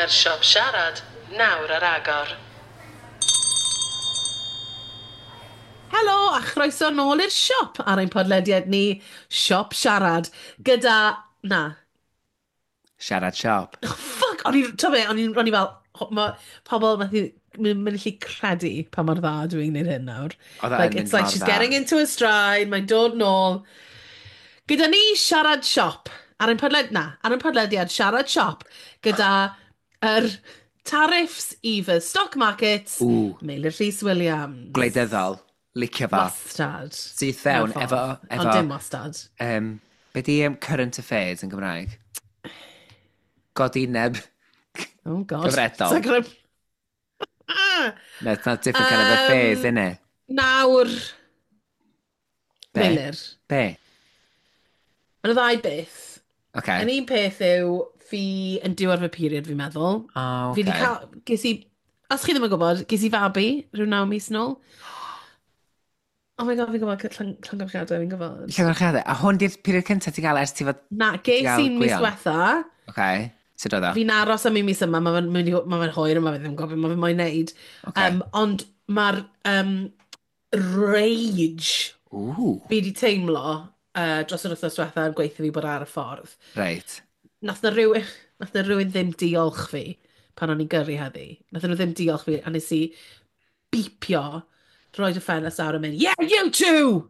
Mae'r siop siarad nawr ar agor. Helo a chroeso nôl i'r siop ar ein podlediad ni, Siop Siarad, gyda... Na. Siarad Siop. Oh, fuck! O'n i'n... Ti'n be, o'n i fel... Ma, pobl methu mynd allu credu pa mor dda dwi'n gwneud hyn nawr. Oedd e Like, yn mynd it's like mor she's dda. getting into a stride, mae'n dod nôl. Gyda ni Siarad Siop, ar ein podled... Na, ar ein podlediad Siarad Siop, gyda yr tariffs i fy stock markets, Ww. Meilir Rhys Williams. Gwleidyddol. Licio fo. Wastad. Syth fewn, Mewn ffordd. efo Ond dim wastad. Be di current affairs yn Gymraeg? Godineb. Oh, God. Cyfredol. It's like No, it's not different kind of affairs, innit? Nawr, Be? Meilir. Be? Mae yna ddau beth. Okay. Yn un peth yw, fi yn diwedd fy period, fi'n meddwl. Oh, Fi di okay. cael, ges i, os chi ddim yn gwybod, ges i fabi rhyw 9 mis nôl. Oh my God, fi'n gwybod, llongyfarchiadau, fi'n gwybod. Llongyfarchiadau. A hwn di'r period cyntaf ti'n gael ers ti fod? Na, ges gael i'n mis Gwion? diwetha. Okay. Sut oedd o? Fi'n aros am un mis yma, mae fe'n ma fe hwyr, mae fe ddim yn gwybod beth mae fe'n moyn neud. Okay. Ond mae'r rage Ooh. fi wedi teimlo dros yr wythnos diwetha yn gweithio fi bod ar y ffordd. Nath na rhywun ddim diolch fi pan o'n i'n gyrru heddi. Nath nhw ddim diolch fi a nes i beepio, rhoi y ffenest awr a mynd, "Yeah, you too!"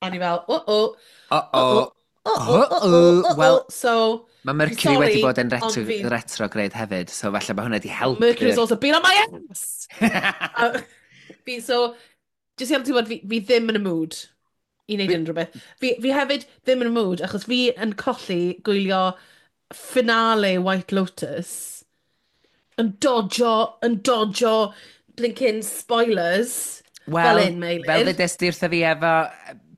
O'n i fel, "Oh-oh, Uh-oh. oh-oh, oh-oh, oh-oh." Wel, So, mae Mercury sorry, wedi bod yn ond retrograde hefyd, so falle mae hwnna wedi helpu. Mercury's also been on my ass! So, jyst i am ti'n gwybod, fi ddim yn y mood i wneud unrhyw beth. Fi hefyd ddim yn y mood, achos fi yn colli gwylio finale White Lotus, yn dodjo blinking spoilers, Wel, fel un, Meilir. fel ddudes di wrtho fi efo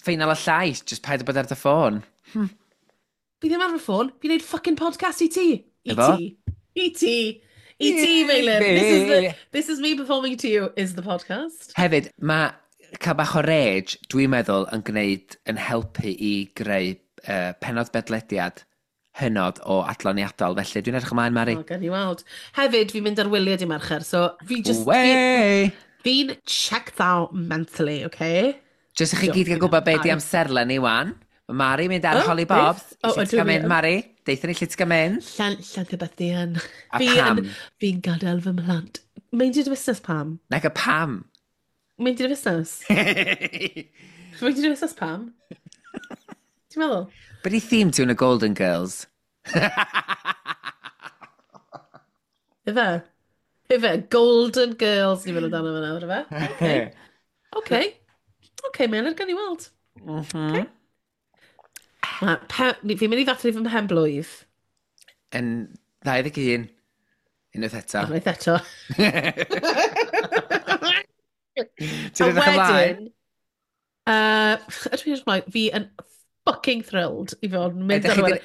ffeinal y Llais, just paid â bod ar dy ffôn. Fi ddim ar fy ffôn, fi'n neud fucking podcast i ti. I Efo? ti. I ti. I ti, Meilir. This is me performing to you, is the podcast. Hefyd, mae cael bach o rage, dwi'n meddwl, yn gwneud, yn helpu i greu penod bedlediad hynod o adloniadol. Felly, dwi'n edrych ymlaen, Mari. O, gan i weld. Hefyd, fi'n mynd ar wyliau dydd Mercher, so fi just... Wey! Fi'n checked out mentally, okay? Jyst i chi gyd gael gwybod beth di amserlen ni wan. Mae Mari mynd ar Oh, Holly Bobs. beth? Oh, Lle ti'n ydw gael i mynd, yn. Mari? Deitha ni lle ti'n gael mynd. Llanllanthybythian. A Fi pam? Fi'n gadael fy mhlant. Meindio dy fusnes pam? Nag y pam? Meindio dy fusnes? Meindio dy fusnes pam? Ti'n meddwl? Be di theme ti yn y Golden Girls? Ife? Ife? Golden Girls ni'n meddwl amdano fe nawr, ife? Okay. Okay. Okay, Meilir, gan i weld. Fi'n mynd i ddathlu fy mhen blwydd. Yn 21. Unwaith eto. Unwaith eto. Ti'n edrych ymlaen? Ydw i'n edrych ymlaen? Fi yn fucking thrilled i fod yn mynd Ydych ar chi ôl.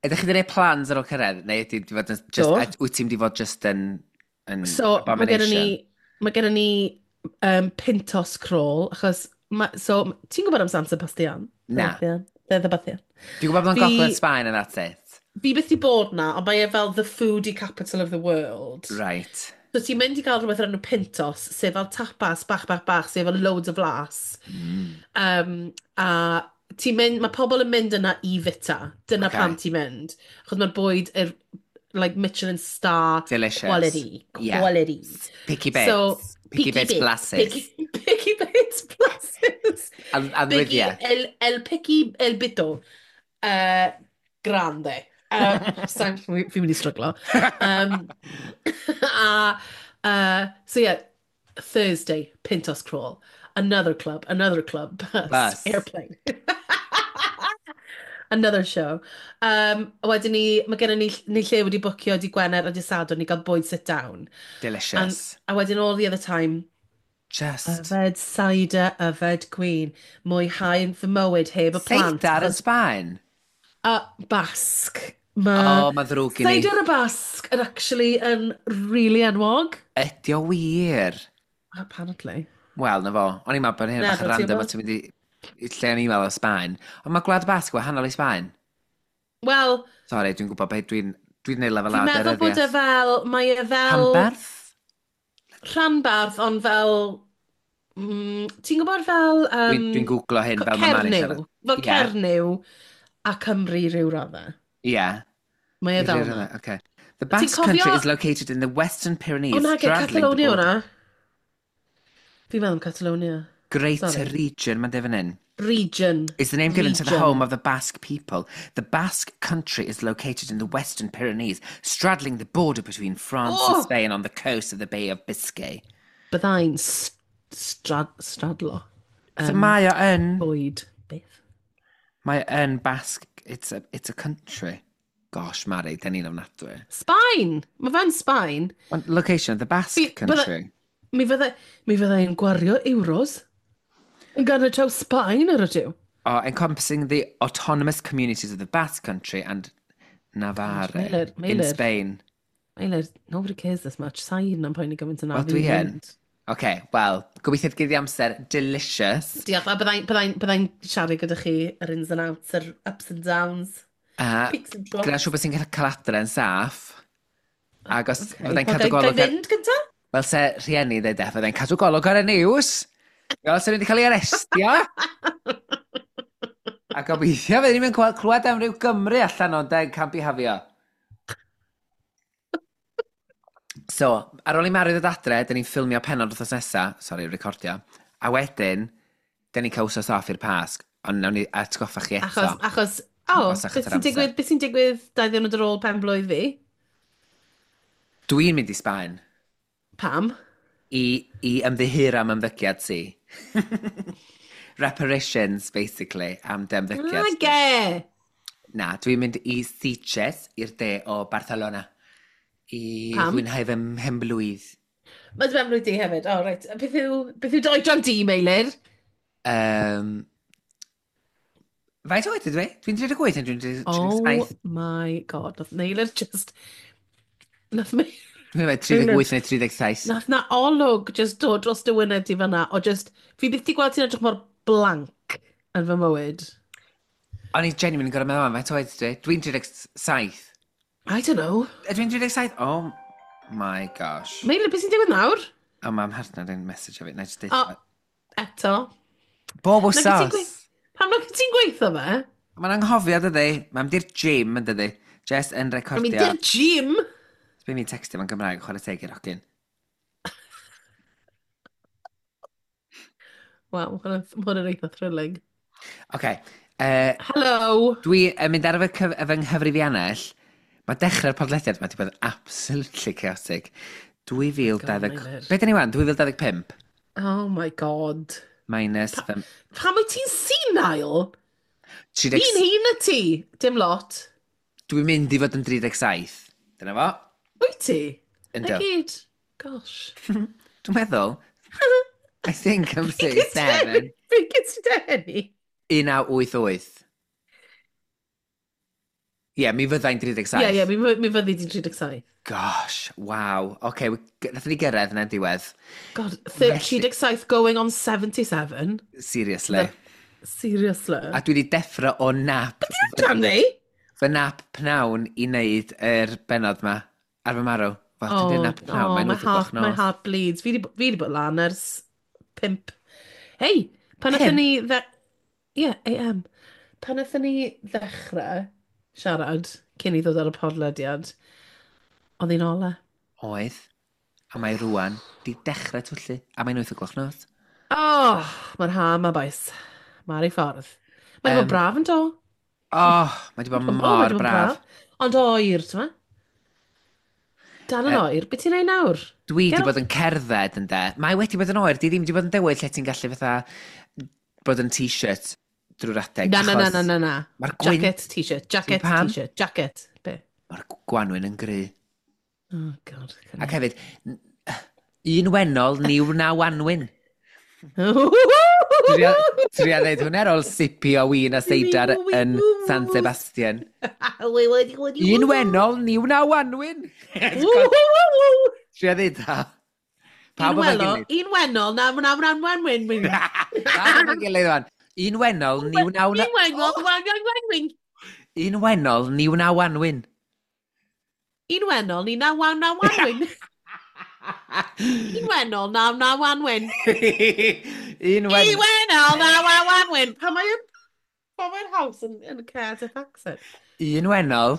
Ydych chi wedi gwneud plans ar ôl cyrraedd? Neu ydy di fod yn just, Do. Wyt ti'n di fod just yn So, mae gennym ni, abomination? mae gennym ni Pintos crawl, achos, so, ti'n gwybod am San Sebastian? Na. Sebastian? Sebastian. Dwi'n gwybod bod yn gogledd Sbaen and that's it. Fi byth di bod na, ond mae e fel the foodie capital of the world. So ti'n mynd i gael rhywbeth o'r enw Pintos, sef fel tapas bach, bach, bach, sef fel loads o flas. A ti'n mynd, mae pobl yn mynd yna i fita. Dyna pam ti'n mynd. Achos mae'r bwyd, like Michelin star Delicious. quality. Quality. Picky bits. So, picky bits blasus. Picky bits blasus. Picky, Anwyddiau. El picky, el bito. Grande. Fi'n mynd i stryglo. A, so yeah, Thursday, Pintos crawl. Another club, bus, Bus. airplane. Another show. A wedyn ni, mae gennym ni lle wedi bwcio dydd Gwener a dydd Sadwrn i gael bwyd sit down. Delicious. A wedyn all the other time, Just. yfed cider, yfed gwin, mwyhau fy mywyd heb y plant. Seidar yn Sbaen? A Basque. O, Mae mae ddrwg i ni. cider y Basque yn actually yn really enwog. Ydy o wir? Apparently. Wel, na fo. O'n i'n meddwl bod hyn Na, bach yn fel ti'n random o gwbod. ti'n mynd i lle o'n i'n meddwl o Sbaen. Ond mae Gwlad Basg wahanol i Sbaen. Wel, Sorry, dwi'n gwybod beth dwi'n Dwi'n gwneud lefel A. Fi'n meddwl bod e fel, mae e fel... Rhanbarth? Rhanbarth, ond fel... ti'n gwybod fel... Dwi'n googlo hyn fel mae Mari'n siarad. Fel yeah. Cernyw a Cymru rhyw raddau. Ie. Yeah. Mae e fel yna. Okay. The Basque cofio... Country is located in the Western Pyrenees. O na, Catalonia hwnna. Fi'n meddwl am Catalonia. Greater Sorry. Region, mae'n defyn hyn. Region. Is the name given region. to the home of the Basque people. The Basque Country is located in the Western Pyrenees, straddling the border between France oh! and Spain on the coast of the Bay of Biscay. Byddai'n stradlo. So mae o yn... Bwyd. Beth? Mae o yn Basque... It's a country. Gosh, Mari, da ni'n ofnadwy. Sbaen! Mae fe'n Sbaen. Location of the Basque Country. Mi fyddai'n gwario euros yn ganol Sbaen ar ydw. Oh, encompassing the autonomous communities of the Basque Country and Navarre Meilir, Meilir, in Spain. Meilir, nobody cares this much. Sa'n am poeni gymaint yna. Wel, dwi yn. OK, wel, gobeithio gyd i amser delicious. Diolch, a byddai'n byddai byddai siarad gyda chi yr ins and outs, yr ups and downs. A gwna siŵr bod ti'n cael adre yn saff. Ac os okay. fyddai'n cadw golwg... Gael fynd gynta? Wel, se rhieni dweud e, fyddai'n cadw golwg ar y news. Fel se wedi cael ei arestio. A gobeithio fydden ni'n mynd clywed am ryw Gymru allan o'n deg can bihafio. So, ar ôl i Mari ddod adre, dyn ni'n ffilmio penod wythnos nesa, sori, recordio, a wedyn, dyn ni'n cael wsos off i'r Pasg, ond nawn ni atgoffa chi eto. Achos, oh, beth sy'n digwydd, beth sy'n digwydd 2 diwrnod ar ôl pen blwydd fi? Dwi'n mynd i Sbaen. Pam? I ymddiheuro am ymddygiad ti. Reparations, basically, am dy ymddygiad. Nage! Na, dwi'n mynd i Sitges, i'r de o Barcelona. I Pam? fwynhau fy mhenblwydd. Mae dy benblwydd di hefyd. Oh, right. Beth yw dy oedran di, Meilir? Faint oed ydw i? Dwi'n 38 neu dwi'n 37? Oh my God. Nath Meilir just... Nath Meilir... Dwi'n meddwl 38 neu 37. Nath na olwg just dod dros dy wyneb di fan'na, o just... Fi byth di gweld ti'n edrych mor blank yn fy mywyd. O'n i genuinely yn gorfod meddwl am faint oed ydw i? Dwi'n 37. I don't know. Ydw i'n 37? Oh my gosh. Meilir, beth sy'n digwydd nawr? O, oh, mae'm mhartner yn message o fi. Na i just deud... O, eto. Bob wsos. Pam nag ti'n gweithio fe? Mae'n anghofio, dydy. Mae'n mynd i'r gym, yn dydy. Jess yn recordio. Mae'n mynd i'r gym? Sbyn fi'n textio fo'n Gymraeg, chwarae teg i'r hogyn. Waw, mae hwnna'n eitha thrilling. OK. Hello! Dwi yn mynd ar fy nghyfrifiannell. Mae dechrau'r podlediad mae wedi bod yn absolutely chaotic. 2020... Be dyn ni wan? 2025? Oh my God. Minus... Pa, pam wyt ti'n senile? 30... Fi'n hŷn na ti. Dim lot. Dwi'n mynd i fod yn 37. Dyna fo. Wyt ti? Yndw. Na gyd. Gosh. Dwi'n meddwl. I think I'm 37. Fi'n gyd ti denu? 1988. Ie, yeah, mi fyddai'n 37. Ie, yeah, mi fyddi di'n 37. Gosh, waw. Oce, okay, nathon ni gyrraedd yna'n diwedd. God, 37 going on 77. Seriously. Seriously. A dwi wedi deffro o nap. Beth yw'n oedran ni? Fy nap pnawn i wneud yr bennod ma ar fy marw. Fel, oh, dwi'n nap pnawn, oh, mae'n 8 o'ch nos. My heart bleeds. Fi wedi bod lan ers 5. Hei, pan nathon ni... Ie, AM. Pan nathon ni ddechrau siarad cyn i ddod ar y podlediad, oedd hi'n ola. Oedd. A mae rwan di dechrau twyllu. A mae'n 8 o'ch nos. Oh, mae'r ha yma, boys. Mae'r ei ffordd. Mae'n bod braf yn do. Oh, mae wedi bod mor braf. Ond oer, ti'n ma? Dal yn oer. Be ti'n neud nawr? Dwi wedi bod yn cerdded yn de. Mae wedi bod yn oer. Di ddim wedi bod yn dywyll lle ti'n gallu fatha bod yn t-shirt drwy'r adeg. Na, na, na, na, na, na. Mae'r gwynt... Jacket, t-shirt, jacket, t-shirt, jacket. Be? Mae'r gwanwyn yn gry. Oh, God. Ac hefyd, un wennol, ni wna wanwyn. Tria ddeud hwnna ar ôl sipi o win a seidar yn San Sebastian. Un wennol, ni wna wanwyn. Tria ddeud ha. Pawb efo'i gilydd. Un wennol, na wna wna wanwyn. Pawb efo'i gilydd wan. Un wennol, ni wna wna... Un wennol, wan wan wan wyn. Un wennol, ni wna wanwyn. Un wennol, ni naw wan naw wanwyn. Un wennol, naw naw wanwyn. Un wen... Un wennol, naw naw wanwyn. Pa mae'n pa mae'n haws yn Cardiff accent? Un wennol.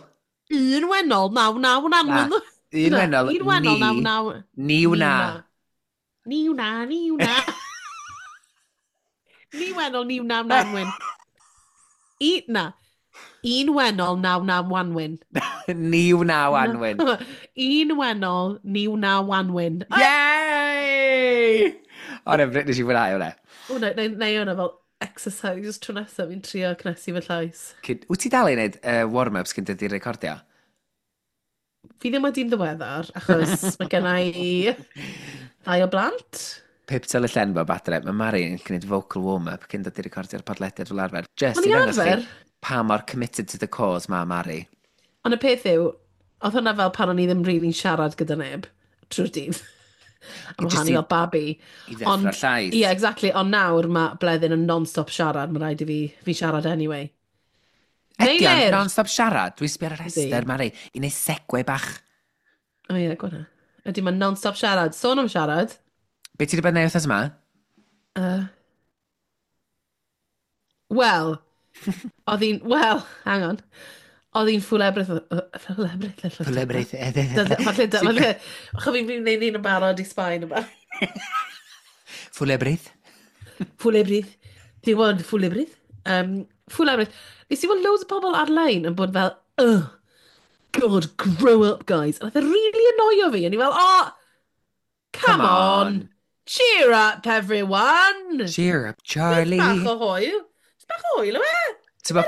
Un wennol, naw naw wanwyn. Un wennol, Un wennol, naw naw... Ni wna. Ni wna, ni wna. Ni wennol, ni wna wanwyn. I, na. Un wennol, naw naw wanwyn. Ni wna wanwyn. Un wennol, ni wna wanwyn. Yay! O, ne, nes i fwynhau hwnna. O, na, na, na hwnna fel exercise tro nesaf fi'n trio cnesu fy llais. Wyt ti dal i wneud warm-ups cyn dod i recordio? Fi ddim wedi'n ddiweddar, achos mae gen i ddau o blant. Pip tyl y llen bob adre, mae Mari yn gwneud vocal warm-up cyn dod i recordio'r podlediad fel arfer. Just i ddangos chi pa mor committed to the cause mae Mari. Ond y peth yw, oedd hwnna fel pan o'n i ddim really'n siarad gyda neb trwy'r dydd. Am wahân i fel babi. I ddeffro'r llais. Ie, yeah, exactly. Ond nawr mae Bleddyn yn non-stop siarad. Mae rhaid i fi siarad anyway. Ydy o'n non-stop siarad? Dwi'n sbio ar y rhestr, Mari, i wneud segue bach. O ie, gwna. Ydy, mae'n non-stop siarad. Sôn am siarad. Be ti wedi bod yn neud wythnos yma? Wel, oedd hi'n... Wel, hang on. Oedd hi'n ffwl ebryth... Ffwl ebryth? Ffwl ebryth. Falle, falle... Chos fi'n gwneud un yn barod i Sbaen yma. Ffwl ebryth? Ffwl ebryth. Ti'n gwybod ffwl ebryth? Ffwl ebryth. Nes i weld loads o bobl ar-lein yn bod fel, oh, God, grow up, guys. A nath e really annoio fi. A ni fel, oh, come on. Cheer up, everyone. Cheer up, Charlie. Bach o hwyl. Bach o hwyl, yw e? Ti'n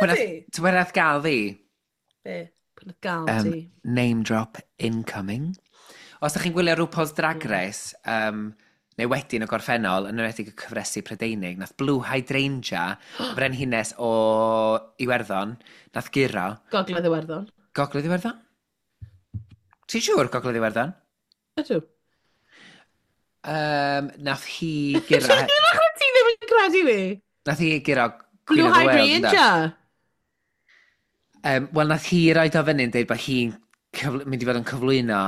bod nath gael fi? Be? Pwy nath gael ti? Name drop incoming. Os ydych chi'n gwylio RuPaul's Drag Race, neu wedyn y gorffennol, yn enwedig y cyfresu Prydeinig, nath Blue Hydrangea, y brenhines o Iwerddon, nath guro. Gogledd Iwerddon. Gogledd Iwerddon? Ti'n siŵr Gogledd Iwerddon? Ydw. Nath hi guro... Ti ddim yn credu fi? Nath hi guro Queen Blue of the World. Hydrangea! Wel, nath hi roed o fyny yn dweud bod hi'n mynd i fod yn cyflwyno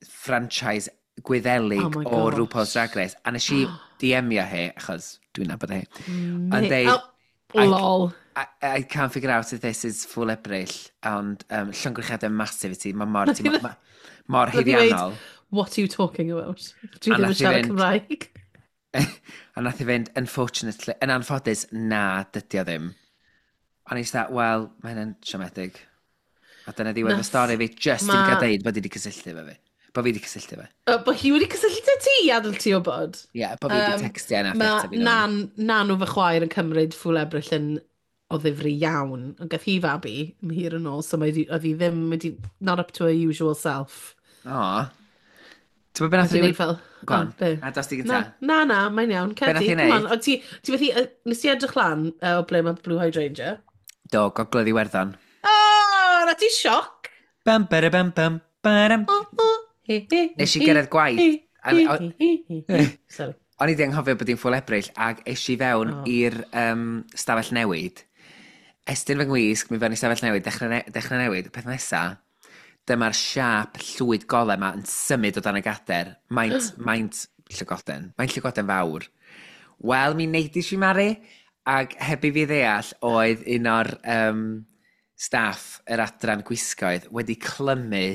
franchise Gwyddelig oh o RuPaul's Drag Race. A nes i DM-io hi, achos dwi'n nabod hi. Ond deud... Oh, lol. I can't figure out if this is full Ebrill, ond llongyfarchiadau massive i ti. Mae mor, ti, ma, mor haeddiannol. What are you talking about? Dwi ddim yn siarad Cymraeg. A nath i fynd, unfortunately, yn anffodus, na, dydy o ddim. A nes i dda, wel, mae hynny'n siomedig. A dyna ddiwedd y stori fi, just i fi gael deud bod i wedi cysylltu efo fi. Bod fi wedi cysylltu fe. Bod hi wedi cysylltu ti i adael ti wybod? Ie, yeah, bod fi wedi textio yna. Mae nan o fy chwaer yn cymryd ffwl Ebrill yn o ddifri iawn. Ond gath hi fabi yn hir yn ôl, so mae oedd hi ddim wedi, not up to her usual self. O. Ti'n gwybod beth nath i fel... Go on. A dos di gynta. Na, na, mae'n iawn. Be nath i wneud? Ti fethu, nes ti edrych lan o ble mae Blue Hydrangea? Do, Gogledd Iwerddon. O, na ti sioc! Bam, bara, bam, bam, baram. Nes i gyrraedd gwaith. Sorry. O'n i wedi anghofio bod hi'n ffwl Ebrill ac es i fewn i'r stafell newid. Estyn fy ngwisg, mi fewn i stafell newid, dechrau newid. Peth nesa, dyma'r siâp llwyd golau yma yn symud o dan y gader. Maint llygoden. Maint llygoden fawr. Wel, mi neidis i Mari, ac heb i fi ddeall oedd un o'r staff yr adran gwisgoedd wedi clymu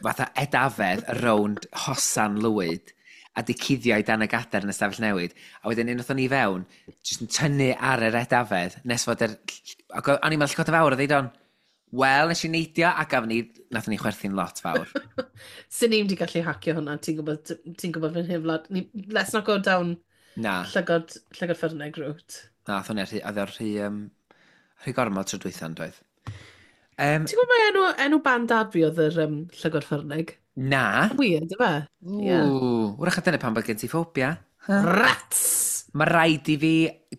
fatha edafedd rownd hosan lwyd a di cuddio i dan y gader yn y stafell newid. A wedyn unwaith o'n i fewn, jyst yn tynnu ar yr edafedd, nes fod yr... Ac o'n i'n meddwl llygoden fawr, oedd on, wel, nes i neidio, a gafon ni, nathon ni chwerthu'n lot fawr. Swn i'm di gallu hacio hwnna, ti'n gwybod, ti'n gwybod fy nheimlad. Let's not go down na. Llygod ffyrneg route. Na, oedd hwnna rhy, oedd o'r rhy gormod tro dwytha yn doedd. Ti'n gwybod mae enw band dad fi oedd yr llygod ffyrnig? Na. Weird, yfe? Yeah. Wrach a dyna pan bod gen ti ffobia. Huh? Rats! Mae rhaid i fi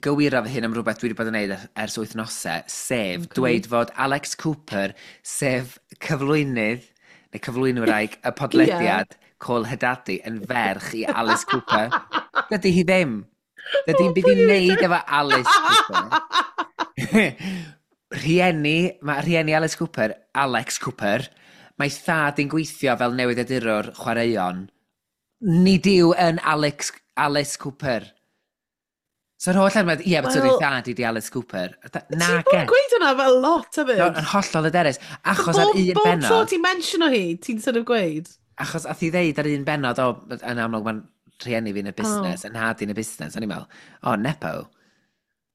gywiro fy hun am rhywbeth dwi wedi bod yn neud ers wythnosau, sef dweud fod Alex Cooper, sef cyflwynydd, neu cyflwynwraig y podlediad Cole Hedadi yn ferch i Alice Cooper. Dydy hi ddim. Dydy hi'n byd i wneud efo Alice Cooper. Rhieni, mae rhieni Alice Cooper, Alex Cooper, mae thad yn gweithio fel newyddiadurwr chwaraeon. Nid yw yn Alex, Alice Cooper. So'r holl arfer, ie, but well, thad i di Alice Cooper. Na, Ti'n bod yn gweud hwnna fel lot hefyd. No, yn hollol hyderus. Achos ar un benod. Bob tro ti'n mention o hi, ti'n sort of gweud. Achos ath i ddeud ar un benod, o, yn amlwg mae'n rhieni fi yn y busnes, oh. Yn nhad i'n y busnes. O'n i'n meddwl, o, oh, nepo.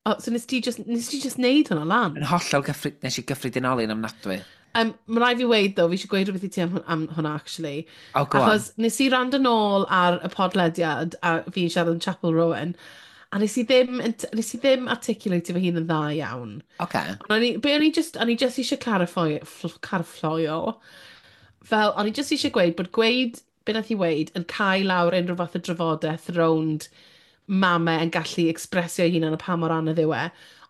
Oh, so nes ti just, nes ti just neud hwnna lan? Yn hollol gyffred, nes i gyffredinoli yn ofnadwy. Mae rhaid fi weud, ddo, fi eisiau gweud rhywbeth i ti am hwnna, actually. Oh, go Achos on. Nes i rand yn ôl ar y podlediad, a fi'n siarad yn Chapel Rowan, a nes i ddim articulate fy hun yn dda iawn. Okay. Ond o'n i, be o'n i just, o'n i just eisiau clarify, clarifio, fel, o'n i just eisiau gweud bod gweud be nath i weud yn cael lawr unrhyw fath o drafodaeth rownd mamau yn gallu expresio eu hunan a pa mor anodd yw e.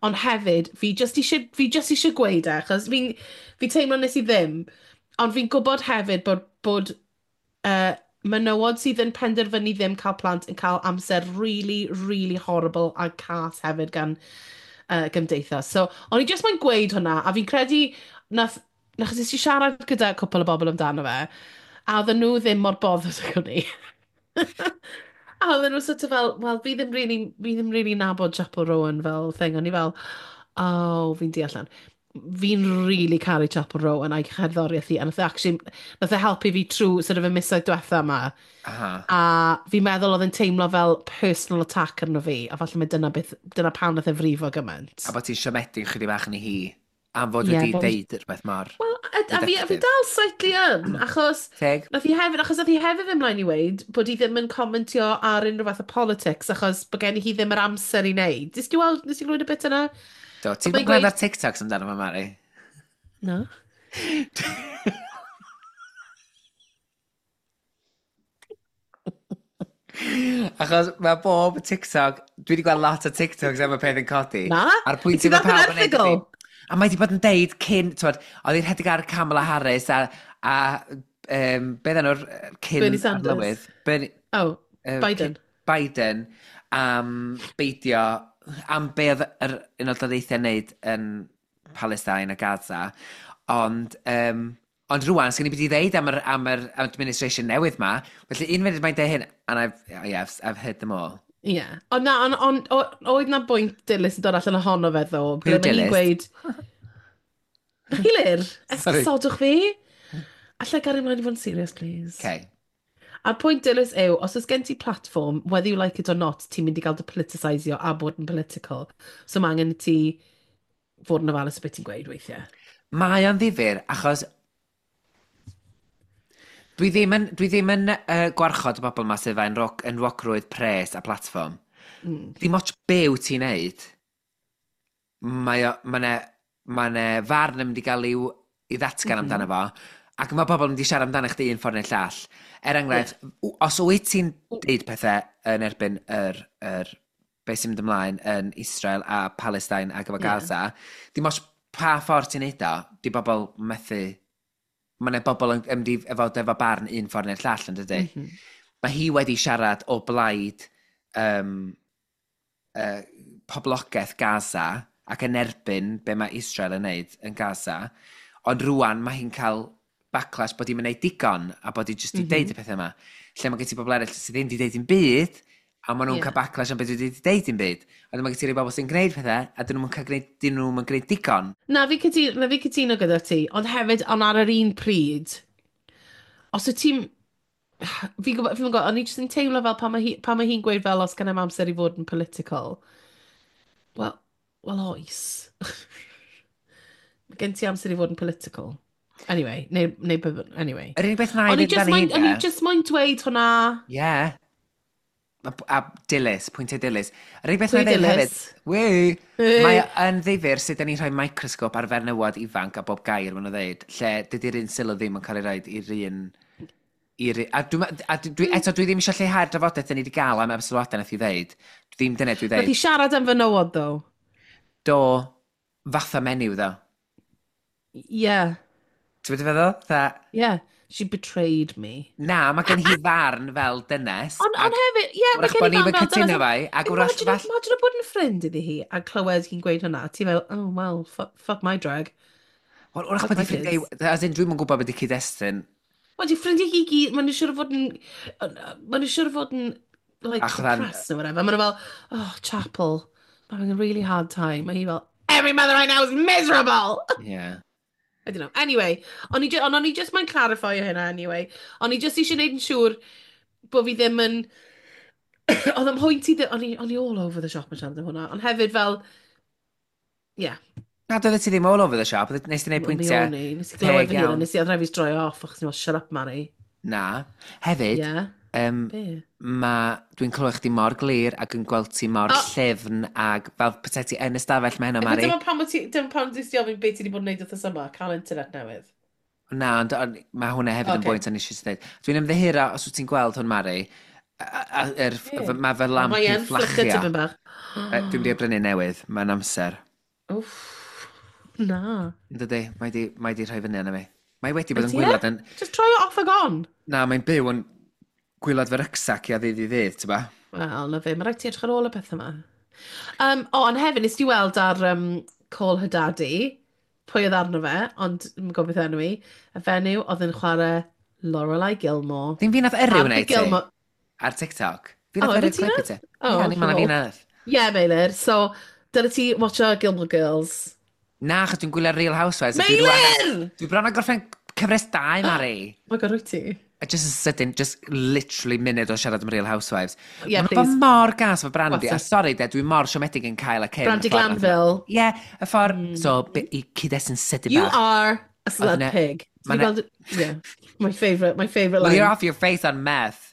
Ond hefyd, fi just eisiau gweud e, achos fi teimlo nes i ddim, ond fi'n gwybod hefyd bod menywod sydd yn penderfynu ddim cael plant yn cael amser really, really horrible a cas hefyd gan gymdeithas. So, o'n i just moyn gweud hwnna, a fi'n credu nath nes i siarad gyda cwpl o bobl amdano fe, a oedden nhw ddim mor bothered ag o'n i. A oedden nhw sort of fel, well, fi ddim really nabod Chappell Rowan fel thing. O'n i fel, oh, fi'n deall lan. Fi'n really caru Chappell Rowan a'i cherddoriaeth hi, a nath e actually, nath e helpu fi trwy sort of y misoedd diwetha yma. A fi'n meddwl oedd yn teimlo fel personal attack arno fi, a falle mae dyna, beth, dyna pam nath e frifo gymaint. A bod ti'n siomedig chydig bach yn ei hi. Am fod wedi deud rhywbeth mor Wel, a fi dal slightly yn, achos Teg. nath hi hefyd, achos nath hi hefyd fynd mlaen i weud bod hi ddim yn comentio ar unrhyw fath o politics, achos bod gen hi ddim yr amser i wneud. Nes ti weld, nes ti glywed y bit yna? Do, ti'n Mae'n gweld ar TikToks amdano fo, Mari? No. Achos mae bob TikTok, dwi wedi gweld lot o TikToks am y peth yn codi. Na? A'r pwynt Ti yw mae ddarllen pawb yn neud erthygl? A mae wedi bod yn deud cyn, t'wod, oedd hi'n rhedeg ar Kamala Harris a beth enw'r cyn Bernie Sanders. Arlywydd? Bernie, Oh, Biden. Biden am beidio, am be oedd yr Unol Daleithiau'n neud yn Palestine a Gaza. Ond rwan, sgen i beth i ddeud am yr administration newydd ma. Felly un funud mae'n deud hyn, and I've, yeah, I've heard them all. Ie. Yeah. Ond na, ond oedd na bwynt dilys yn dod allan ohono fe, ddo. Pwy yw Ble mae hi'n dilys? gweud... Hilir, Sorry. esgusodwch fi. Allai gario ymlaen i fod yn serious, please? Okay. A'r pwynt dilys yw, os oes gen ti platform, whether you like it or not, ti'n mynd i gael dy politicisio a bod yn political. So mae angen i ti fod yn ofalus o beth ti'n gweud weithiau. Mae o'n ddifyr, achos dwi ddim yn gwarchod y bobl yma sydd efo enwogrwydd, pres a platfform. Dim ots be wyt ti'n neud, mae ne farn yn mynd i gael i'w i ddatgan amdano fo, ac mae pobl yn mynd i siarad amdano chdi un ffordd neu'r llall. Er enghraifft, os wyt ti'n deud pethau yn erbyn yr beth sy'n mynd ymlaen yn Israel a Palestine ac efo Gaza, dim ots pa ffordd ti'n neud o, di bobl methu. Mae yna bobl yn mynd i efo barn un ffordd neu'r llall, yn dydy? Mm -hmm. Mae hi wedi siarad o blaid poblogaeth Gaza ac yn erbyn be mae Israel yn neud yn Gaza. Ond rwan mae hi'n cael backlash bod hi'n mynd digon a bod hi jyst i deud y pethau yma. Lle mae gen ti bobl eraill sydd ddim wedi deud dim byd, a maen nhw'n cael backlash am beth wedi deud dim byd. A mae gen ti rhai bobl sy'n gwneud pethau, a dyn nhw'n cael gwneud, dyn nhw'n gwneud digon. Na fi cytuno gyda ti, ond hefyd, ond ar yr un pryd, os wyt ti'n... Fi'n gwybod, fi'n gwybod, o'n i jyst yn teimlo fel pan mae hi'n gweud fel os gen i'm amser i fod yn political. Wel oes. Mae gen ti amser i fod yn political. Anyway, neu, anyway. Yr unig beth na i O'n i fynd just dan moyn, hi, o'n i just moyn dweud hwnna. Ie. A dilys, pwyntiau dilys. Yr unig beth Pwy na i ddeud hefyd, dilys? Wee, Hey. mae o yn ddifyr sut da ni'n rhoi microscope ar fenywod ifanc a bob gair maen nhw'n ddeud, lle dydy'r un sylw ddim yn cael ei roed i'r un... A, dwi, eto, dwi ddim eisiau lleihau'r drafodaeth da ni wedi gael am sylwadau nath i ddeud. Ddim dyna dwi Nath ddeud. i siarad am fenywod, ddo. Do, fatha menyw, ddo. Ie, Ti'n mynd i feddwl? Tha, ie. She betrayed me. Na, mae gen hi farn fel dynes. Ond hefyd, ie, mae gen hi farn fel dynes. Fai, ac wrach fall. Imagine bod yn ffrind iddi hi a clywed hi'n gweud hwnna. Ti fel, "Oh, well, fuck, fuck my drag." Wel, wrach bod i ffrindiau. As in, dwi'm yn gwybod beth i cyd-destun. Wel, di ffrindiau hi gyd, maen nhw'n siŵr o fod yn... Maen nhw'n siŵr o fod yn, like, depressed or whatever. Maen nhw fel, "Oh, Chapel, I'm having a really hard time." Mae hi fel, "Every mother I know is miserable!" Yeah. I don't know. Anyway, ond o'n i just mae'n clarify hynna anyway. O'n i just eisiau gwneud yn siŵr bod fi ddim yn... Oedd ym mhwynt i... O'n i all over the shop yn siarad am hwnna. Ond hefyd fel... Yeah. Na, doeddet ti ddim all over the shop. Nes ti wneud Wel, mi pwyntiau o'n i. Nes i glywed teg fy hun, a iawn. nes i oedd rhaid fi droi off, achos ni'n fel, "Shut up, Mari." Na. Hefyd, Be? Dwi'n clywed chdi mor glir ac yn gweld ti mor llyfn ac fel petai ti yn y stafell mae heno, Mari. Dyma pam ti 'di ofyn beth ti wedi bod yn neud wrth yma, cael internet newydd. Na, ond mae hwnna hefyd yn bwynt o'n eisiau dweud. Dwi'n ymddiheuro os wyt ti'n gweld hwn, Mari. Be? Mae fy lamp Mae i'n e'n flicker fflachio. tipyn bach. Dwi'n mynd i brynu newydd, mae'n amser. Wff, na. Yn dydi, mae di rhoi fyny arno fi. Mae wedi bod yn Ydi e? gwylod yn. Just try it off ag on. Na, mae'n byw yn gwaelod fy rucksack i a ddydd i ddydd, ti'n ba? Wel, na fe, mae rhaid ti edrych ar ôl y peth yma. O, ond hefyd, nes ti weld ar Call Her Daddy, pwy oedd arno fe, ond ddim yn gwybod beth enw i, y fenyw oedd yn chwarae Lorelai Gilmore. Ddim fi nath yrru Ar hwnna the i ti? Gilmore. Ar TikTok? Fi O, nath ife yrru ti clip i nath? ti. O, Ie, ni'n meddwl fi cool. nath. Ie, yeah, Meilir, so, dyle ti watcho Gilmore Girls. Na, achos dwi'n gwylio Real Housewives, a dwi rŵan. Meilir! Dwi bron â gorffen cyfres 2, Mari. Oh my God, wyt ti? A just yn sydyn, just literally munud o siarad am Real Housewives. Yeah, Maen nhw'n bod please. mor gas fo Brandy. A What's sorry, de, dwi'n mor siomedig yn cael a Kim. Brandy y ffordd nath. Glanville. Ie, yeah, y ffordd. So, i cyd-destun sydyn "You bach. are a slut Oedd pig." ma' Ti'n gweld? Yeah, my favourite "Well, line. you're off your face on meth."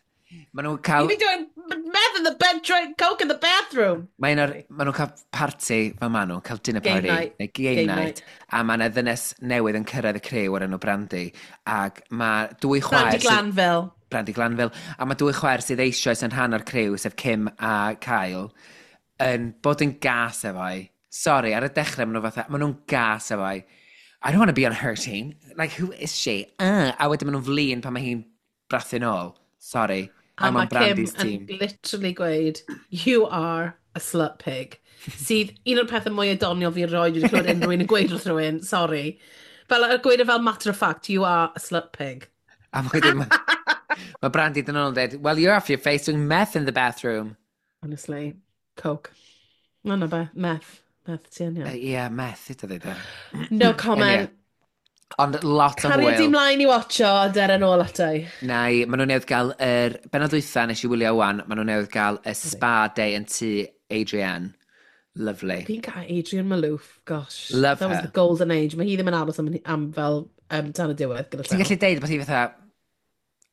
Maen nhw'n cael. "You've been doing meth in the bed, trying coke in the bathroom." Maen nhw'n cael party, fel maen nhw'n cael dinner Game party. night. Neu game, Game night. A mae yna ddynes newydd yn cyrraedd y criw o'r enw Brandy. Ac mae dwy chwaer Brandy Glanville. Brandy Glanville. A mae dwy chwaer sydd eisoes yn rhan o'r criw, sef Kim a Kyle, yn bod yn gas efo hi. Sorry, ar y dechrau maen nhw fatha, maen nhw'n gas efo hi. "I don't want to be on her team. Like, who is she?" A wedyn maen nhw'n flin pan mae hi'n brathu nôl. Sorry. A I'm mae on Brandy's Kim team. yn literally gweud, "You are a slut pig." Sydd un o'r pethau mwy doniol fi erioed wedi clywed unrhyw un yn gweud wrth rhywun, sorry. Fel, y gweud e fel matter of fact, "You are a slut pig." A wedyn mae Brandy dyn nhw'n dweud, "Well, you're off your face doing meth in the bathroom." Honestly, coke. No, na be, meth. Meth ti yn iawn. Yeah, meth, ydw dweud e. No comment. Ond lot o Caria di hwyl. mlaen i watcho a der yn ôl ato i. Na i, maen nhw newydd gael yr benod dwytha nes i wylio wan, maen nhw newydd gael y spa day yn tŷ Adrienne. Lovely. Fi'n cael Adrienne Maloof, gosh. Love That was her. the golden age. Mae hi ddim yn aros am fel tan y diwedd gyda Ti'n llaw. gallu deud bod hi fatha,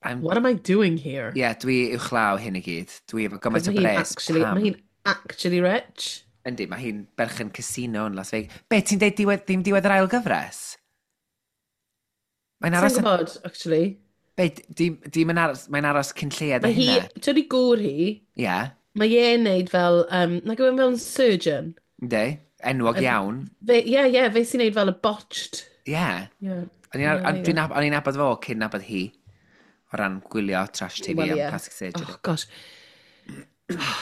I'm, What am I doing here? Yeah, dwi uwchlaw hyn i gyd. Dwi efo gymaint o Mae hi'n bres. actually, Pam? mae hi'n actually rich. Yndi, mae hi'n berchen casino yn Las Vegas. Be, ti'n deud diwedd, ddim diwedd yr ail gyfres? Mae'n aros Ti'n gwybod, actually. Be, dim yn aros, mae'n aros cyn lleied o Mae hi, hynna. ti'n gŵr hi, mae e'n neud fel, nag yw e'n fel yn surgeon. Yndi, enwog iawn. Fe, ie, fe sy'n neud fel y botched. Ie. Yeah. O'n i'n Yeah, o'n i'n nabod fo cyn nabod hi. O ran gwylio trash TV Wel, am ie. plastic surgery. Oh, gosh.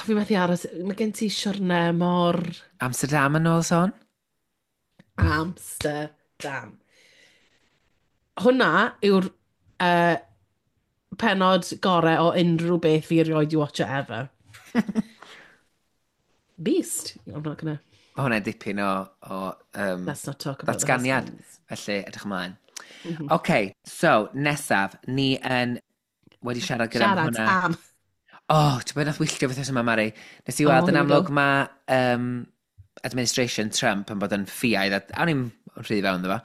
Fi methu aros. Mae gen ti siwrne mor. Amsterdam yn ôl sôn? Amsterdam. Hwna yw'r penod gorau o unrhyw beth fi erioed i watcho ever. Beast. I'm not gonna. Mae hwnna'n dipyn o Let's not talk about the ddatganiad. husbands. Felly, edrych ymlaen. OK, so, nesaf, ni yn wedi siarad gyda Siarad hwnna. am. Oh, ti'n bod nath wylltio beth yma, Mari? Nes i Oh, weld yn here we go. amlwg mae administration Trump yn bod yn ffiaidd, a o'n i'm rhy fewn iddo fo,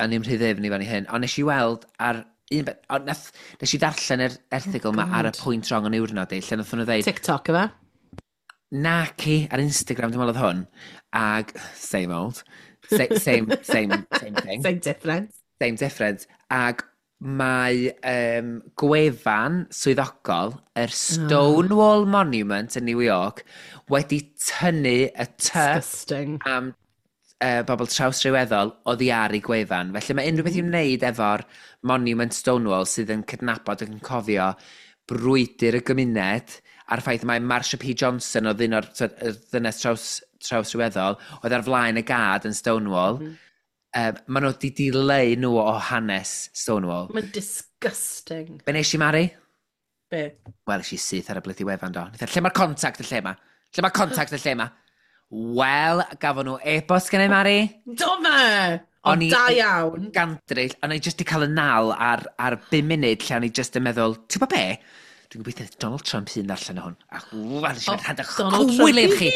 o'n i'm rhy ddyfn i fewn i hyn, ond nes i weld ar un beth, ond nes i ddarllen yr erthygl yma ar y God. pwynt wrong yn niwrnod i, lle nath nhw dweud, TikTok, yfe? Naci, ar Instagram dwi'n meddwl oedd hwn, ag, same old, same, same, same thing. Same difference. Same difference. Ag mae gwefan swyddogol yr Stonewall Monument yn New York wedi tynnu y T Disgusting. am bobl trawsryweddol oddi ar ei gwefan. Felly mae unrhyw beth i'w wneud efo'r Monument Stonewall sydd yn cydnabod ac yn cofio brwydr y gymuned a'r ffaith mae Marsha P. Johnson oedd un o'r ddynes trawsryweddol oedd ar flaen y gad yn Stonewall. Maen nhw wedi dileu nhw o hanes Stonewall. Mae'n disgusting. Be nes i, Mari? Be? Wel, es i syth ar y blydi wefan do. Lle mae'r contact y lle ma? Lle mae'r contact y lle ma? Wel, gafon nhw e-bost gen i, Mari. Do fe! O, da iawn. Gandryll, o'n i jyst i cael y nal ar 5 munud lle o'n i jyst yn meddwl, ti'n gwybod be? Dwi'n gobeithio Donald Trump hun ddarllen o hwn. Ac wel, nes i fynd rhan cywilydd chi.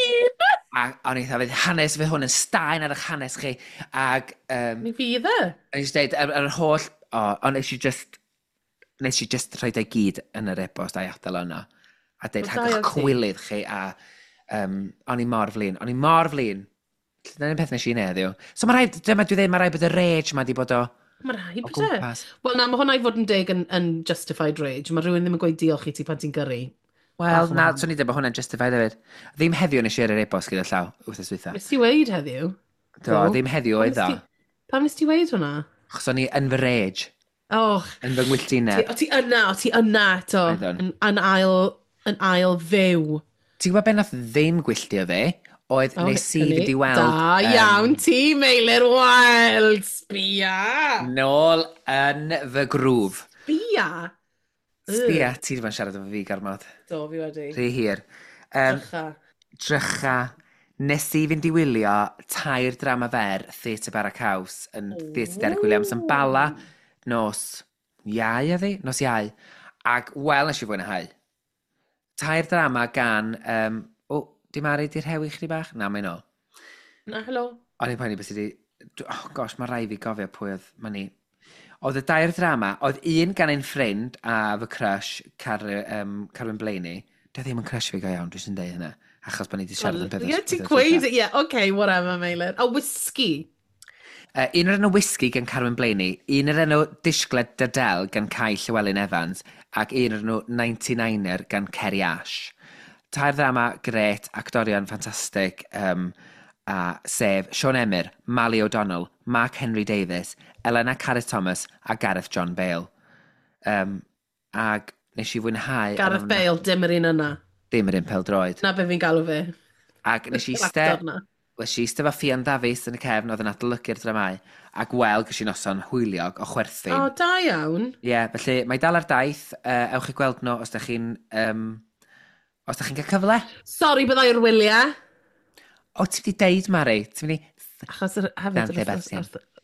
A o'n i fydd hanes, fydd hwn yn staen ar eich hanes chi. Ac... Mi fydd e. O'n i jyst dweud, ar yr holl... O, ond nes i just rhoi ei gyd yn yr e-bost a'i adael yno. A dweud, rhag eich cywilydd chi. A o'n i mor flin. O'n i mor flin. Dyna'n peth nes i wneud heddiw. So mae rhaid, dyma dwi dweud, mae rhaid bod y rage ma di bod o Mae rhaid bod e. Wel na, mae hwnna i fod yn deg yn justified rage. Mae rhywun ddim yn gweud diolch i ti pan ti'n gyrru. Wel, na, swn i dweud bod hwnna'n justified hefyd. Ddim heddiw nes i ar yr e-bost gyda llaw, wythnos dwytha. Nes ti weid heddiw? Do, ddim heddiw oedd o. Pam nes ti weid hwnna? Achos o'n i yn fy rage. Oh. Yn fy ngwylltineb. O ti yna, o ti yna eto. Yn ail fyw. Ti'n gwybod be nath ddim gwylltio fi? Oedd nes i fynd i weld... Da iawn ti, Meilir Wild, sbia! Nôl yn fy grŵf. Sbia? Sbia, ti wedi bod yn siarad efo fi gormod. Do, fi wedi. Rhy hir. Drycha. Drycha. Nes i fynd i wylio 3 drama fer Theatr Bara Caws yn Theatr Derek Williams yn Bala nos Iau, oedd hi? Nos Iau. Ac wel nes i fwynhau. 3 drama gan... Di Mari, di rhewi chdi bach? Na, mae'n ôl. Na, helo. O'n i'n poeni beth sydd wedi... Oh gosh, mae rai fi gofio pwy oedd... Mae ni. Oedd y 2 drama, oedd un gan ein ffrind a fy crush, Carwyn Blaney. Dio ddim yn crush fi go iawn, dwi jyst yn deud hynna. Achos bod ni wedi siarad yn pethau. Ie, ti'n gweud, ie, okay, whatever, Meilir. A whisky. Un o'r enw Whisky gan Carwyn Blaney, un o'r enw Disgled Dadel gan Kai Llywelyn Evans, ac un o'r enw 99er gan Kerry Ash. 3 ddrama gret, actorion ffantastig, a sef Sean Emyr, Mali O'Donnell, Mark Henry Davies, Elena Carys Thomas a Gareth John Bale. Ag nes i fwynhau... Gareth Bale, dim yr un yna. Dim yr un pêl-droed. Na be fi'n galw fe. Ac nes i iste... Nes i iste efo Ffion Dafis yn y cefn oedd yn adolygu'r dramau, ac wel, ges i noson hwyliog o chwerthin. O, da iawn. Ie, yeah, felly mae dal ar daith. Ewch i gweld nhw os da chi'n... Os da chi'n cael cyfle. Sori, byddai'r wyliau. O, ti'n mynd i deud, Mari? Ti'n mynd i... Achos hefyd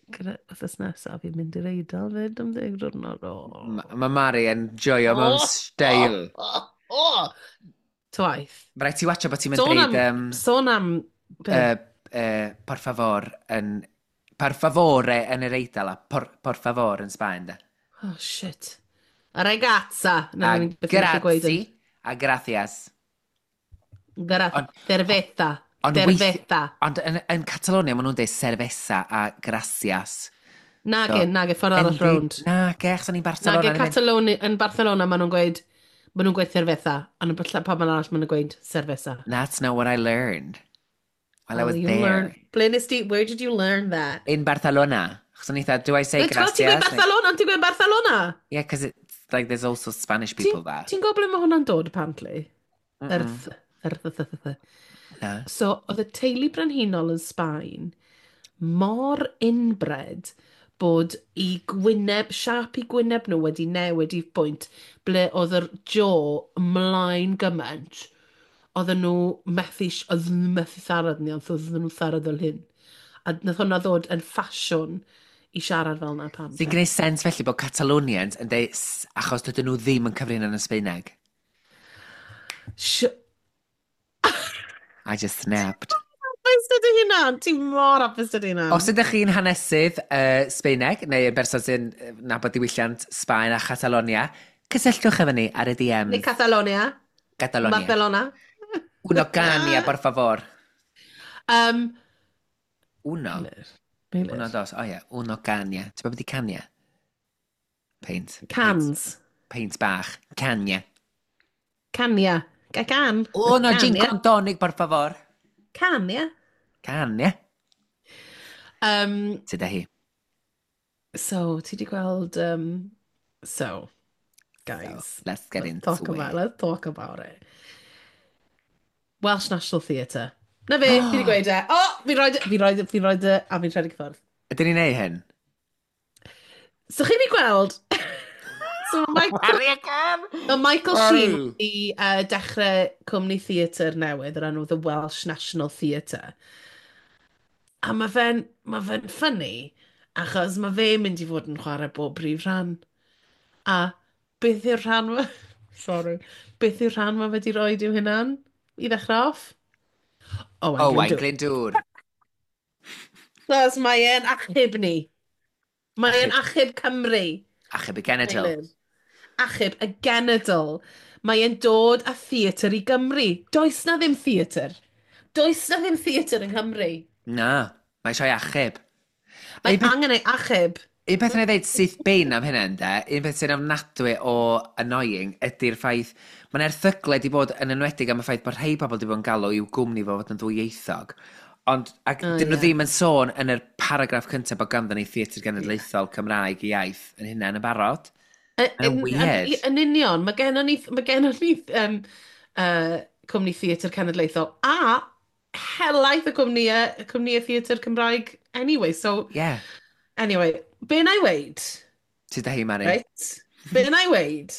wythnos nesaf, fi'n mynd i'r Eidal fyd am 10 diwrnod. Mae Mari yn joio mewn steil. Twaith. Mae rhaid ti watcha bod ti'n mynd deud... Sôn am... Por favor yn... Por favore yn yr Eidal a por favor yn Sbaen, da. Oh, shit. A ragazza. A grazi. A gracias. Cerveza. Cerveza. Ond yn Catalonia, maen nhw'n dweud cerveza a gracias. Nage, nage, ffordd arall rownd. Nage, achos o'n i'n Barcelona. Nage, Catalonia, yn Barcelona, maen nhw'n gweud cerveza. Ond yn pam arall, maen nhw'n gweud cerveza. That's not what I learned. While I was there. Ble nes ti, where did you learn that? In Barcelona. Achos o'n i dda, do I say gracias? Ti'n gweud Barcelona, ti'n gweud Barcelona? Yeah, because it's like there's also Spanish people there. Ti'n gwybod ble mae hwnna'n dod, apparently? Th. Na. So, oedd y teulu brenhinol yn Sbaen mor inbred bod i gwyneb, siâp i gwyneb nhw wedi newid i bwynt ble oedd yr jaw ymlaen gymaint. Oedden nhw methu siarad ni, ond oedden nhw'n siarad fel hyn. A nath hwnna ddod yn ffasiwn i siarad fel yna pam. Sy'n gwneud sens felly bod Catalonians yn dweud achos dydyn nhw ddim yn cyfrin yn y Sbaeneg. I just snapped. Hapus dy hunan? Ti'n mor hapus dy hunan. Os ydych chi'n hanesydd Sbaeneg, neu yn berson sy'n nabod diwylliant Sbaen a Catalonia, cysylltwch efo ni ar y DMs. Neu Catalonia. Catalonia. Barcelona. Uno cania, por favor. Uno. Meilir. Uno, dos. O ie, uno cania. Ti'n gwybod beth i cania? Paint. Cans. Paint bach. Cania. Cania. Can. Uno gin con tonic, por favor. Cania. Cania. Sut da hi? So, ti di gweld... So, guys. So, let's get let's into talk it. About, let's talk about it. Welsh National Theatre. Na fe, fi wedi gweud e. O, oh, fi'n rhoi, fi rhoi, fi rhoi e, a fi'n rhedeg ffwrdd. Ydyn ni'n neud hyn? So chi wedi gweld... So mae Michael, mae Michael Sheen wedi dechrau cwmni theatr newydd o'r enw The Welsh National Theatre. A mae fe'n funny, achos mae fe'n mynd i fod yn chwarae bob brif rhan. A beth yw'r rhan... Sorry. Beth yw'r rhan mae fe wedi rhoi i'w hunan i ddechrau off? Owain Owain Glyndŵr. Glyndŵr. Cos mae e'n achub ni. Mae e'n achub Cymru. Achub y genedl. Meilir. Achub y genedl. Mae e'n dod â theatr i Gymru. Does na ddim theatr. Does na ddim theatr yng Nghymru. Na, mae eisiau achub. Mae Un angen ei achub. Un peth yn ei ddeud syth bin am hynna, ynde, un peth sy'n ofnadwy o annoying ydy'r ffaith, mae'n erthygle di bod yn enwedig am y ffaith bod rhai pobl di bod yn galw i'w gwmni fo fod yn ddwyieithog. Ond, ac dyn nhw ddim yn sôn yn yr paragraff cyntaf bod ganddyn ni Theatr Genedlaethol Cymraeg i iaith yn hynna yn y barod. Mae'n weird. Yn union, mae gennon ni cwmni theatr cenedlaethol a helaeth y cwmnïau theatr Cymraeg anyway. So, anyway, be na i weid, Sut da hi, Mari? Right? Be na i weid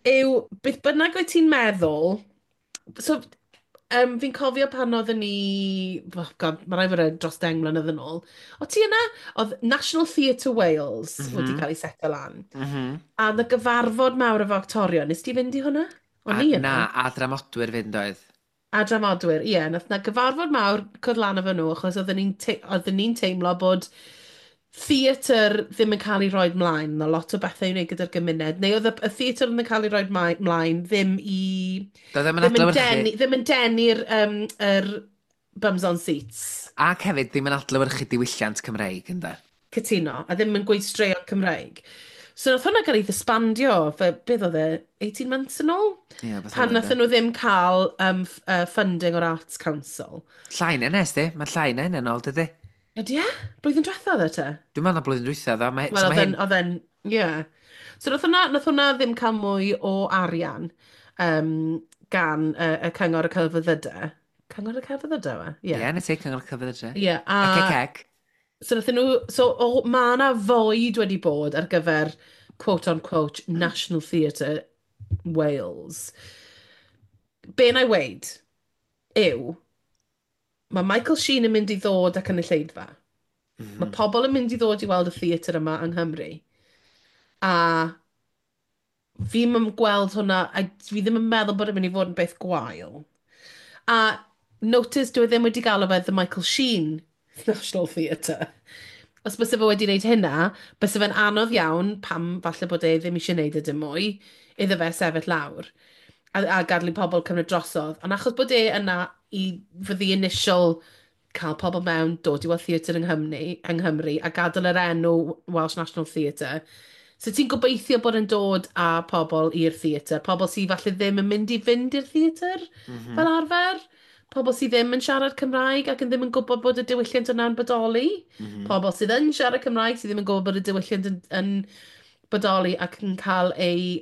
yw, beth bynnag wyt ti'n meddwl, so, fi'n cofio pan oedden ni, oh God, mae rhaid fod e dros 10 mlynedd yn ôl, o ti yna? Oedd National Theatre Wales wedi cael ei seto lan. A oedd y gyfarfod mawr efo actorion, nes ti fynd i hwnna? O'n A, i yna. na, a dramodwyr fynd oedd. A dramodwyr, ie. Nath na gyfarfod mawr cwrdd lan efo nhw, achos oedden ni'n teimlo bod theatr ddim yn cael ei roi mlaen. Na lot o bethau i wneud gyda'r gymuned. Neu oedd y theatr yn cael ei roi mlaen ddim i... Doedd ddim yn Ddim yn adlewyrchu. denu, ddim yn denu'r yr bums on seats. Ac hefyd ddim yn adlewyrchu diwylliant Cymreig, ynddo? Cytuno, a ddim yn gweud straeon Cymreig. So nath hwnna gael ei ddisbandio, fe, beth oedd e, 18 months yn ôl? Ie, beth Pan oedd e. nathon nhw ddim cael funding o'r Arts Council. Llai na nes di, mae llai na hynny yn ôl, dydy? Ydy e? Blwyddyn diwetha oedd e te? Dwi'n meddwl na blwyddyn dwytha, ddo. Mae, Wel, so oedd mae e'n, hyn. oedd e'n, ie. So nath hwnna ddim cael mwy o arian gan y Cyngor y Celfyddydau. Cyngor y Celfyddydau, we? Ie, Ie. nes i Cyngor Celfyddydau. Ie, a... Ec, ec, ec. So nathon nhw, so o, ma' 'na void wedi bod ar gyfer quote-unquote National Theatre Wales. Be na i weid yw, mae Michael Sheen yn mynd i ddod â cynulleidfa. Mae pobl yn mynd i ddod i weld y theatr yma yng Nghymru. A fi'm yn gweld hwnna, a fi ddim yn meddwl bod e'n mynd i fod yn beth gwael. A notice, dwi e ddim wedi galw fe The Michael Sheen National Theatre. Os byse fe wedi gwneud hynna, byse fe'n anodd iawn pam falle bod e ddim eisiau gwneud e dim mwy, iddo fe sefyll lawr a gadael i pobl cymryd drosodd. Ond achos bod e yna i for the initial cael pobl mewn, dod i weld theatr yng Nghymru a gadael yr enw Welsh National Theatre. So ti'n gobeithio bod yn dod â pobl i'r theatr, pobl sydd falle ddim yn mynd i fynd i'r theatr fel arfer, pobl sydd ddim yn siarad Cymraeg ac yn ddim yn gwybod bod y diwylliant yna'n bodoli, pobl sydd yn siarad Cymraeg sydd ddim yn gwybod bod y diwylliant yn bodoli ac yn cael ei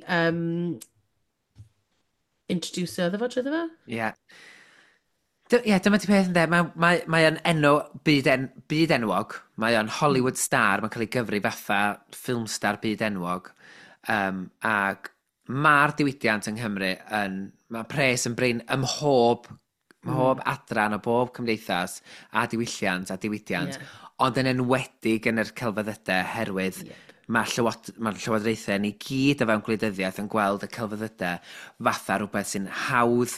introduce iddo fo, drwy fe? Ie. Ie, dyma ti peth ynde, mae o'n enw byd enwog, mae o'n Hollywood star, mae'n cael ei gyfri fatha film star byd enwog, ac mae'r diwydiant yng Nghymru yn, mae pres yn brin ym mhob adran o bob cymdeithas a diwylliant a diwydiant, ond yn enwedig yn yr celfyddydau herwydd mae llywodraethau ni gyd o fewn gwleidyddiaeth yn gweld y celfyddydau fatha rhywbeth sy'n hawdd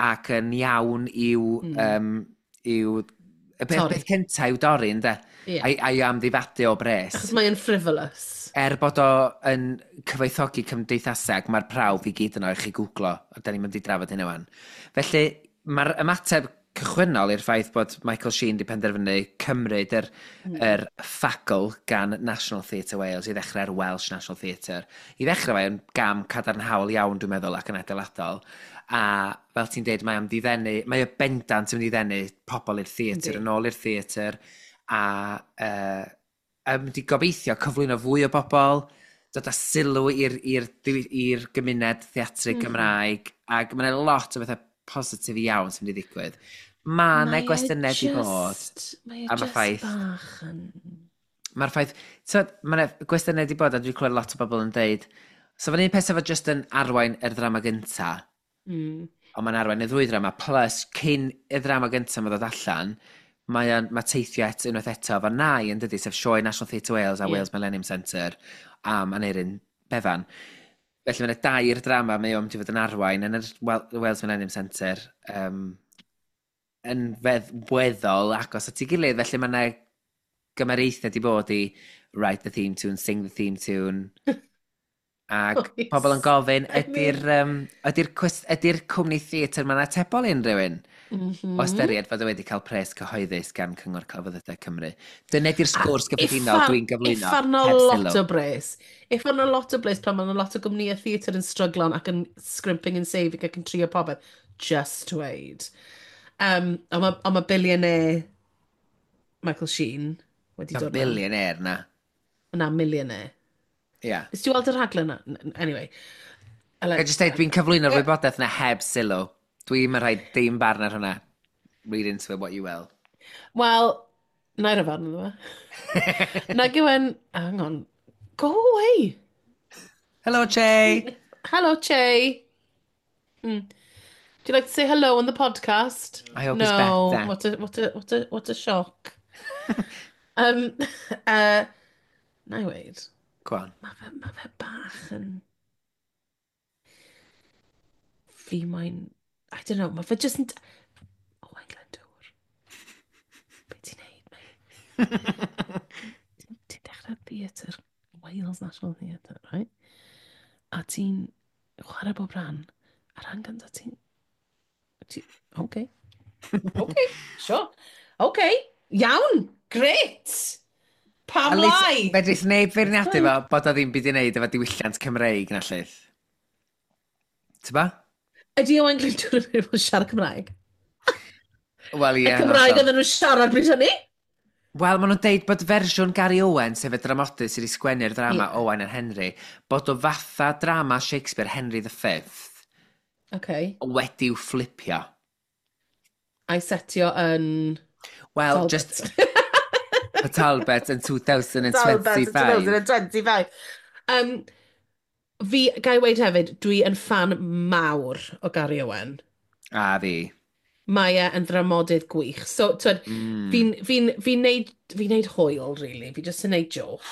ac yn iawn i'w, i'w y peth, Torri. peth cyntaf i'w dorri, ynde? Ie. A'i amddifadu o bres. Achos mae'n frivolous. Er bod o yn cyfoethogi cymdeithaseg, mae'r prawf i gyd yno i chi googlo, a da ni'n mynd i drafod hynny wan. Felly, mae'r ymateb cychwynnol i'r ffaith bod Michael Sheen di penderfynu cymryd yr ffagl gan National Theatre Wales i ddechrau'r Welsh National Theatre. I ddechrau fe yn gam cadarnhaol iawn, dwi'n meddwl, ac yn adeiladol. A fel ti'n deud, mae am ddiddenu, mae o bendant yn mynd i ddenu pobl i'r theatr, yn ôl i'r theatr. A mynd i gobeithio cyflwyno fwy o bobl, dod â sylw i'r gymuned theatrig Gymraeg, ac mae yna lot o bethau positif iawn sy'n mynd i ddigwydd. Mae yna gwestiynau di bod Mae e am y just ffaith bach yn. Mae'r ffaith, tywed, mae yna gwestiynau di bod, a dwi'n clywed lot o bobl yn deud, so fan un peth efo just yn arwain yr ddrama gynta, ond mae'n arwain y ddwy ddrama, plus cyn y ddrama gynta mae ddod allan, mae teithio unwaith eto efo Nai yn dydi, sef sioe National Theatre Wales a Wales Millennium Centre am Aneurin Bevan. Felly mae yna dair drama mae o'n mynd i fod yn arwain yn yr Wales Millennium Centre yn weddol agos at ei gilydd, felly mae yna gymariaethau di bod i write the theme tune, sing the theme tune. Ac pobl yn gofyn, I mean ydy'r cwmni theatr ma'n atebol i unrhyw un? O ystyried fod o wedi cael pres cyhoeddus gan Cyngor Celfyddydau Cymru. Dyna di'r sgwrs gyffredinol dwi'n gyflwyno. Uffern o heb lot sylw. o bres. Uffern o lot o bres pan mae'n lot o gwmnïau theatr yn stryglo ac yn scrimping and saving ac yn trio popeth. Just wait. Ond ma billionaire Michael Sheen wedi Na dod mewn. Billionaire na. Na, millionaire. Ia. Yeah. Nes ti weld y rhaglen na? Anyway. Ga i just deud, dwi'n cyflwyno'r wybodaeth na heb sylw. Dwi'n rhoi dim barn ar hwnna. Read into it what you will. Wel, na i roi farn iddo fe. Nag yw e'n. Hang on. Go away. Hello, Che! Hello, Che. Do you like to say hello on the podcast? I hope he's No. better. What a shock. Na i weud, Go on. mae fe bach yn. Fi moyn. I don't know, mae fe just yn. Owain Glyndŵr. Be ti'n neud, mate? Ti'n dechrau theatr, Wales National Theatre, right? A ti'n chwarae bob rhan. A rhan gyntaf ti'n. OK. Sure. OK, iawn, great. Pam At least, lai? Fedrith neb feirniadu fo bod o ddim byd i wneud efo diwylliant Cymreig na llith. Ti'n ba? Ydy Owain Glyndŵr yn mynd i fod yn siarad Cymraeg? Wel, ie. Y Cymraeg oedden nhw'n siarad bryd hynny? Wel, maen nhw'n deud bod fersiwn Gary Owen, sef y dramodydd sydd wedi sgwennu'r drama Owain and Henry, bod o fatha drama Shakespeare Henry V wedi'w fflipio. A'i setio yn Wel, Talbot. just y Talbot yn 2025. Talbot yn 2025. Fi, ga i weud hefyd, dwi yn fan mawr o Gary Owen. A fi. Mae e yn ddramodydd gwych. So, twyd, fi'n neud hwyl, really. Fi just yn neud joke.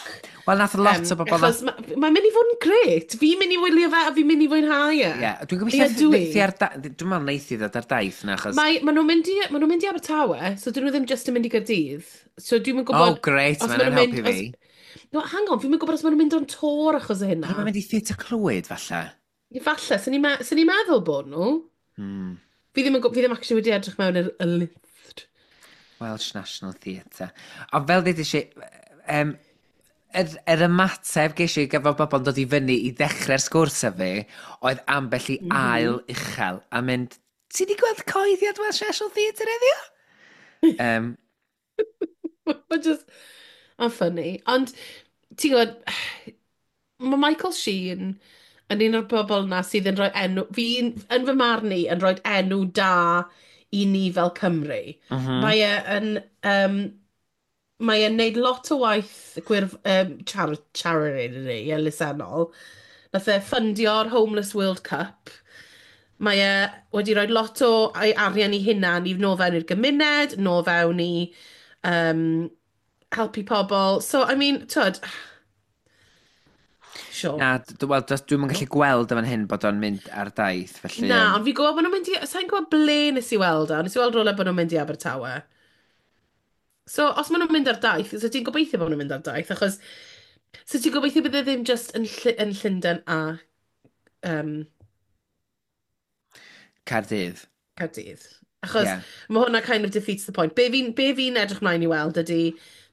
Wel, nath lot o bobl. Achos mae'n mynd i fod yn gret. Fi'n mynd i wylio fe a fi'n mynd i fwynhau e. Ie, dwi'n gobeithio Ie, dwi. neithi ar dwi'n meddwl neithi ddod ar daith na, achos. Ma nhw'n mynd i, ma nhw'n mynd i Abertawe, so dyn nhw ddim just yn mynd i Gaerdydd. So dwi'n yn gwybod Oh, great, os mae'n ma' nhw'n helpu mynd- fi. No, hang on, fi'n gwybod os maen nhw'n mynd on tour achos o hynna. Mae'n mynd i Theatr Clwyd, falle. Ie, falle, sy'n ni meddwl bod nhw. Fi ddim actually wedi edrych mewn i'r y list. Welsh National Theatre. Ond fel dweud i, yr ymateb ges i gyda bobl yn dod i fyny i ddechrau'r sgwrs â fi, oedd ambell i ail uchel a mynd, "Ti di gweld cyhoeddiad Welsh National Theatre heddiw?" Mae just. Mae'n funny. Ond, ti'n gwybod, mae Michael Sheen yn un o'r bobl na sydd yn rhoi enw. Fi'n, yn fy marn i, yn rhoi enw da i ni fel Cymru. Mae e yn... Mae e'n neud lot o waith gwirf, charity, elusennol. Nath e ffyndio'r Homeless World Cup. Mae e wedi rhoi lot o ei arian i hunan i nôl fewn i'r gymuned, nôl fewn i helpu pobl. So, I mean, twyd. Sure. Na, wel, dwi'm yn gallu gweld yn fan hyn bod o'n mynd ar daith, felly. Na, ond fi'n gwybod bod nhw'n mynd i. Sa'n gwybod ble nes i weld o. Nes i weld rhywle bod nhw'n mynd i Abertawe. So, os maen nhw'n mynd ar daith, so ti'n gobeithio bod nhw'n mynd ar daith, achos. So ti'n gobeithio bydd e ddim just yn Llundain a Caerdydd. Caerdydd. Achos mae hwnna kind of defeats the point. Be fi edrych mlaen i weld ydy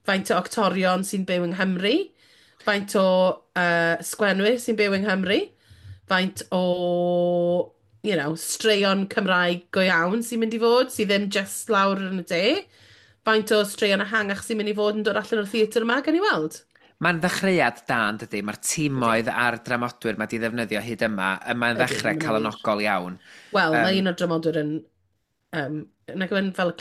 faint o actorion sy'n byw yng Nghymru, faint o sgwenwyr sy'n byw yng Nghymru, faint o straeon Cymraeg go iawn sy'n mynd i fod, sydd ddim just lawr yn y de. Faint o straeon ehangach sy'n mynd i fod yn dod allan o'r theatr yma, gan i weld? Mae'n ddechreuad da, yn dydy? Mae'r timoedd a'r dramodwyr mae di ddefnyddio hyd yma, mae'n ddechrau calonogol iawn. Wel, mae un o'r dramodwyr yn... nag yw'n fel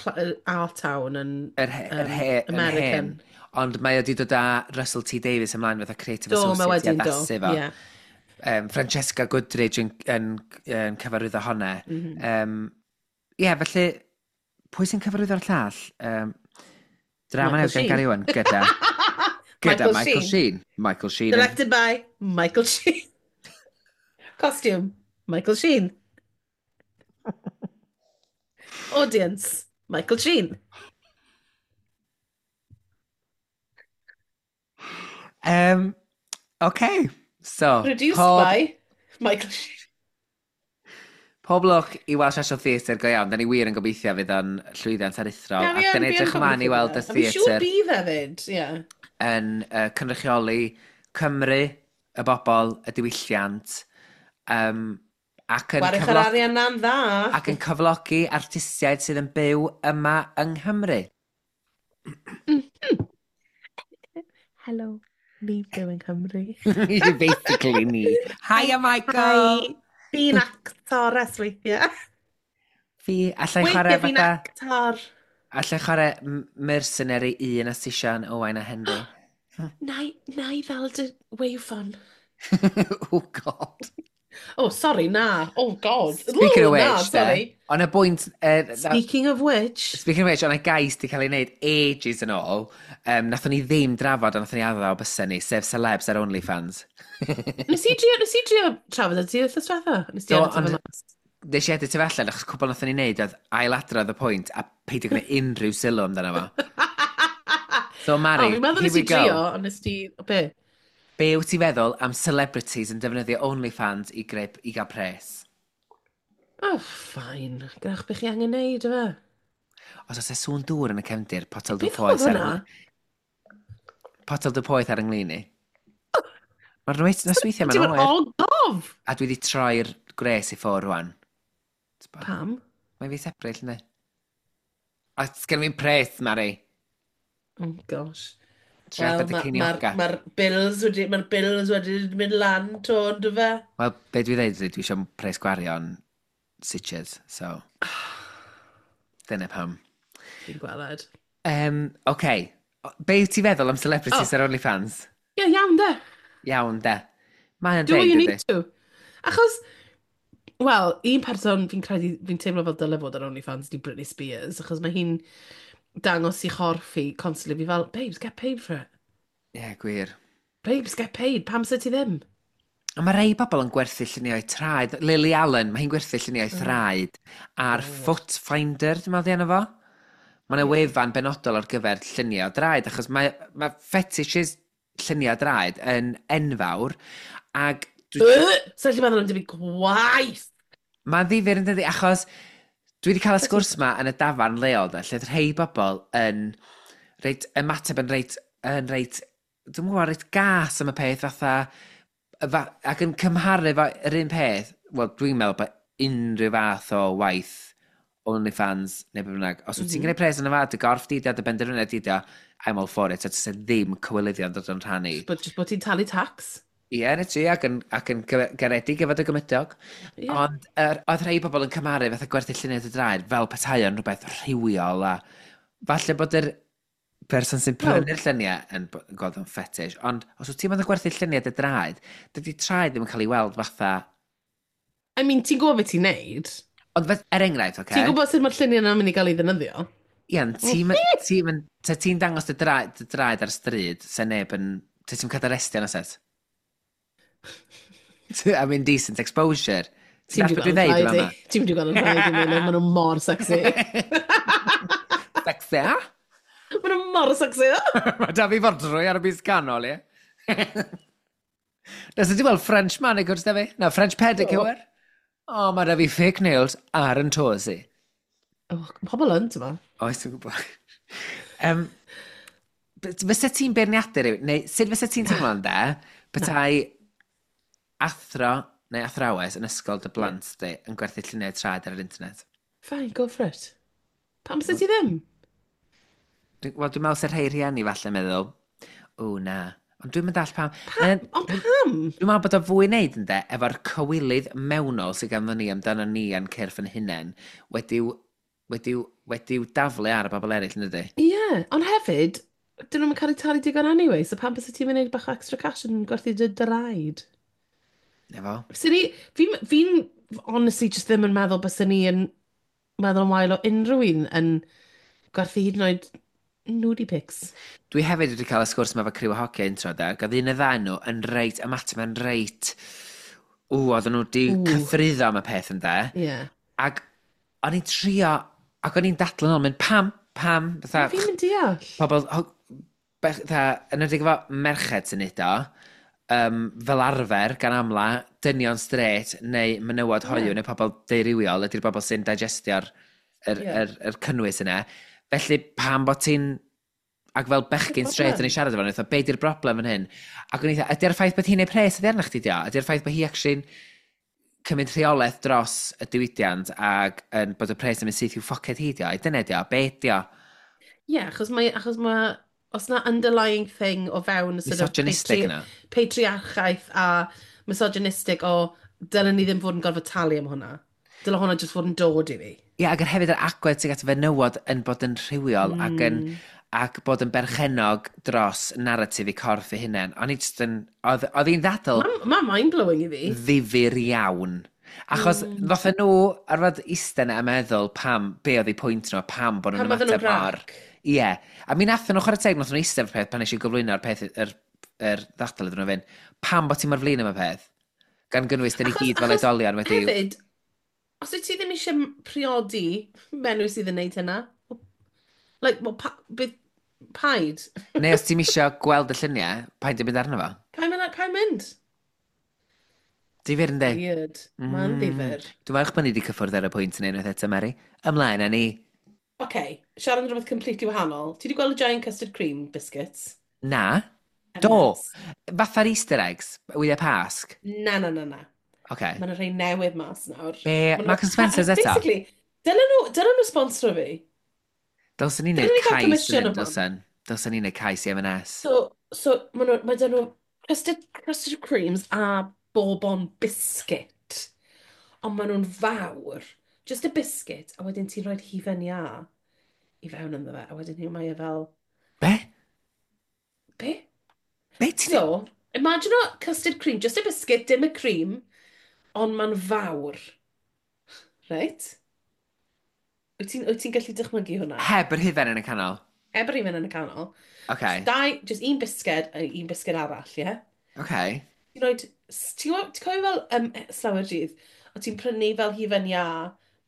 Art Town yn yr, yr he, American. Hen. Ond mae wedi dod â Russell T Davies ymlaen fatha Creative Do, mae Associate i wedyn do. addasu fo. Ie. Francesca Goodridge yn cyfarwyddo hwnna. Ie, felly, pwy sy'n cyfarwyddo'r llall? Drama Michael newydd gan Sheen. Gary Owen, gyda Michael Michael Sheen. Sheen. Michael Sheen. Directed by Michael Sheen. Costume, Michael Sheen. Audience, Michael Sheen. Okay, so, Produced pob, by Michael Sheen. Pob lwc i Welsh National Theatre go iawn. Da ni wir yn gobeithio fydd o'n llwyddiant aruthrol. Na, Ac fi da yn, ni fi yn edrych ymlaen i gobeithio weld y bydd e. A fi'n siŵr theatr bydd hefyd, ie. yn cynrychioli Cymru, y bobl, y diwylliant, ac yn Gwarech yr arian na'n dda. ac yn cyflogi artistiaid sydd yn byw yma yng Nghymru. Hello, ni'n byw yng Nghymru. Basically ni. Hiya Michael! Hi, fi'n actores weithiau. Fi, allai chwarae Weithiau fi'n fatha... actor. Allai chwarae mercenary un a Sisian, Owain a Henry. Na i ddal dy waveform. Oh God. Oh, sorry, na. Oh, God. Speaking of Ooh, na, which, de, sorry. on y bwynt... Speaking of which... Speaking of which, o'na gais di cael ei wneud ages yn ôl, nathon ni ddim drafod, ond nathon ni addo bysen ni, sef celebs ar OnlyFans. Nes i drio trafod y ti wythnos diwetha? Nes ti Do, edit ond efo mas? Nes i edit efo allan, achos cwbl nathon ni wneud oedd ailadrodd y pwynt a peidio gwneud unrhyw sylw amdano fo. So Mari, O, fi'n meddwl here nes we i go. drio, ond nes ti... O, be? Be wyt ti feddwl am celebrities yn defnyddio OnlyFans i, greu, i gael pres? Oh, fine. Gwrach beth chi angen neud, efe? Os oes e sŵn dŵr yn y cefndir, potel dŵr Beth poeth oedd ar hwnna? Potel dŵr poeth ar yng nglin i. Mae'r nosweithiau Ti'n mae'n mynd, oer. oh, gof! A dwi wedi troi'r gwres i ffwr rwan. T'bo? Pam? Mae'n fis Ebrill, ynddi? A sgen fi'n pres, Mari. Oh, gosh. Trio Wel, arbed y mae'r ma ceiniogau. ma bills wedi mynd lan to, ynddo fe? Wel, be dwi dweud ydy, dwi eisiau pres gwario'n stitches, so... Dyna pam. Fi'n gweled. Okay. Be wyt ti feddwl am celebrities Oh. ar OnlyFans? Ie, yeah, iawn de. Iawn, de. Mae'n Do what deg, you dydy. need to. Achos, wel, un person fi'n credu, fi'n teimlo fel dyle fod ar OnlyFans di Britney Spears, achos mae hi'n dangos i chorff hi constantly. Fi fel, babes, get paid for it. Ie, yeah, gwir. Babes, get paid. Pam sy ti ddim? Ond mae rei bobl yn gwerthu lluniau traed. Lily Allen, mae hi'n gwerthu lluniau thraed ar Foot Finder, dwi'n meddwl di enw fo. Mae yna wefan benodol ar gyfer lluniau o draed, achos mae fetishes lluniau draed yn enfawr, ac Sa'n gallu meddwl am dim gwaith. Mae'n ddifyr yn dydi, achos dwi wedi cael y sgwrs ma yn y dafarn leol, de, lle oedd rhai bobl yn reit, ymateb yn reit, dwi'n gwybod, reit gas am y peth fatha, ac yn cymharu fo yr un peth, wel, dwi'n meddwl bod unrhyw fath o waith OnlyFans neu beth bynnag, os wyt ti'n gwneud pres yn y fa, dy gorff di, dy benderfyniad di, I'm all for it, a ti'n ddim cywilyddion dod o'n rhan i. But just bod ti'n talu tax. Ie, na ti, ac yn garedig efo dy gymydog. Ie. Ond oedd rhai bobl yn cymharu fatha gwerthu lluniau dy draed fel petai o'n rhywbeth rhywiol a falle bod yr person sy'n Wel- prynu'r lluniau yn gweld o'n fetish, ond os wyt ti'n mynd yn gwerthu lluniau dy draed, dydy traed ddim yn cael ei weld fatha. I mean, ti'n gwybod beth ti'n neud. Ond er enghraifft, oce? Ti'n gwybod sut mae'r lluniau yna'n mynd i gael ei ddefnyddio? Ian, ti'n dangos dy draed ar y stryd, se neb yn... Te ti'n cael dy arestio yn oes? I mean, decent exposure. Ti'n Ti'n dallt beth dwi'n dweud rhaid yma? i. Ti'n mynd i gweld yn rhaid i mi, maen nhw mor sexy. Sexy, a? Maen nhw mor sexy. Mae da fi fodrwy ar y bys ganol, ie. Nes ti weld French manicure da fi? Na, French pedicure. O, oh, mae da fi fake nails ar yn toes i. Oh, pobl yn, ti'n ma? Oes, dwi'n gwybod. Fysa ti'n beirniadu rhywun, neu sut fysa ti'n teimlo de, petai athro neu athrawes yn ysgol dy blant di yn gwerthu lluniau traed ar yr internet? Fine, go for it. Pam sydd ti ddim? Wel, dwi'n meddwl sy'n rhai rhieni falle meddwl, o na. Ond dwi'n mynd all pam. Pa, ond pam? Dwi'n meddwl bod o fwy wneud ynde, efo'r cywilydd mewnol sydd ganddo ni amdano ni a'n cyrff yn hunain, wedi'w daflu ar y bobl eraill, yn dydy? Ie, yeah, ond hefyd, dyn nhw'n cael eu talu digon anyway, so pam bysa ti'n mynd bach o extra cash yn gwerthu dy draed? Efo? Fysa ni, fi'n honestly just ddim yn meddwl bysa ni yn meddwl yn wael o unrhyw un yn gwerthu hyd yn oed nudie pics. Dwi hefyd wedi cael y sgwrs yma efo criw o hogia intro, da, ac oedd un y ddau nhw yn reit, ymateb yn reit, ww, oedden nhw wedi cythruddo am y peth yn de. Yeah. Ac o'n i'n trio, ac o'n i'n dadlu yn ôl, mynd pam, pam, fatha... Fi'n mynd deall. Pobl, fatha, yn edrych efo merched sy'n neud o, fel arfer, gan amla, dynion straight neu menywod hoyw neu pobl deurywiol ydy'r bobl sy'n digestio'r yr, yeah. yr, yr cynnwys yna. Felly pam bod ti'n... Ac fel bechgyn straight yn ei siarad efo, nhw, be di'r broblem yn hyn? Ac o'n i dda, ydy'r ffaith bod hi'n ei pres ydy arna chdi dio? Ydy'r ffaith bod hi actually'n cymryd rheolaeth dros y diwydiant ac yn bod y pres yn mynd syth i'w ffoced hi dio? Ai dyna dio? Be dio? Ie, yeah, achos mae os na underlying thing o fewn sort of misogynistic yna. Patriarchaeth a misogynistic o dylen ni ddim fod yn gorfod talu am hwnna. Dyle hwnna jyst fod yn dod i fi. Ie, yeah, ac yr hefyd yr agwedd sydd at fenywod yn bod yn rhywiol ac yn ac bod yn berchenog dros narratif i corff ei hunain. O'n i jyst yn... Oedd hi'n ddadl... Mae'n ma mind-blowing i fi. Ddifyr iawn. Achos ddothyn nhw arfod iste yna a meddwl pam, be oedd eu pwynt nhw, a pam bod nhw'n ymateb mor... Ie. Yeah. A mi nathon nhw chwarae teg, nathon nhw eistedd peth pan nes i gyflwyno'r peth, yr ddadl iddyn nhw fynd, pam bod ti'n mor flin am y peth? Gan gynnwys, dyn ni gyd fel oedolion wedi... Hefyd, os wyt ti ddim eisiau priodi menyw sydd yn neud hynna, like, well, pa, bydd, paid. Neu os ti'n eisiau gweld y lluniau, paid yn mynd arno fo? Paid mynd? Paid mynd? Difyr yndi? Weird. Mae'n ddifyr. Dwi'n falch bod ni wedi cyffwrdd ar y pwynt yn unwaith eto, Mary. Ymlaen â ni. Oce, okay, siarad am rhywbeth completely wahanol. Ti wedi gweld y giant custard cream biscuits? Na. Do. Fatha'r Easter eggs, wyau Pasg? Na, na, na, na. Okay. Mae yna rhai newydd mas nawr. Be? Marks and Spencer's eto? Basically, dylen nhw sponsor fi. Dylsen ni'n neud cais yn hyn, dylsen. Dylsen ni'n neud cais i M&S. So mae dyn nhw custard creams a bourbon biscuit. Ond maen nhw'n fawr. Just a biscuit, a wedyn ti'n rhoi hufen iâ i fewn ynddo fe, a wedyn mae e fel... Be? Be? Be ti'n... So, imagine o custard cream, just a biscuit, dim y cream, ond mae'n fawr. Right? Wyt ti'n gallu dychmygu hwnna? Heb yr hufen yn y canol? Heb yr hufen yn y canol. Okay. Just, dau, just un bisged a un bisged arall, ie? Yeah? Okay. Ti'n rhoi... Ti'n cofio fel slawer dydd, o ti'n prynu fel hufen iâ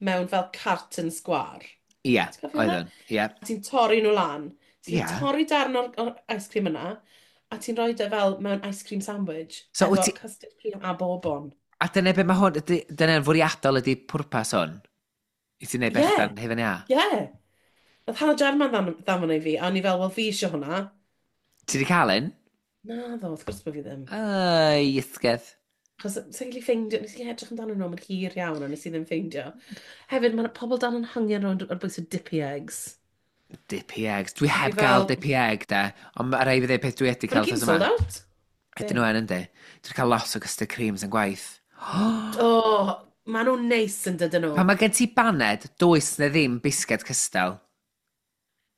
mewn fel carton sgwar? Ie, yeah, oeddwn. Ie. Yeah. Ti'n torri nhw lan. Ti'n yeah. torri darn o'r ice cream yna, a ti'n rhoi e fel mewn ice cream sandwich. So, efo custard cream a bourbon. A dyna be mae hwn, dyna'n fwriadol ydy pwrpas hwn? I ti'n neud bechdan yeah. hufen iâ? Ie. Yeah. Nath Hannah Jarman ddanfon ei fi, a o'n i fel, wel fi eisiau hwnna. Ti wedi cael un? Na ddo, wrth gwrs bod fi ddim. Ai, ysgedd. Achos sa'n gallu ffeindio, nes i edrych amdano nhw, mae'n hir iawn, a nes i ddim ffeindio. Hefyd, mae pobl dan yn hangian rownd ar bwys o dippy eggs. Dippy eggs. Dwi heb gael dippy egg, de. Ond mae rhaid fi ddweud peth dwi wedi cael. Mae'n sold out. Ydyn nhw yn, yndi. Dwi wedi cael lot o custard creams yn gwaith. Oh, maen nhw'n neis yn dydyn nhw. Pan mae gen ti baned, does na ddim bisged cystal.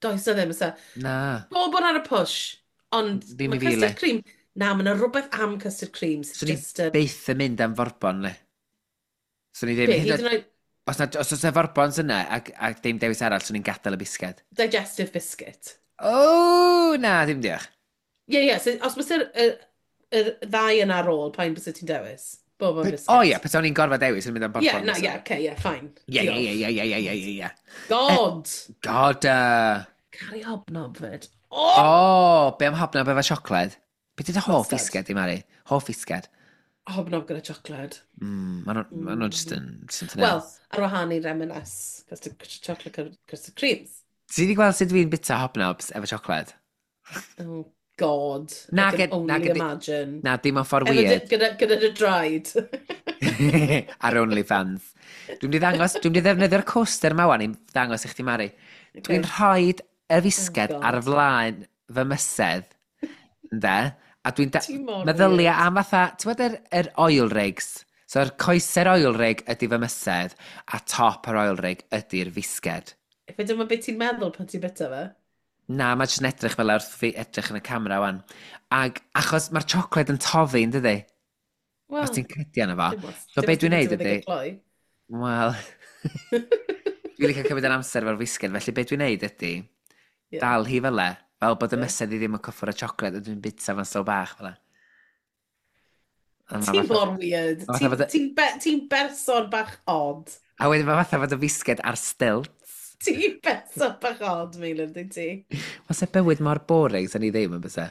Does na ddim, ysa. Na. Bob ar y push. Ond ddim mae custard cream... Na, mae yna rhywbeth am custard creams. Swn i byth yn mynd am forbon, le. Swn i ddim... Be, hyd yn oed... Os na, os oes na forbons yna ac, ac dim dewis arall, swn i'n gadael y bisged. Digestive biscuit. O, na, ddim diolch. Ie, ie, so, os byse'r y ddau yna ar ôl, pa'n byse ti'n dewis? Bourbon biscuit. O ie, petai o'n gorfod dewis yn mynd am bourbon. Ie, na, ie, okay, ie, fine. Ie, ie, ie, ie, ie, ie, ie. God! God! Caru hobnob fyd. O! Oh, be am hobnob efo siocled? Be di dy hoff fisged i, Mari? Hoff fisged? Hobnob gyda siocled. Mm, ma nhw just yn... Wel, ar wahân i'r M&S, custard, chocolate custard creams. Ti wedi gweld sut dwi'n bita hobnobs efo siocled? Oh, God. Na, I can only na, imagine. Na, dim ond ffordd weird. Gyda dy draed. Ar OnlyFans. Dwi'n di ddangos, dwi'n di ddefnyddio'r coaster ma wan i ddangos i chdi, Mari. Okay. Dwi'n rhoi y Oh fisged ar God. flaen fy mysedd, ynde? A dwi'n Ti mor meddylia weird. am fatha, ti'n gwybod yr oil rigs? So'r coese'r oil rig ydy fy mysedd, a top yr oil rig ydy'r fisged. Fe dyma beth ti'n meddwl pan ti'n byta fe? Na, mae jyst yn edrych fel wrth fi edrych yn y camera wan. Ag achos mae'r siocled yn toddi, yn dydi? Os Wel, ti'n cydio yna fo. dim os, So dim be os dwi'n ti'n neud byta fe ydy, ddigon cloi. wel, dwi'n licio cymryd yr amser efo'r fisged, felly be dwi'n neud ydy, Ie, dal hi fel e, fel bod y ie. mysedd i ddim yn cyffwrdd y siocled, a dwi'n bita fo'n slow bach fel e. A ma' Ti fatha, mor weird. ma' fatha Ti'n fod y, ti be, ti berson bach odd. a wedyn mae fatha fod y fisged ar stilts. Ti'n berson bach odd, Meilir, dwyt ti? Os e bywyd mor boring, sa'n ni ddim yn bysa.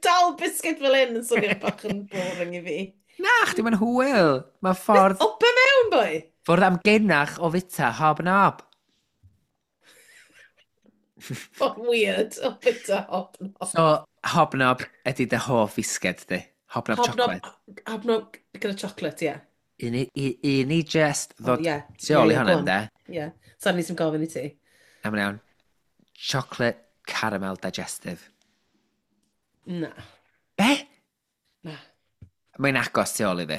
Dal biscuit fel hyn yn swnio bach yn boring i fi. Na, chdi mae'n hwyl. Mae Beth ffordd, o be mewn, boi? ffordd amgenach o fita hobnob. Ffordd weird o bita hobnob. So, hobnob ydy dy hoff fisged di. Hobnob Hobnob, chocolate. hobnob gyda chocolate, ie. Yeah. Un i just Oh, ddod ie. tu Ie, ôl i ie, hwnna, go on. ynde? Ie. Sorry, nes i'm gofyn i ti. Am iawn. Chocolate caramel digestive. Na. Be? Na. Mae'n agos tu ôl i fi.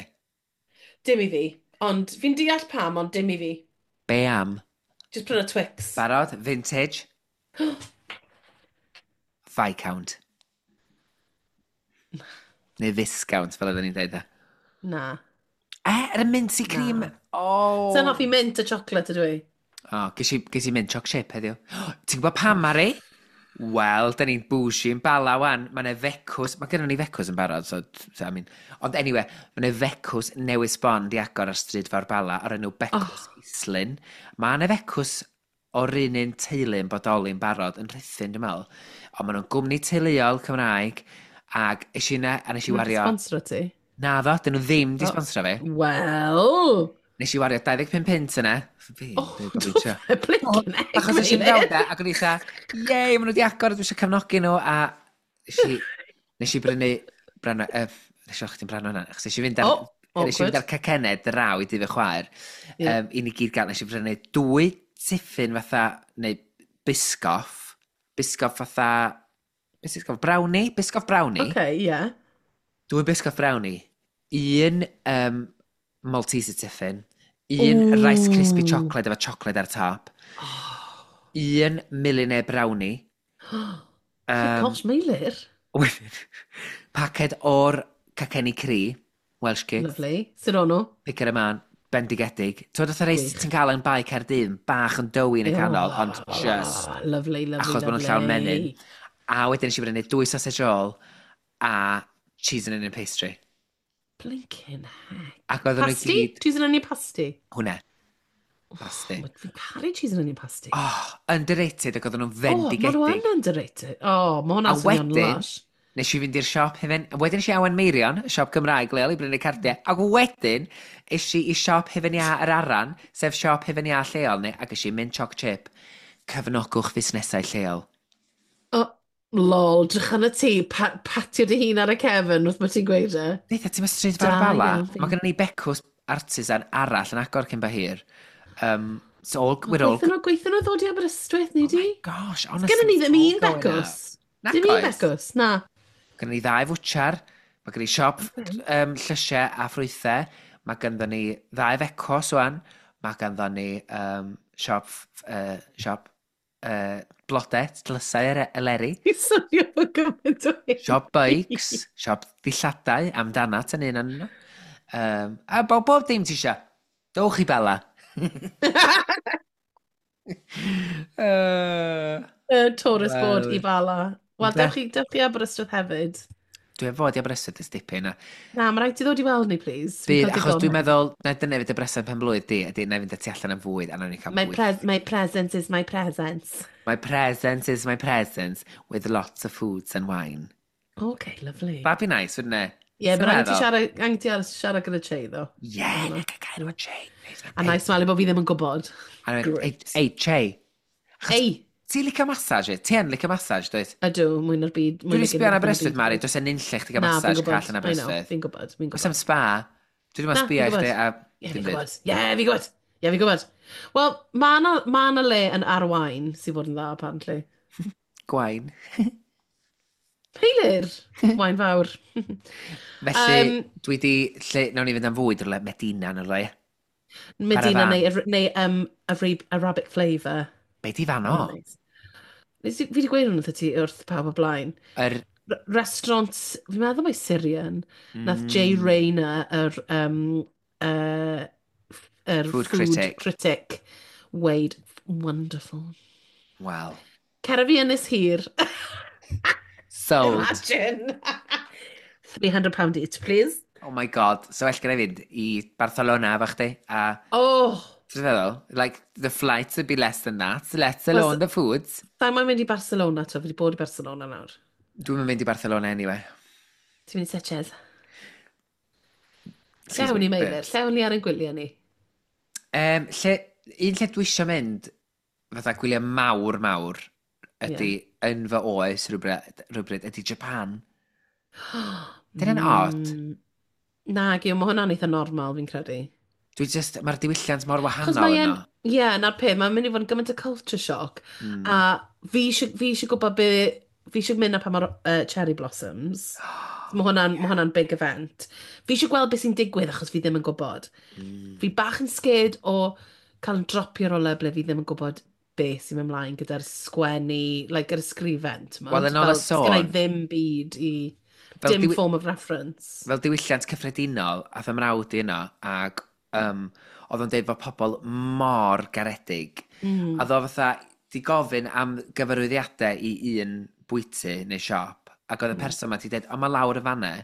Dim i fi. Ond fi'n deall pam, ond dim i fi. Be am? Just prynu Twix. Barod? Vintage? Viscount. Neu Viscount, fel oedden ni'n dweud. E, Na. er y minty cream. Na. Oh. Sa'n hoffi mint a chocolate ydw i? Oh, ges i mint choc chip heddiw. Ti'n gwybod pam, Mari? Wel, da ni'n bougie yn Bala wan. Mae yna fecws, mae gennym ni fecws yn barod, so I mean, ond anyway, mae yna fecws newydd sbon di agor ar stryd fawr Bala o'r enw Becws oh. Islyn. Mae yna fecws o'r un un teulu yn bodoli yn barod, yn Rhuthun, dwi'n meddwl. Ond maen nhw'n gwmni teuluol Cymraeg, ac es i yna, a nes i Mae'n wario. sponsor ti? Na ddo, dyn nhw ddim di Oh. sponsro fi. Wel. Nes i wario 25 punt yna. Fi, Oh, dwi'n do gobeithio. fe, blinking egg, Achos es i'n Meilir. fewn de, ac o'n i eitha, yey, maen nhw wedi agor, dwi eisiau cefnogi nhw, a nes i brynu, brano, nes i weld chdi'n brano hwnna, achos nes i fynd ar, Oh, nes i fynd awkward. ar cacennau draw i dŷ fy chwaer, Ie. i ni gyd gael, nes i brynu dwy tiffin fatha, neu biscoff, biscoff fatha, biscoff brownie, biscoff brownie, Okay, ie. Yeah. dwy biscoff brownie, un Malteser tiffin, un Rice Krispie Ooh. chocolate efo chocolate ar top, un millionaire brownie, Oh my gosh, Meilir. wedyn, paced o'r cacenni cri, Welsh cakes, Lovely. Sut o'n nhw? picker y man, bendigedig. Ti'n fatha rei Gwych. ti'n cael yn Bae Caerdydd, bach yn doughy yn y canol, ond just, Oh, lovely, lovely, achos bod nhw'n lovely. llawn menyn. A wedyn nes i brynu dwy sausage roll a cheese and onion pastry. Blinking heck. Ac oedden nhw i Pasty? gyd. Cheese and onion pasty? Hwnna. Pasty. Oh, fi'n caru cheese and onion pasty. Oh, underrated ac oedden nhw'n Oh, maen nhw fendigedig. yn underrated. Oh, mae A hwnna'n swnio'n wedyn, lush. nes i fynd i'r siop hefyd. Wedyn nes i Awen Meirion, y siop Gymraeg leol, i brynu cardiau. Ac wedyn, es i i siop Hufen Iâ yr Aran, sef siop Hufen Iâ lleol ni, ac es i mint choc chip. Cefnogwch fusnesau lleol. Oh, lol, drych arna ti, patio dy hun ar y cefn wrth bod ti'n gweud e. Neitha, ti'n stryd fawr Da Bala? iawn fi. Mae gennym ni becws artisan arall yn agor cyn bo hir. So all, we're all. Gweithio nhw, gweithio nhw ddod i Aberystwyth, ni Oh di? my gosh, honestly. Gynnon ni it's ddim all un going becws. up. Dim un Nac oes. becws, na. Gynnon ni ddau fwtsiar, mae gynnon ni siop llysiau a ffrwythau, mae ganddo ni ddau fecos wan, mae ganddo ni siop, siop blodau, tlysau eleri, I swnio fo gymaint o hyn. siop bikes, siop ddilladau, amdanat yn un o'n nhw. A bob dim ti isio. Dowch i Bala. Tourist board Wel, i Bala. Wel, ynde? dewch i Aberystwyth hefyd. Dwi am fod i Aberystwyth ers dipyn. Na, mae rhaid ti ddod i weld ni, please. Fi'n Bydd, cael achos digon. dwi'n meddwl, na dyna fydd y bresen pen blwydd di, ydy, na i fynd â ti allan am fwyd, a nawn ni cael My, bwyd. my presence is my presence. My presence is my presence, with lots of foods and wine. Okay, lovely. That'd be nice, wouldn't it? Ie, yeah, Ti'n but angen ti meddwl? siarad, angen ti siarad gyda Che, ddo. Yeah, na gael gair efo Che. A na i smalu bod fi ddim yn gwybod. A na i mynd, Great. ei, Che, Ei, ti'n licio massage? Ti yn licio massage, dwyt? Ydw, mwy na'r byd. Dwi'n sbio yn Aberystwyth, Mari, does e'n unlle chdi gael Na, fi'n massage gwybod. call yn I know, Aberystwyth. fi'n gwybod, fi'n Oes gwybod. am spa? Dwi ddim yn Na, sbio fi'n i chdi gwybod. a Ie, dim fi'n byd. gwybod. Ie, fi'n gwybod. Ie, fi'n gwybod. Wel, mae yna ma 'na le yn Arwain sy'n fod yn dda, apparently. Gwain. Peilir! Wain fawr. Felly, dwi di... Lle, nawn ni fynd am fwyd rhywle, Medina neu rhywle. Medina Caravan. neu Arabic flavour. Be di fan o? Nice. Fi wedi gweud hwn wrth ti wrth pawb o blaen. Yr... Restaurant, fi'n meddwl mai Syrian, nath Jay Rayner, yr Food food critic. critic, weud, "Wonderful." Wel. Cer â fi Ynys Hir. Sold. Imagine. £300 each, please. Oh my God. So well gen i fynd i Barcelona efo chdi. A Oh! Ti'n feddwl? Like, the flights would be less than that, let alone the foods. Sa'n mae'n mynd i Barcelona, to, fi wedi bod i Barcelona nawr. Dwi'n mynd i Barcelona anyway. Ti'n mynd i Sitges? Lle awn ni, Meilir? Lle awn ni ar ein gwyliau ni? Un lle dwi eisiau mynd, fatha gwyliau mawr mawr, ydy yn fy oes rhywbryd, ydy Japan. Dyna'n odd. Na, Giw, mae hwnna'n eitha normal, fi'n credu. Dwi just, mae'r diwylliant mor Achos wahanol mae e'n, yno. ie, yeah, na'r peth, mae'n mynd i fod yn gymaint o culture shock. A fi eisiau gwybod be, fi eisiau mynd na pan mae'r cherry blossoms. Mae hwnna'n ma hwnna'n big event. Fi eisiau gweld beth sy'n digwydd achos fi ddim yn gwybod. Fi bach yn scared o cael yn dropio rywle ble fi ddim yn gwybod beth sy'n mynd ymlaen gyda'r sgwennu, like, yr ysgrifen, t'mod? Wel, yn ôl y Fel, sgynna i sôn- ddim byd i Fel dim form of reference. Fel diwylliant cyffredinol, ath y mrawd i yno, ac oedd o'n deud fod pobl mor garedig. A ddo fatha, di gofyn am gyfarwyddiadau i un bwyty neu siop, ac oedd y person ma di dweud, "O, mae lawr y fanne."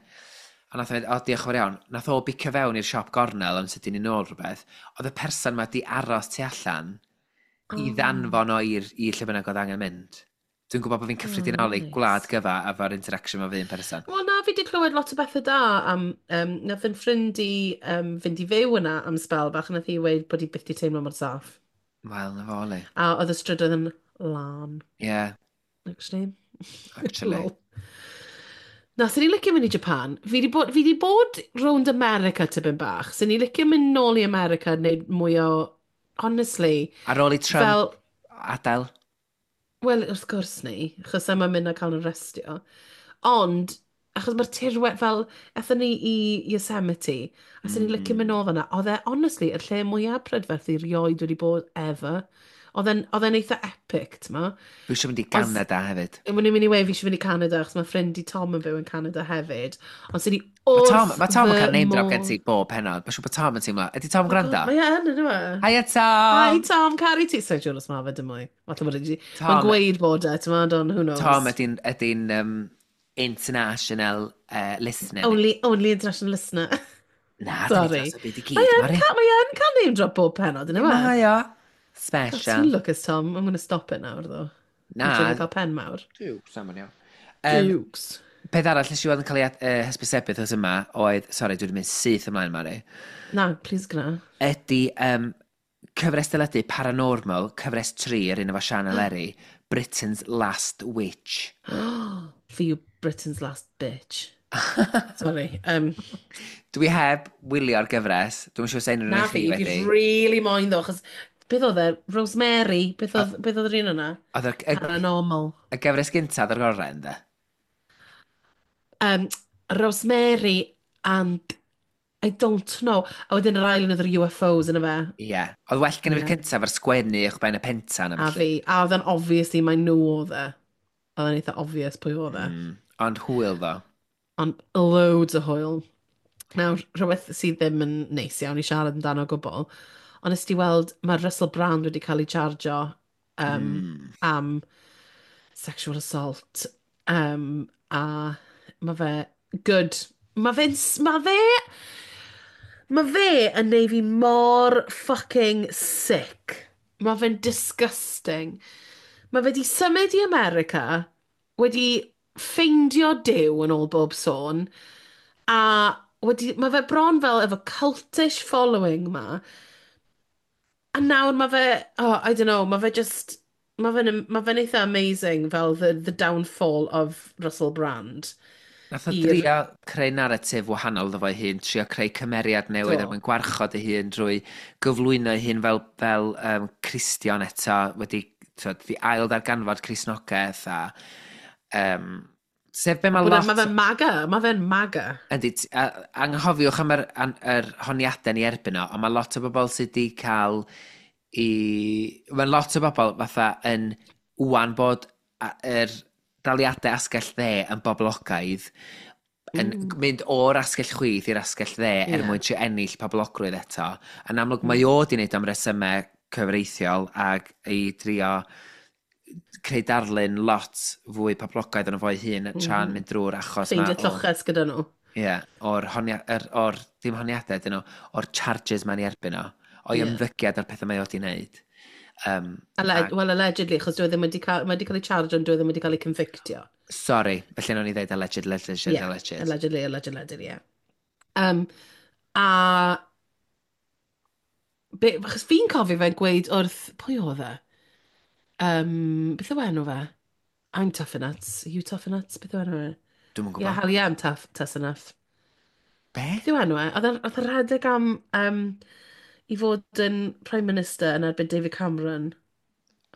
A nath o fynd, "O, diolch yn fawr iawn." Nath o bicio fewn i'r siop gornel am sydyn i nôl rhywbeth. Oedd y person ma di aros tu allan i ddanfon o i'r lle bynnag oedd angen mynd. Dwi'n gwybod bod fi'n cyffredinoli gwlad gyfa efo'r interaction efo un person. Wel na, fi wedi clywed lot o bethau da am, nath yn ffrind i fynd i fyw yna am sbel bach, a nath hi weud bod hi byth di teimlo mor saff. Wel, na fo, le. A oedd y strydoedd yn lân, Yeah, actually. Actually. Lol. Na, sy'n ni licio mynd i Japan. Fi di bod rownd America tipyn bach. Sy'n ni licio mynd nôl i America neu mwy o... Honestly, Ar ôl i Trump fel adael. Wel, wrth gwrs ni, achos yma mynd a cael yn arestio. Ond, achos mae'r tirwedd fel, aethon ni i Yosemite, a sy'n ni'n licio mynd nôl fan'na, oedd e, honestly, y lle mwyaf prydferth i rioed wedi bod ever. Oedd e'n eitha epic, t'mo? Dwi eisiau mynd i Canada hefyd. O'n i'n mynd i weud fi eisiau mynd i Canada, achos mae ffrind i Tom yn byw yn Canada hefyd. Ond sy'n ni Mae wrth Tom, mae Tom yn fy cael name drop gen modd. ti bob pennod. Mae'n siŵr bod Tom yn teimlo. Ydy Tom yn gwrando? Mae e yn, ynddo fe? Hiya, Tom! Hi Tom, caru ti. Sorry, Jonas, ma fe dim mwy. Falle bod e Tom- Mae'n gweud bod e, ti'n meddwl, ond who knows. Tom ydy'n ydy international listener. Only international listener. Na, Sorry. dyn ni dros y byd i gyd, Mae yn Mari. cael, mae yn cael name drop bob pennod, ynddo fe? Mae o. God, Special. ti'n lwcus, Tom. I'm going to stop it nawr, though. Na. Dwi'n cael pen mawr. Dukes, am iawn. Dukes. Peth arall nes i weld yn cael ei hysbysebu wrth yma oedd, sorry, dwi wedi mynd syth ymlaen, Mari, Na, please gwna. ydy cyfres deledu Paranormal, cyfres 3, yr un efo Sian Eleri, Britain's Last Witch. For you, Britain's last bitch. Sorry. Dwi heb wylio'r gyfres, dwi'n siŵr sy'n unrhyw Na un chi fi, wedi. fi really moyn ddo, achos beth oedd e? Rosemary? Beth oedd yr un yna? Oedd Paranormal. y gyfres gyntaf o'r gorau, ynddo? Rosemary and I don't know. A wedyn yr ail un oedd yr UFOs yn y fe. Ie. Yeah. Oedd well gen i fi'r cyntaf ar sgwennu uwch ben y pentan. A fi. A oedd e'n obviously mae nhw oedd e. Oedd e'n eitha obvious pwy oedd e. Ond hwyl ddo. Ond loads o hwyl. Nawr, rhywbeth sydd ddim yn neis iawn i siarad amdano o gwbl, ond nes ti weld mae Russell Brand wedi cael ei chargio am sexual assault. A mae fe good. Mae fe yn neud fi mor fucking sick. Mae fe'n disgusting. Mae fe wedi symud i America, wedi ffeindio Duw yn ôl bob sôn, a wedi, mae fe bron fel efo cultish following ma. A nawr mae fe, oh, I don't know, mae fe just, mae fe'n ma fe eitha amazing fel the downfall of Russell Brand. Nath o i'r drio creu naratif wahanol iddo fo'i hun, trio creu cymeriad newydd er mwyn gwarchod ei hun drwy gyflwyno ei hun fel Cristion eto, wedi, t'wod, di ail ddarganfod Cristnogaeth a sef be mae lot. Mae fe'n MAGA, mae fe'n MAGA. Yndi, anghofiwch am yr honiadau ni erbyn o, ond mae lot o bobl sydd wedi cael i. Mae lot o bobl fatha yn wan bod yr daliadau asgell dde yn boblogaidd, yn mynd o'r asgell chwith i'r asgell dde er mwyn trio ennill poblogrwydd eto. Yn amlwg mae o di wneud am resymau cyfreithiol ac i drio creu darlun lot fwy poblogaidd yn fo'i hun tra'n mynd drwy'r achos ma. Ffeindio lloches gyda nhw. Ie, yeah, o'r, honia, er, or, dim honiadau dyn nhw, o'r charges mae'n ei erbyn o, o'i ymddygiad a'r pethau mae o di wneud. Well, allegedly, achos dwi e ddim wedi cael, mae wedi cael ei charge ond dwi e ddim wedi cael ei convictio. Sorry, felly nawn ni ddeud alleged, alleged, alleged. Allegedly, alleged, alleged, yeah. A achos fi'n cofio fe'n gweud wrth, pwy oedd e? Beth yw enw fe? I'm tough enough. Are you tough enough? Beth yw enw fe? Dwi'm yn gwybod. Yeah, hell yeah, I'm tough, tough enough. Be? Beth yw enw e? Oedd e'n rhedeg am i fod yn Prime Minister yn erbyn David Cameron.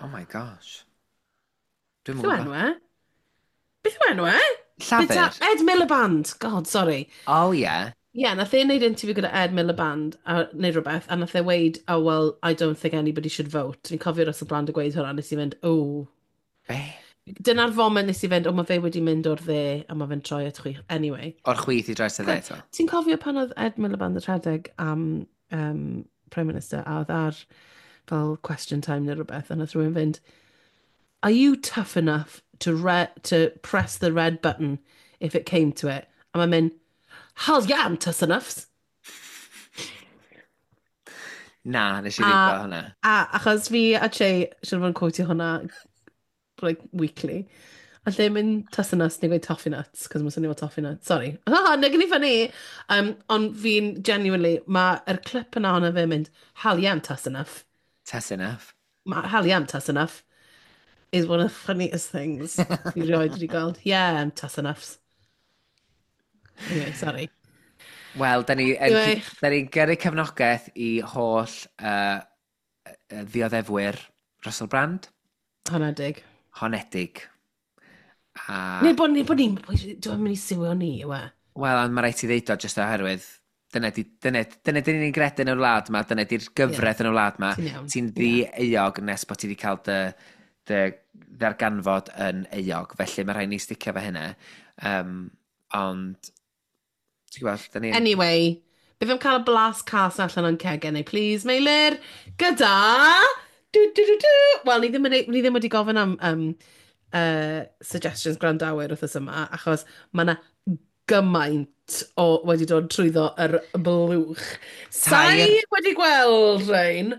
Oh my gosh. Dwi'm Beth yn yw gwybod. enw e? Beth yw enw e? Llafur? Ed Miliband. God, sorry. Oh yeah. Ie, yeah, nath e wneud interview gyda Ed Miliband, neu rhywbeth, a nath e weud, "Oh, well, I don't think anybody should vote." Fi'n cofio Russell Brand yn gweud hwnna, nes i fynd, "Oh." Be? Dyna'r foment nes i fynd, "O, mae fe wedi mynd o'r dde, a mae fe'n troi at chwith." Anyway. O'r chwith i droi at y dde eto. Ti'n cofio pan oedd Ed Miliband yn rhedeg am Prime Minister, a oedd ar fel question time neu rhywbeth, a nath rhywun fynd, "Are you tough enough to press the red button if it came to it?" A mae'n mynd, "Hell yeah, I'm tough enough." Na, nes i ddim gweld hwnna. A achos fi a Che, siwr fod yn quotio hwnna like, weekly. A lle mynd tough enough, ni'n gweud toffee nuts, cos mae'n swnio fel toffee nuts. Sorry. Ha, nag yn i funny. Ond fi'n genuinely, mae'r clip yna ohono fe'n mynd, "Hell yeah, I'm tough enough." Tough enough. Ma, "Hell yeah, I'm tough enough" is one of the funniest things fi rioed wedi gweld. "Yeah, I'm tough enough." Anyway, sorry. Wel, da ni, Anyway. da ni'n gyrru cefnogaeth i holl ddioddefwyr Russell Brand. Honedig. Honedig. A, Neu bod ni'n, dwi'n mynd i siwio ni, yw e? Wel, ond mae rhaid ti ddeud o jyst oherwydd dyna dyn ni'n gredu yn y wlad ma, dyna di'r gyfraith yn y wlad ma. Ti'n iawn. Ti'n ddi-euog nes bod ti wedi cael dy ddarganfod yn euog. Felly mae rhaid ni sticio fo hynna. Ond, ti'n gwybod, da ni. Anyway, beth am cael y blas cas allan o'n cegau neu please, Meilir, gyda. Du, du, du, du. Wel, ni ddim wedi gofyn am suggestions gwrandawyr wythnos yma, achos mae yna gymaint o wedi dod trwyddo yr blwch. Sai wedi gweld rhain.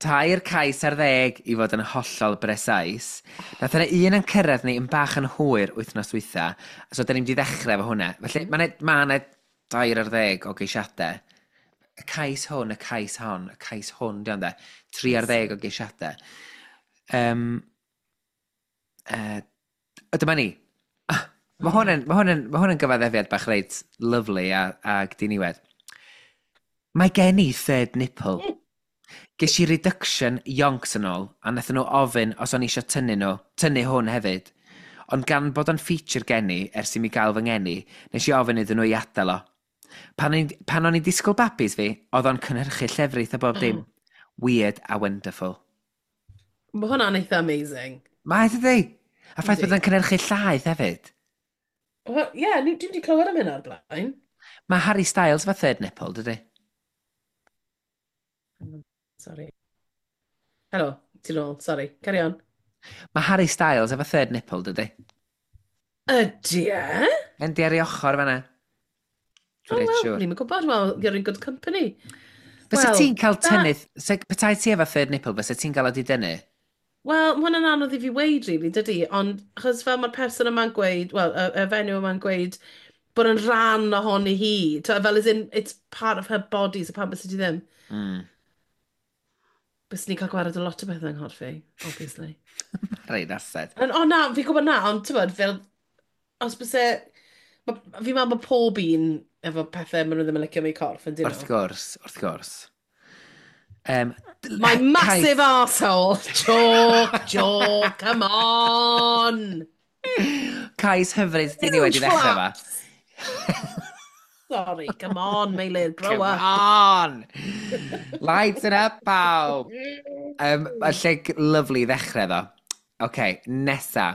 13 cais i fod yn hollol brecise. Nath yna un yn cyrraedd ni yn bach yn hwyr wythnos dwytha, so da ni'n mynd i ddechrau efo hwnna. Felly mae 'na 13 o geisiadau. Y cais hwn, y cais hon, y cais hwn, di ond de. 13 o geisiadau. O, dyma ni. Mae hwn yn gyfaddefiad bach reit lyfli a diniwed. Mae gen i third nipple. Ges i reduction yonks yn ôl, a wnaethon nhw ofyn os o'n i eisiau tynnu nhw, tynnu hwn hefyd. Ond gan bod o'n feature gen i ers i mi gael fy ngeni, nes i ofyn iddyn nhw i adael o. Pan o'n i'n disgwyl babis fi, oedd o'n cynhyrchu llefrith a bob dim. Weird a wonderful. Mae hwnna'n eitha amazing. Mae, dydi? A ffaith Yndi. bod o'n cynhyrchu llaeth hefyd. Wel, ie, yeah, dwi'n wedi clywed am hynna o'r blaen. Mae Harry Styles efo third nipple, dydi? Sorry. Helo, ti'n ôl, sorry. Carry on. Mae Harry Styles efo third nipple, dydi? Ydy e? Yndi, ar ei ochr fan'na. Oh, Dwi'n reit well, siŵr. ni'n gwybod, well, you're in good company. Fysa Wel, ti'n cael tynnu, petai ti efo third nipple, fysa ti'n cael o di dynnu? Wel, mae hwnna'n anodd i fi weud, really, dydy, ond achos fel mae'r person yma'n gweud, wel, y fenyw yma'n gweud bod yn rhan ohoni hi. Fel as in, it's part of her body, so pam bys ti ddim? Bys ni'n cael gwared o lot o bethau yng nghorff fi, obviously. Reit, ased. O na, fi'n gwybod na, ond ti'n bod, fel, os byse. Fi'n meddwl bod pob un efo pethau maen nhw ddim yn licio am eu corff, yn dyn Wrth nhw? gwrs, wrth gwrs. My massive arsehole. Joke, joke, come on! Cais hyfryd di niwed i Huge ddechrau fa. flaps. Sorry, come on, Meilir, grow Come up. on! Lighten up, pawb! Y lle lyfli i ddechrau ddo. OK, nesa.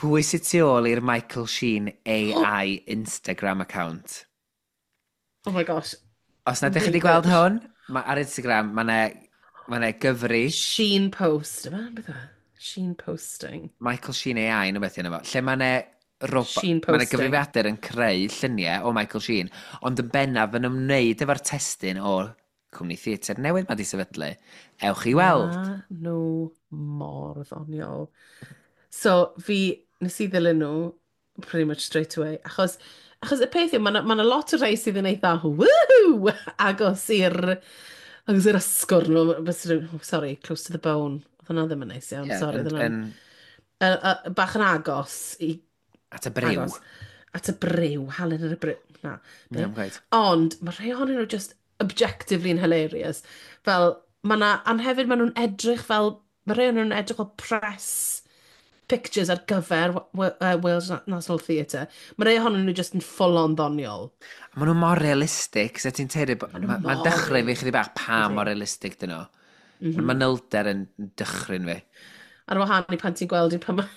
Pwy sydd tu ôl i'r Michael Sheen AI Instagram account? Oh my gosh. Os na ydych chi wedi gweld hwn, ma, ar Instagram, mae 'na ma 'na gyfri Sheen post. Yma, beth yw e? Sheen posting. Michael Sheen AI neu beth yna fo, lle mae 'na Sheen mae 'na posting. gyfrifiadur yn creu lluniau o Michael Sheen, ond yn bennaf yn ymwneud efo'r testun o'r cwmni theatr newydd mae di sefydlu. Ewch i weld. Ma nhw mor ddoniol. So, fi, nes i ddilyn nhw pretty much straight away, achos y peth yw, mae 'na ma lot o rhai sydd yn eitha woohoo agos i'r ysgwrn nhw, oh, sorry, close to the bone. Oedd hwnna ddim yn neis iawn, sorry. Oedd hwnna'n bach yn agos i At y briw. Agos. At y briw, halen ar y briw. Na. Be? Ie, quite. Ond mae rhai ohonyn nhw just objectively yn hilarious. Fel, mae na, ond hefyd maen nhw'n edrych fel, mae rhai ohonyn nhw'n edrych fel press pictures ar gyfer Wales National Theatre. Mae rhai ohonyn nhw just yn full on ddoniol. Maen nhw mor realistig, so ti'n teiri, nhw mae'n mor dychryn fi chydig bach pa Ydi. mor realistig dyn nhw. Mae'r manylder yn dychryn fi. Ar wahân i pan ti'n gweld un pan mae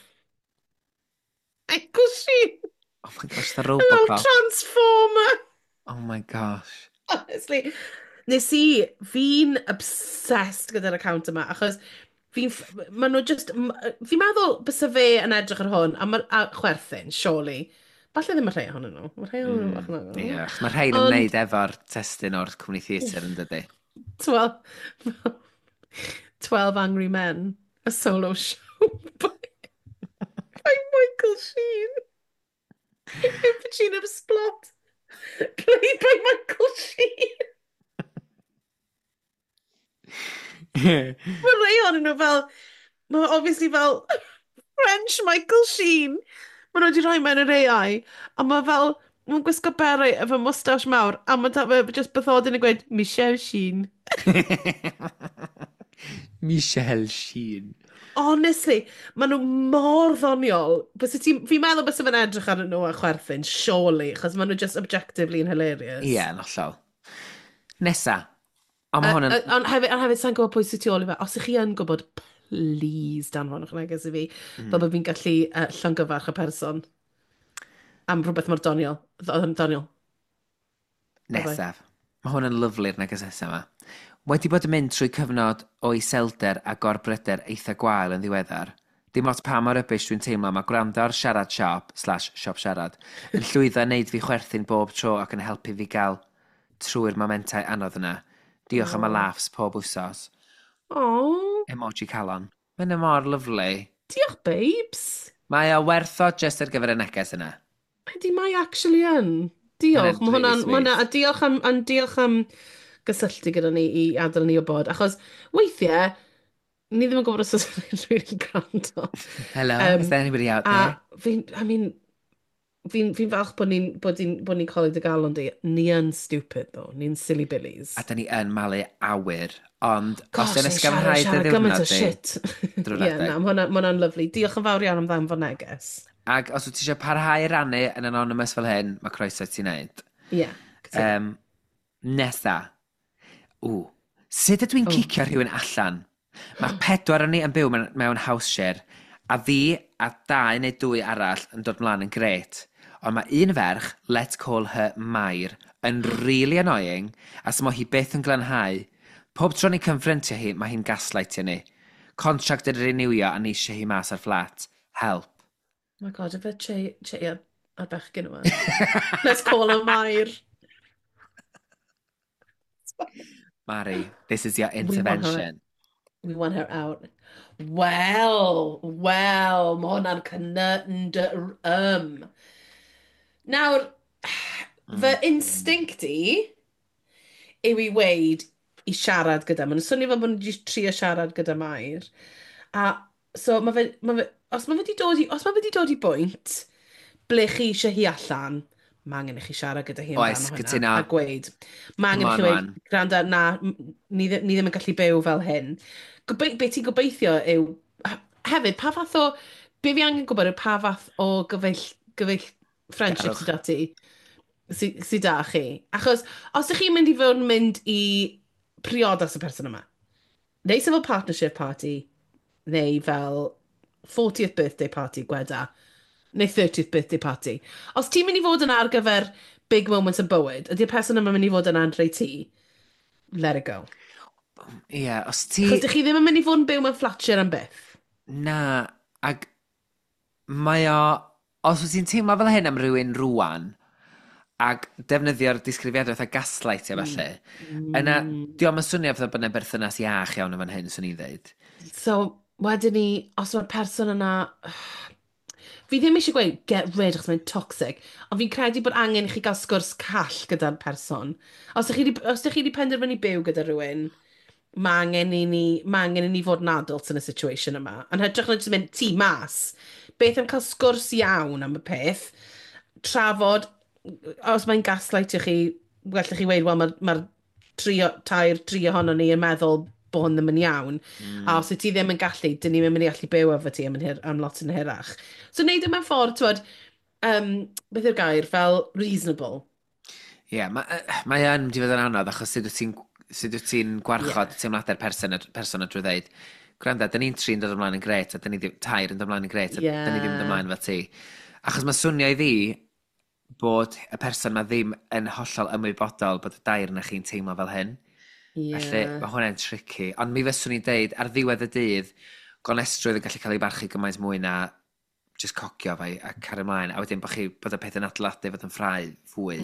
Michael Sheen Oh my gosh, the fel Robocop. Transformer. Oh my gosh. Honestly, nes i, fi'n obsessed gyda'r account yma, achos fi'n, maen nhw just, fi'n meddwl bysa fe yn edrych ar hwn, a chwerthin, surely. Falle ddim y rhai ohonyn nhw. Mae rhai ohonyn nhw bach yn Ie, agos. achos mae rhain ymwneud efo'r testun o'r cwmni theatr yn dydy. 12, 12 Angry Men, a solo show by Michael Sheen. In Pacino Splot, played by Michael Sheen. Mae rhai ohonyn nhw fel, mae obviously fel French Michael Sheen. Mae nhw wedi rhoi mewn yr AI, a mae fel, mae'n gwisgo beret efo moustache mawr, a mae fe just bathodyn yn gweud, Michelle Sheen. Michelle Sheen. Honestly, maen nhw mor ddoniol. Byse fi'n meddwl byse fe'n edrych arnyn nhw a chwerthin, surely, achos maen nhw just objectively yn hilarious. Ie, yn hollol. Nesa. Ond mae hwn yn Ond hefyd, sa'n gwybod pwy sydd tu ôl i fe. Os ych chi yn gwybod, please danfonwch neges i fi, fel bod fi'n gallu llongyfarch y person am rhywbeth mor doniol. Doniol. Nesaf. Mae hwn yn lyfli'r neges nesaf yma. Wedi bod yn mynd trwy cyfnod o iselder a gorbryder eitha gwael yn ddiweddar. Dim ots pa mor rubbish dwi'n teimlo, mae gwrando ar Siarad Siop/Siop Siarad yn llwyddo i wneud fi chwerthin bob tro ac yn helpu fi gael trwy'r momentau anodd yna. Diolch am y laughs pob wsos. Oh, Emoji calon. Mae'n mor lyfli. Diolch, babes. Mae o werth o just ar gyfer y neges yna. Ydy, mae actually yn. Diolch. Mae'n Mae hwnna'n really ma hwnna, a diolch am gysylltu gyda ni i adael ni wybod. Achos weithiau, ni ddim yn gwybod os oes rhywun yn gwrando. Hello, is there anybody out A there? fi'n, I mean, fi'n falch bod ni'n colli dy galon di. Ni yn stupid, though. Ni'n silly billies. A da ni yn malu awyr, ond os Gosh, yn ni'n siarad, ysgafnhau dy siarad gymaint o ddiwrnod di, shit. drwy'r Ie, adeg. na, ma hwnna'n lyfli. Diolch yn fawr iawn am ddanfon neges. Ac os wyt ti eisiau parhau i rannu yn anonymous fel hyn, mae croeso i ti wneud. Ie. Yeah. Nesa. Ww. Sut ydw i'n cicio rhywun allan? Mae pedwar o'n ni yn byw mewn house share, a fi a dau neu dwy arall yn dod mlaen yn gret. Ond mae un ferch, let's call her Mair, yn really annoying, a smo hi byth yn glanhau. Pob tro ni confrontio hi, mae hi'n gaslightio ni. Contract yn renewio a ni eisiau hi mas ar fflat. Help. Oh my God, ife Che, Che a bechgyn yma. Let's call her Mair. Mari, this is your We want her, intervention. we want her out. Wel, mae hwnna'n conundrum. Nawr, fy instinct i yw i weud i siarad gyda. Mae'n swnio fel bod nhw wedi trio siarad gyda Mair. A so mae fe, os mae fe wedi dod i, os mae fe wedi dod i bwynt, Ble chi eisiau hi allan, mae angen i chi siarad gyda hi Oes, amdano hynna. Cytuno. A gweud, mae Come angen i on, chi weud, wan. "Gwranda, na, ni ddim yn gallu byw fel hyn." Be ti'n gobeithio yw, hefyd, pa fath o, be fi angen gwybod yw pa fath o gyfeill friendship Garwch. sydd 'da ti, sy 'da chi. Achos, os ydych chi'n mynd i fod yn mynd i priodas y person yma, neu sef fel partnership party, neu fel 40th birthday party, gweda, neu 30th birthday party. Os ti'n mynd i fod yna ar gyfer big moments yn bywyd, ydy'r person yma mynd i fod yna'n rhoi ti? Let it go. Ie, yeah, os ti. Achos dych chi ddim yn mynd i fod yn byw mewn flat share am byth. Na, ag mae o. Os wyt ti'n teimlo fel hyn am rhywun rwan, ag defnyddio'r disgrifiadau fatha gaslight a falle, yna, diolch yn swnio fatha bod yna berthynas iach iawn yn fan hyn, swn i'n dweud. So, wedyn ni, os mae'r person yna. Fi ddim eisiau gweud get rid achos mae'n toxic, ond fi'n credu bod angen i chi gael sgwrs call gyda'r person. Os ydych chi wedi penderfynu byw gyda rhywun, mae angen i ni fod yn adults yn y situation yma. Yn hytrach na jyst mynd ti mas. Beth am cael sgwrs iawn am y peth, trafod, os mae'n gaslightio chi, gallech chi weud, "Wel, mae'r ma tri, tair, tri ohono ni yn meddwl bod hwn ddim yn iawn." A os wyt ti ddim yn gallu, dyn ni'n mynd i allu byw efo ti am lot yn hirach. So wneud e mewn ffordd, t'wod, beth yw'r gair, fel reasonable. Ie, yeah, mae mae yn mynd i fod yn anodd achos sut wyt ti'n gwarchod teimladau'r person y drwy ddeud, "Gwranda, dyn ni'n tri'n dod ymlaen yn gret, a dyn ni ddim, tair yn dod ymlaen yn gret, a dyn ni ddim yn dod ymlaen fel ti." Achos mae swnio i fi bod y person ma ddim yn hollol ymwybodol bod y dair na chi'n teimlo fel hyn. Felly, mae hwnna'n tricky. Ond mi fyswn i'n deud, ar ddiwedd y dydd, gonestrwydd yn gallu cael ei barchu gymaint mwy na just cocio fo a cario ymlaen. A wedyn bod y peth yn adeiladu fod yn ffrau fwy,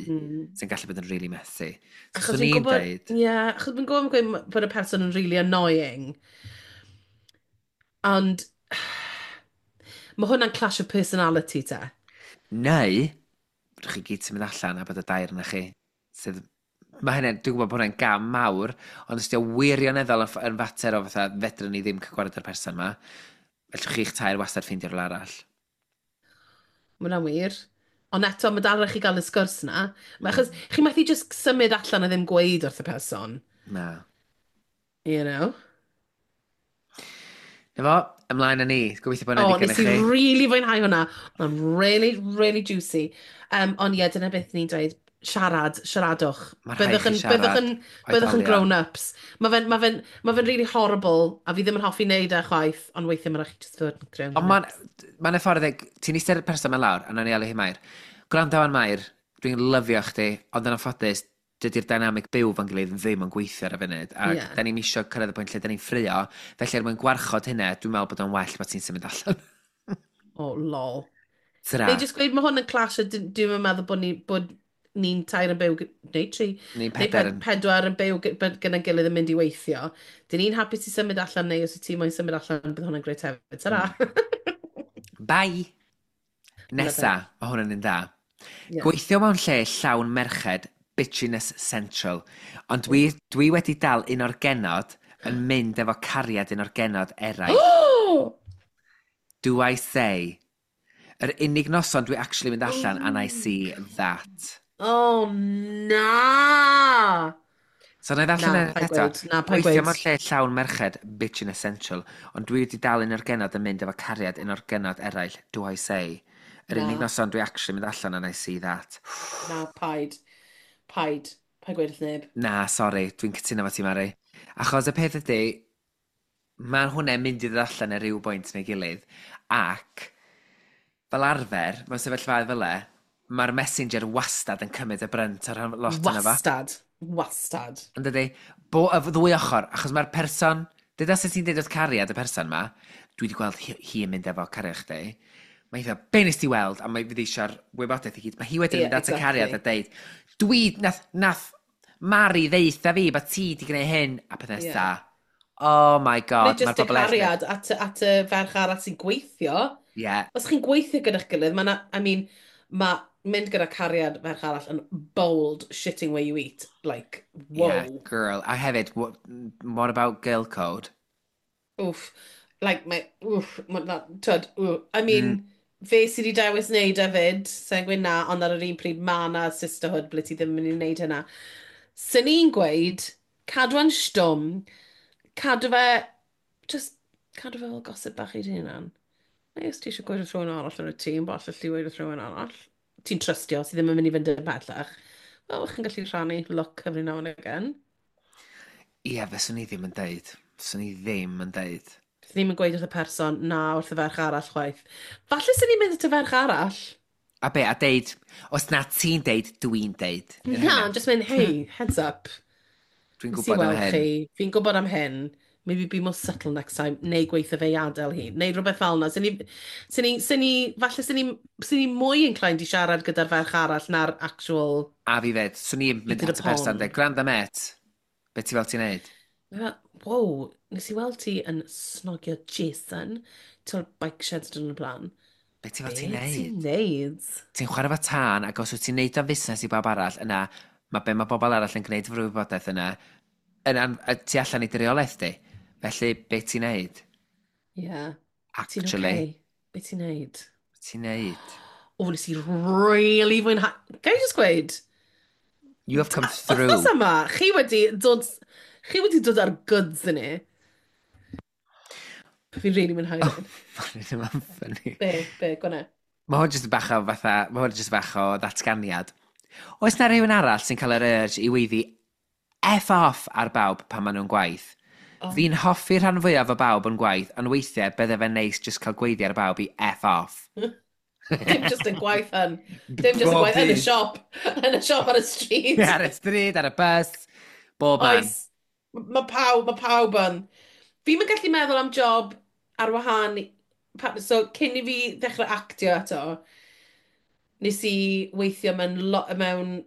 sy'n gallu bod yn really messy. So, Achos swn fi'n i'n gwybod, deud, ie, achos fi'n gwybod gweud bod y person yn really annoying. Ond mae hwnna'n clash of personality te. Neu, rydych chi gyd sy'n mynd allan a bod y dair yna chi. Sydd, mae hynny, dwi'n gwybod bod hwnna'n gam mawr, ond os di o wirioneddol yn fater o fatha, fedrwn ni ddim cael gwared ar person yma, fellwch chi'ch tair wastad ffeindio rhywle arall. Mae hwnna'n wir. Ond eto, mae dal rhaid chi gael y sgwrs na. Achos chi methu just symud allan a ddim gweud wrth y person. Na. You know? Na fo, ymlaen â ni. Gobeithio bod O, hwnna digon nes i i chi. really fwynhau hwnna. Mae'n really, really juicy. Ond ie, dyna beth ni'n dweud. Siarad, siaradwch. Mae rhaid Byddwch chi yn, siarad. byddwch yn Oedolion. grown-ups. Mae fe'n really horrible, a fi ddim yn hoffi wneud e chwaith, ond weithiau mae'n rhaid chi just fod yn grown-ups. Ond mae'n y ffordd, ti'n eistedd y person yma lawr, a nawn ni alw hi Mair. "Gwrando wan, Mair, dwi'n lyfio chdi, ond yn anffodus, dydy'r dynamic byw fo'n gilydd ddim yn gweithio ar y funud. Ac da ni'n isio cyrraedd y pwynt lle da ni'n ffrio, felly er mwyn gwarchod hynna, dwi'n meddwl bod o'n well bod ti'n symud allan." Oh, lol. Tara. Neu just gweud mae hwn yn clash a dwi'n meddwl bod ni'n tair yn byw, neu tri, Ni'n neu pedair yn. pedwar yn byw gyda'n gilydd yn mynd i weithio. Dyn ni'n hapus i symud allan neu os wyt ti moyn symud allan, bydd hwnna'n grêt hefyd. Tara! Bye! Nesa, Love. mae hwn yn un dda. Yeah. Gweithio mewn lle llawn merched, bitchiness central. Ond dwi wedi dal un o'r genod yn mynd efo cariad un o'r genod eraill. Do I say? Yr unig noson dwi actually mynd allan and I see that. Oh, na! So na i ddarllen Na, e paid eto. gweud. Na, paid Gweithio gweud. mewn lle llawn merched, bitchiness central. Ond dwi wedi dal un o'r genod yn mynd efo cariad un o'r genod eraill. Do I say? Yr unig Na. noson dwi actually mynd allan and I see that. Na, paid. Paid. Paid gweud wrth neb. Na, sori, dwi'n cytuno efo ti, Mari. Achos y peth ydy, mae hwnna'n mynd i ddod allan ar ryw bwynt neu gilydd, ac fel arfer, mewn sefyllfaoedd fel e, mae'r messenger wastad yn cymryd y brynt ar lot yna fo. Wastad. Wastad. Yn dydy, bo, y ddwy ochr, achos mae'r person, dyda sut ti'n deud wrth cariad y person ma, "Dwi wedi gweld hi yn mynd efo cariad chdi." Mae hi fel, "Be nes ti weld?" A mae fydd eisiau'r wybodaeth i gyd. Mae hi wedyn yn mynd at y cariad a deud, "Dwi, nath Mari ddeutha fi bod ti wedi gwneud hyn," a peth nesa. Oh my Neu God, just mae'r y bobl eraill. cariad at y ferch arall sy'n gweithio. Os chi'n gweithio gyda'ch gilydd, mae I mean, mae mynd gyda cariad ferch arall yn bold shitting where you eat. Like, whoa. Yeah, girl. A hefyd, what about girl code? Oof. Like, mae, oof, ma, na, twyd, oof. I mean, Fe sydd wedi dewis wneud e fyd, sa'n gweud na, ond ar yr un pryd mae na sisterhood ble ti ddim yn mynd i wneud hynna. Sy'n ni'n gweud, cadw e'n stwm, cadw fe, just cadw fe fel gossip bach i dy hunan. Neu os ti eisiau gweud wrth rhywun arall yn y tîm, falle ti weud wrth rhywun arall. Ti'n trystio, sydd ddim yn mynd i fynd yn pellach. Wel, chi'n gallu rhannu look every now and again. Ie, yeah, fyswn i ddim yn deud. Fyswn i ddim yn deud. Fyswn ddim yn gweud wrth y person, na, wrth y ferch arall chwaith. Falle sy'n ni'n mynd at y ferch arall. A be, a deud, os na ti'n deud, dwi'n deud. Na, just mynd, "Hey, heads up." Dwi'n gwybod am hyn. Chi, fi'n gwybod am hyn. Maybe be more subtle next time. Neu gweithio fe i adael hi. Neu rhywbeth fel yna. Sy'n ni, sy'n ni, sy'n ni, falle sy'n ni mwy inclined i siarad gyda'r ferch arall na'r actual. A fi fed, swn i'n mynd at y person, dweud, "Gwranda met, be ti fel ti'n neud?" Wow, nes i weld ti yn snogio Jason. Ti'n o'r bike sheds dyn nhw'n blaen. Be ti fel ti'n neud? Ti'n neud? Ti'n chwarae fo tân, ac os wyt ti'n neud o'n fusnes i bawb arall, yna, mae be mae bobl arall yn gwneud efo'r wybodaeth yna, yna tu allan i dy reolaeth di. Felly, be ti'n neud? Ie. Yeah. Actually. Ti'n okay? Be ti'n neud? Be ti'n neud? O, nes i really fwynhau. Ga i just gweud? You have come through. Wythnos yma, chi wedi dod ar goods yn ni. Fi'n really mwynhau hyn. Mae'n ddim yn funny. Be, gwna? Mae hwn jyst bach o fatha, mae hwn jyst bach o ddatganiad. Oes na rhywun arall sy'n cael yr urge i weiddi F off ar bawb pan maen nhw'n gwaith? Oh. Fi'n hoffi rhan fwyaf o bawb yn gwaith, ond weithiau bydde fe'n neis just cael gweiddi ar bawb i F off. Dim just yn gwaith yn. Dim just yn gwaith, yn y siop. Yn y siop ar y stryd. Ar y stryd, ar y bus, bob man. Oes. Mae pawb yn. Fi'n mynd gallu meddwl am job ar wahân. So, cyn i fi ddechrau actio eto, nes i weithio mewn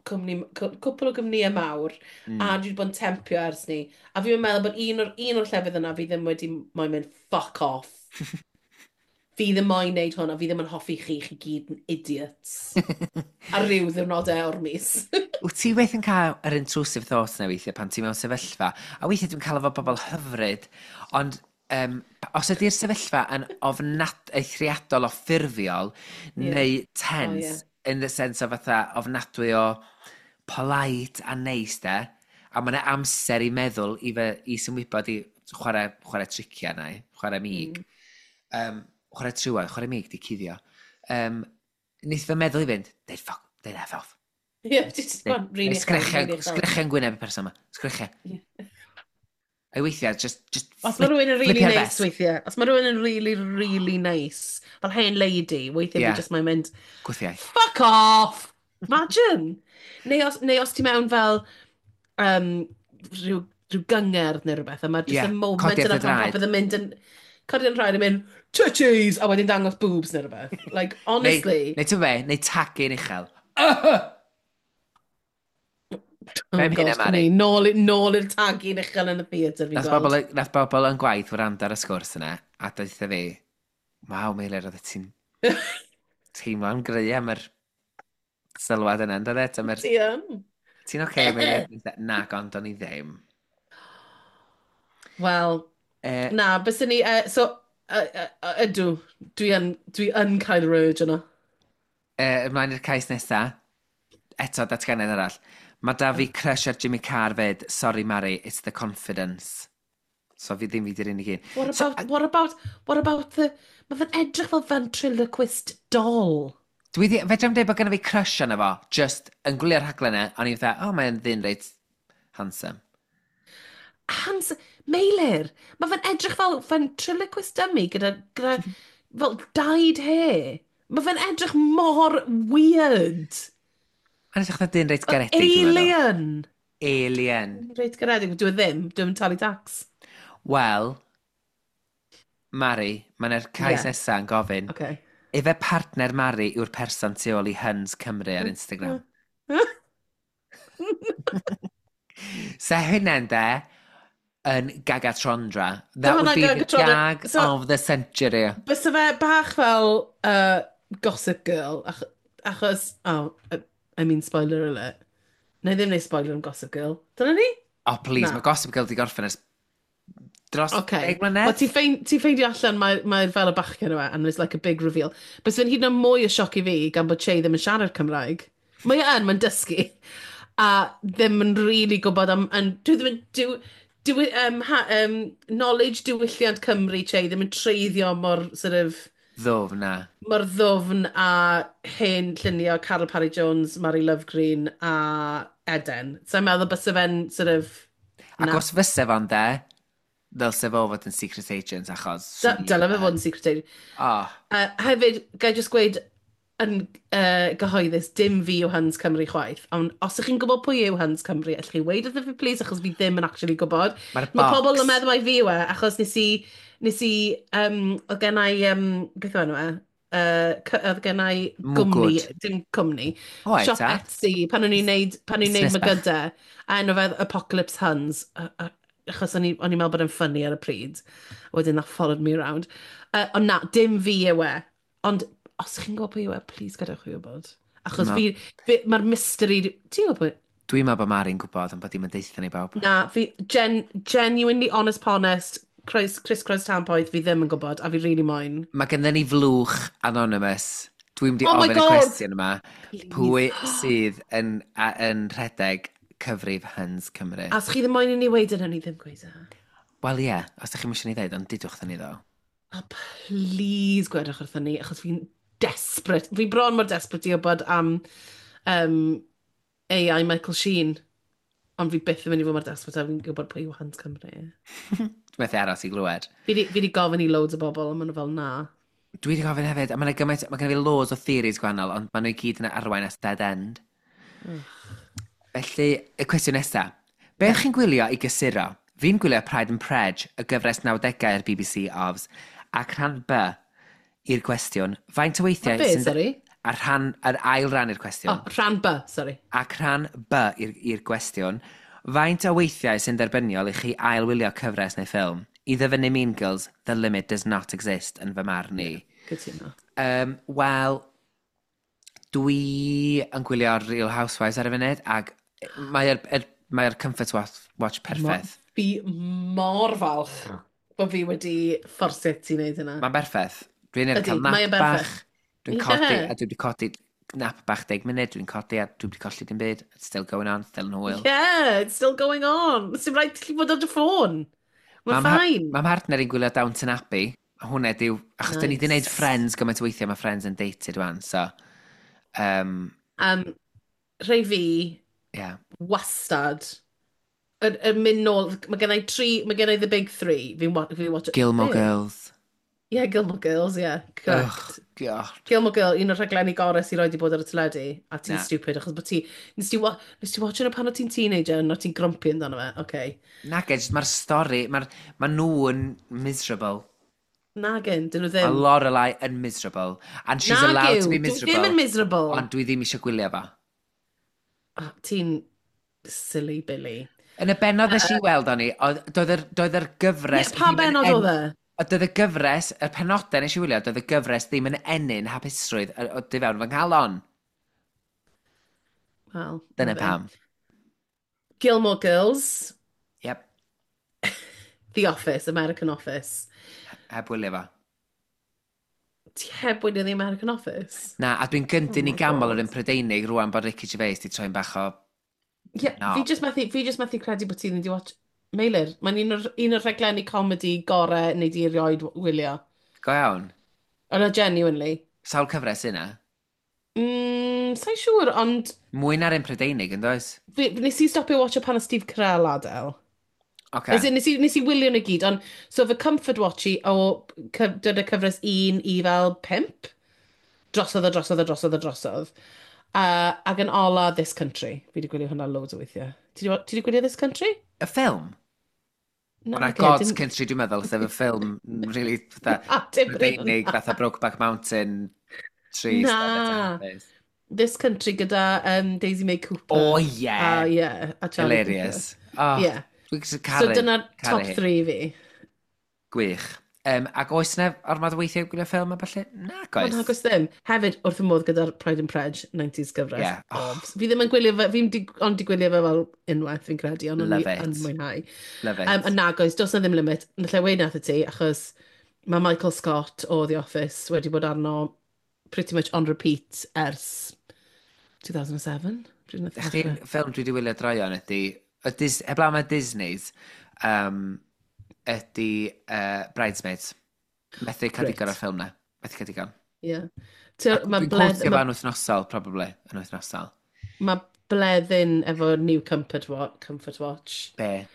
cwmni, cwpl o gwmnïau mawr, a dwi wedi bod yn tempio ers ni. A fi'n meddwl bod un o'r llefydd yna fi ddim wedi moyn mynd "Fuck off. Fi ddim moyn neud hwn a fi ddim yn hoffi chi, chi gyd yn idiots." Ar ryw ddiwrnodau o'r mis. Wyt ti weith yn cael yr intrusive thoughts na weithiau pan ti mewn sefyllfa? A weithiau dwi'n cael efo bobl hyfryd, ond os ydy'r sefyllfa yn ofnad eithriadol o ffurfiol neu tense, oh, yeah, in the sense o fatha ofnadwy o polite a neis de, a mae yna amser i meddwl i, fe, i symwybod i chwarae triciau na, chwarae mig. Chwarae trywad, chwarae mig di cuddio. Wneith fy meddwl i fynd, deud fuck, deud F off. Ie, yeah, just really. Sgrechian, sgrechian gwyneb y person yma. Sgrechian. A weithiau, just Os mae rhywun yn really nice weithiau, os mae rhywun yn really, really nice, fel hen lady, weithiau fi just mae'n mynd, Gwthiau. "Fuck off! Imagine!" Neu os ti mewn fel rhyw gyngerdd neu rhywbeth, a mae just y moment yna pan popeth yn mynd yn codi'n rhaid yn mynd, "Titties!" A wedyn dangos boobs neu rhywbeth. Like, honestly. Neu ti'n be, neu tagu'n uchel. Oh gosh, Mari. Nôl i'r tagu'n uchel yn y theatr fi'n gweld. Nath bobl yn gwaith wrando ar y sgwrs yna, a deutha fi, "Waw, Meilir, oedd ti'n teimlo'n gry am yr sylwad yna, ynddo fe?" Ti yn. "Ti'n oce, okay, Meilir?" Na, ond o'n i ddim. Wel, na, bys ni, so, ydw, dwi yn cael yr urge yna. Ymlaen i'r cais nesaf, eto datganiad arall. Mae da fi crush ar Jimmy Carr fyd. Sorry Mari, it's the confidence. So fi ddim fi di'r unig un. What about, so, what about the... Mae fe'n edrych fel ventriloquist doll. Dwi ddi, fedra i'm dweud bod genna fi crush arno fo, just yn gwylio'r rhaglen e, o'n i'n fatha, "Oh, mae'n ddyn reit handsome." Handsome? Meilir, mae fe'n edrych fel ventriloquist dummy gyda fel dyed hair. Mae fe'n edrych mor weird. Mae'n edrych fatha dyn reit garedig. Alien! Alien. Reit garedig, dwi ddim, dwi'n talu tax. Wel, Mari, mae'n cais nesaf yn gofyn. Ife partner Mari yw'r person tu ôl i Huns Cymru ar Instagram? Se hynna'n de, yn Gagatrondra. That would be the gag, so, of the century. Bysa fe bach fel Gossip Girl, achos, oh, I mean, spoiler alert. Na i ddim neud spoiler am Gossip Girl. Dyna ni? Oh, please, mae Gossip Girl di gorffen ers Dros Okay. 10 mlynedd? Wel, ti ffeindio allan mae fel y bachgen yma, and it's like a big reveal. But fe'n hyd yn oed mwy o sioc i fi gan bod Che ddim yn siarad Cymraeg. Mae e yn, mae'n dysgu. A ddim yn really gwybod am... And dwi ddim yn... Dwi, um, ha, um, knowledge diwylliant Cymru Che ddim yn treiddio mor sort of Ddwfn na. Mor ddwfn a hen lluniau Caryl Parry Jones, Mary Lovgreen a Eden. So i'n meddwl byse fe'n sort of... Ac Na. os fyse fo'n de, ddylse fo fod yn secret agent achos Dyle fe fod yn secret agent. Oh, Hefyd, gai jyst gweud yn gyhoeddus, dim fi yw Huns Cymru chwaith. Ond os ych chi'n gwybod pwy yw Huns Cymru, allwch chi weud wrtho fi, please, achos fi ddim yn actually gwybod. Mae'r Mae pobl box. yn meddwl mai fi yw e, achos nes i, oedd gen i, beth yw enw e? Oedd gen i gwmni, Mwgwd. Dim cwmni, Oed, siop ta? Etsy, pan o'n i'n neud, pan o'n i'n neud Busnes bach. mygydau, a enw fe Apocalypse Huns, achos o'n i'n meddwl bod e'n funny ar y pryd. Wedyn that followed me around. Ond na, dim fi yw e. Ond os chi'n gwybod pwy yw e, please gadewch fi wybod. Achos fi mae'r mystery. Ti'n gwybod pwy? Dwi'n meddwl bod Mari'n gwybod, ond bod dim yn deutha ni bawb. Na, fi, genuinely honest ponest, Chris Cross Tampoeth, fi ddim yn gwybod, a fi really moyn. Mae gennym ni flwch anonymous. Dwi'n mynd i Oh my ofyn y God! cwestiwn yma. Pwy sydd yn rhedeg cyfrif Huns Cymru? A os chi ddim moyn i ni weud yna, ni ddim gweud e. Wel ie, yeah, os ydych chi'n eisiau ni ddeud, ond dudwch wrthyn ni ddo. A please gwedwch wrthyn ni, achos fi'n desperate. Fi bron mor desperate i wybod am AI Michael Sheen. Ond fi byth yn mynd i fod mor desperate a fi'n gwybod pwy yw Huns Cymru. Dwi'n methu aros i glywed. Fi di gofyn i loads o bobl, a maen nhw fel na. Dwi wedi gofyn hefyd, a mae'n gymaint, mae gen i fi loads o theories gwahanol, ond maen nhw i gyd yn arwain at dead end. Felly, y cwestiwn nesaf. Be ydych chi'n gwylio i gysuro? Fi'n gwylio Pride and Prej, y gyfres 90au ar BBC Ofs, ac rhan B i'r cwestiwn, faint o weithiau Be, sorry? A rhan, yr ail ran i'r cwestiwn. Oh, rhan B, sorry. Ac rhan B i'r gwestiwn, faint o weithiau sy'n derbyniol i chi ail-wylio cyfres neu ffilm? I ddyfynnu Mean Girls, the limit does not exist yn fy marn i. Cytuno. Wel, dwi yn gwylio Real Housewives ar y funud, ac mae'r er, mae comfort watch perffaith. Fi mor falch bod fi wedi fforsio ti wneud hynna. Mae'n berffaith. Dwi'n Ydi, cael nap mae e'n bach. berffaith. Dwi'n codi, a dwi wedi codi nap bach 10 munud, dwi'n codi a dwi wedi colli dim byd. It's still going on, still yn hwyl. Yeah, it's still going on. Sy'n rhaid ti fod ar dy ffôn. Mae'n fine. Mae mhartner i'n gwylio Downton Abbey. A hwnna yw, achos nice. Dyn ni wedi gwneud Friends gymaint o weithiau, mae Friends yn dated wan, so Rhai fi, wastad, yn mynd nôl, mae gen i tri, mae gen i the big three. Fi'n fi watch. Gilmore Be? Girls. Yeah, Gilmore Girls, yeah, correct. Oh, God. Gilmore Girl, un o'r rhaglenni gorau sy'n rioed 'di bod ar y teledu, a ti'n Na. stupid, achos bod ti, nes ti watch yna pan o ti'n teenager, and o ti'n grumpy amdano fe, okay. Nage, jyst mae'r stori, mae'r ma nhw yn miserable. Nagin, dyn nhw Mae ddim. Lorelai yn miserable. And she's Nag allowed to yw, be dwi miserable. ddim yn miserable. Ond dwi ddim eisiau gwylio fo. Oh, ti'n silly Billy. Yn y bennod nes i weld o'n i, doedd yr gyfres Ie, pa ddim yn bennod oedd e? Oedd y gyfres, y penodau nes i wylio, doedd y gyfres ddim yn ennyn hapusrwydd o du fewn fy nghalon. Wel, Dyna na fe. pam. Gilmore Girls, Yep, The Office, American Office. Heb wylio fo. Ti heb wylio The American Office? Na, a dwi'n gyndyn Oh i my gamol God. yr un Prydeinig rwan bod Ricky Gervais di troi'n bach o Yeah, No. fi just methu credu bod ti ddim wedi watch. Meilir, mae'n un o'r rhaglenni comedy gorau neu di erioed wylio. Go iawn. Ond genuinely. Sawl cyfres yna? Sa'n siŵr, ond Mwy na'r un Prydeinig, yn does? Nes i stopio watcho pan o Steve Carell adael. Oce. As in, nes i wylio nhw gyd, ond so fy comfort watch i o dyna cyfres 1 i fel 5. Drosodd a drosodd a drosodd a drosodd. Ac yn ola This Country. Fi wedi gwylio hwnna loads o weithiau. Ti wedi gwylio This Country? Y ffilm? Na, Hwnna ocê, God's dim Country, dwi'n meddwl, sef y ffilm really fatha Na, dim rili Prydeinig, hwnna. fatha Brokeback Mountain, Trist, Na. This Country gyda Daisy May Cooper. O, ie. A, yeah, a Charlie Hilarious. Cooper. Oh, Yeah. Dwi'n So caru. dyna'r Caru top hi. 3 fi. Gwych. Ac oes yna ormod o weithiau gwylio ffilm a falle? Na, goes. Wel, nag ddim. Hefyd, wrth y modd gyda'r Pride and Prej 90s gyfres. Yeah. Oh. Fi ddim yn gwylio fe, fi'n di, ond di gwylio fe fel unwaith, fi'n credu, ond o'n i yn mwynhau. Love it. A nag oes, does na ddim limit. Nalle weud nath i ti, achos mae Michael Scott o The Office wedi bod arno pretty much on repeat ers 2007. Chdi'n ffilm dwi wedi wylio droion ydy, y Dis, heblaw mae Disney's, ydy Bridesmaids. Methu cael digon o'r ffilm na. Methu cael digon. Ie. Yeah. Dwi'n quotio fo'n wythnosol, probably, yn wythnosol. Mae Bleddyn efo new Comfort, Watch. Comfort Watch. Be?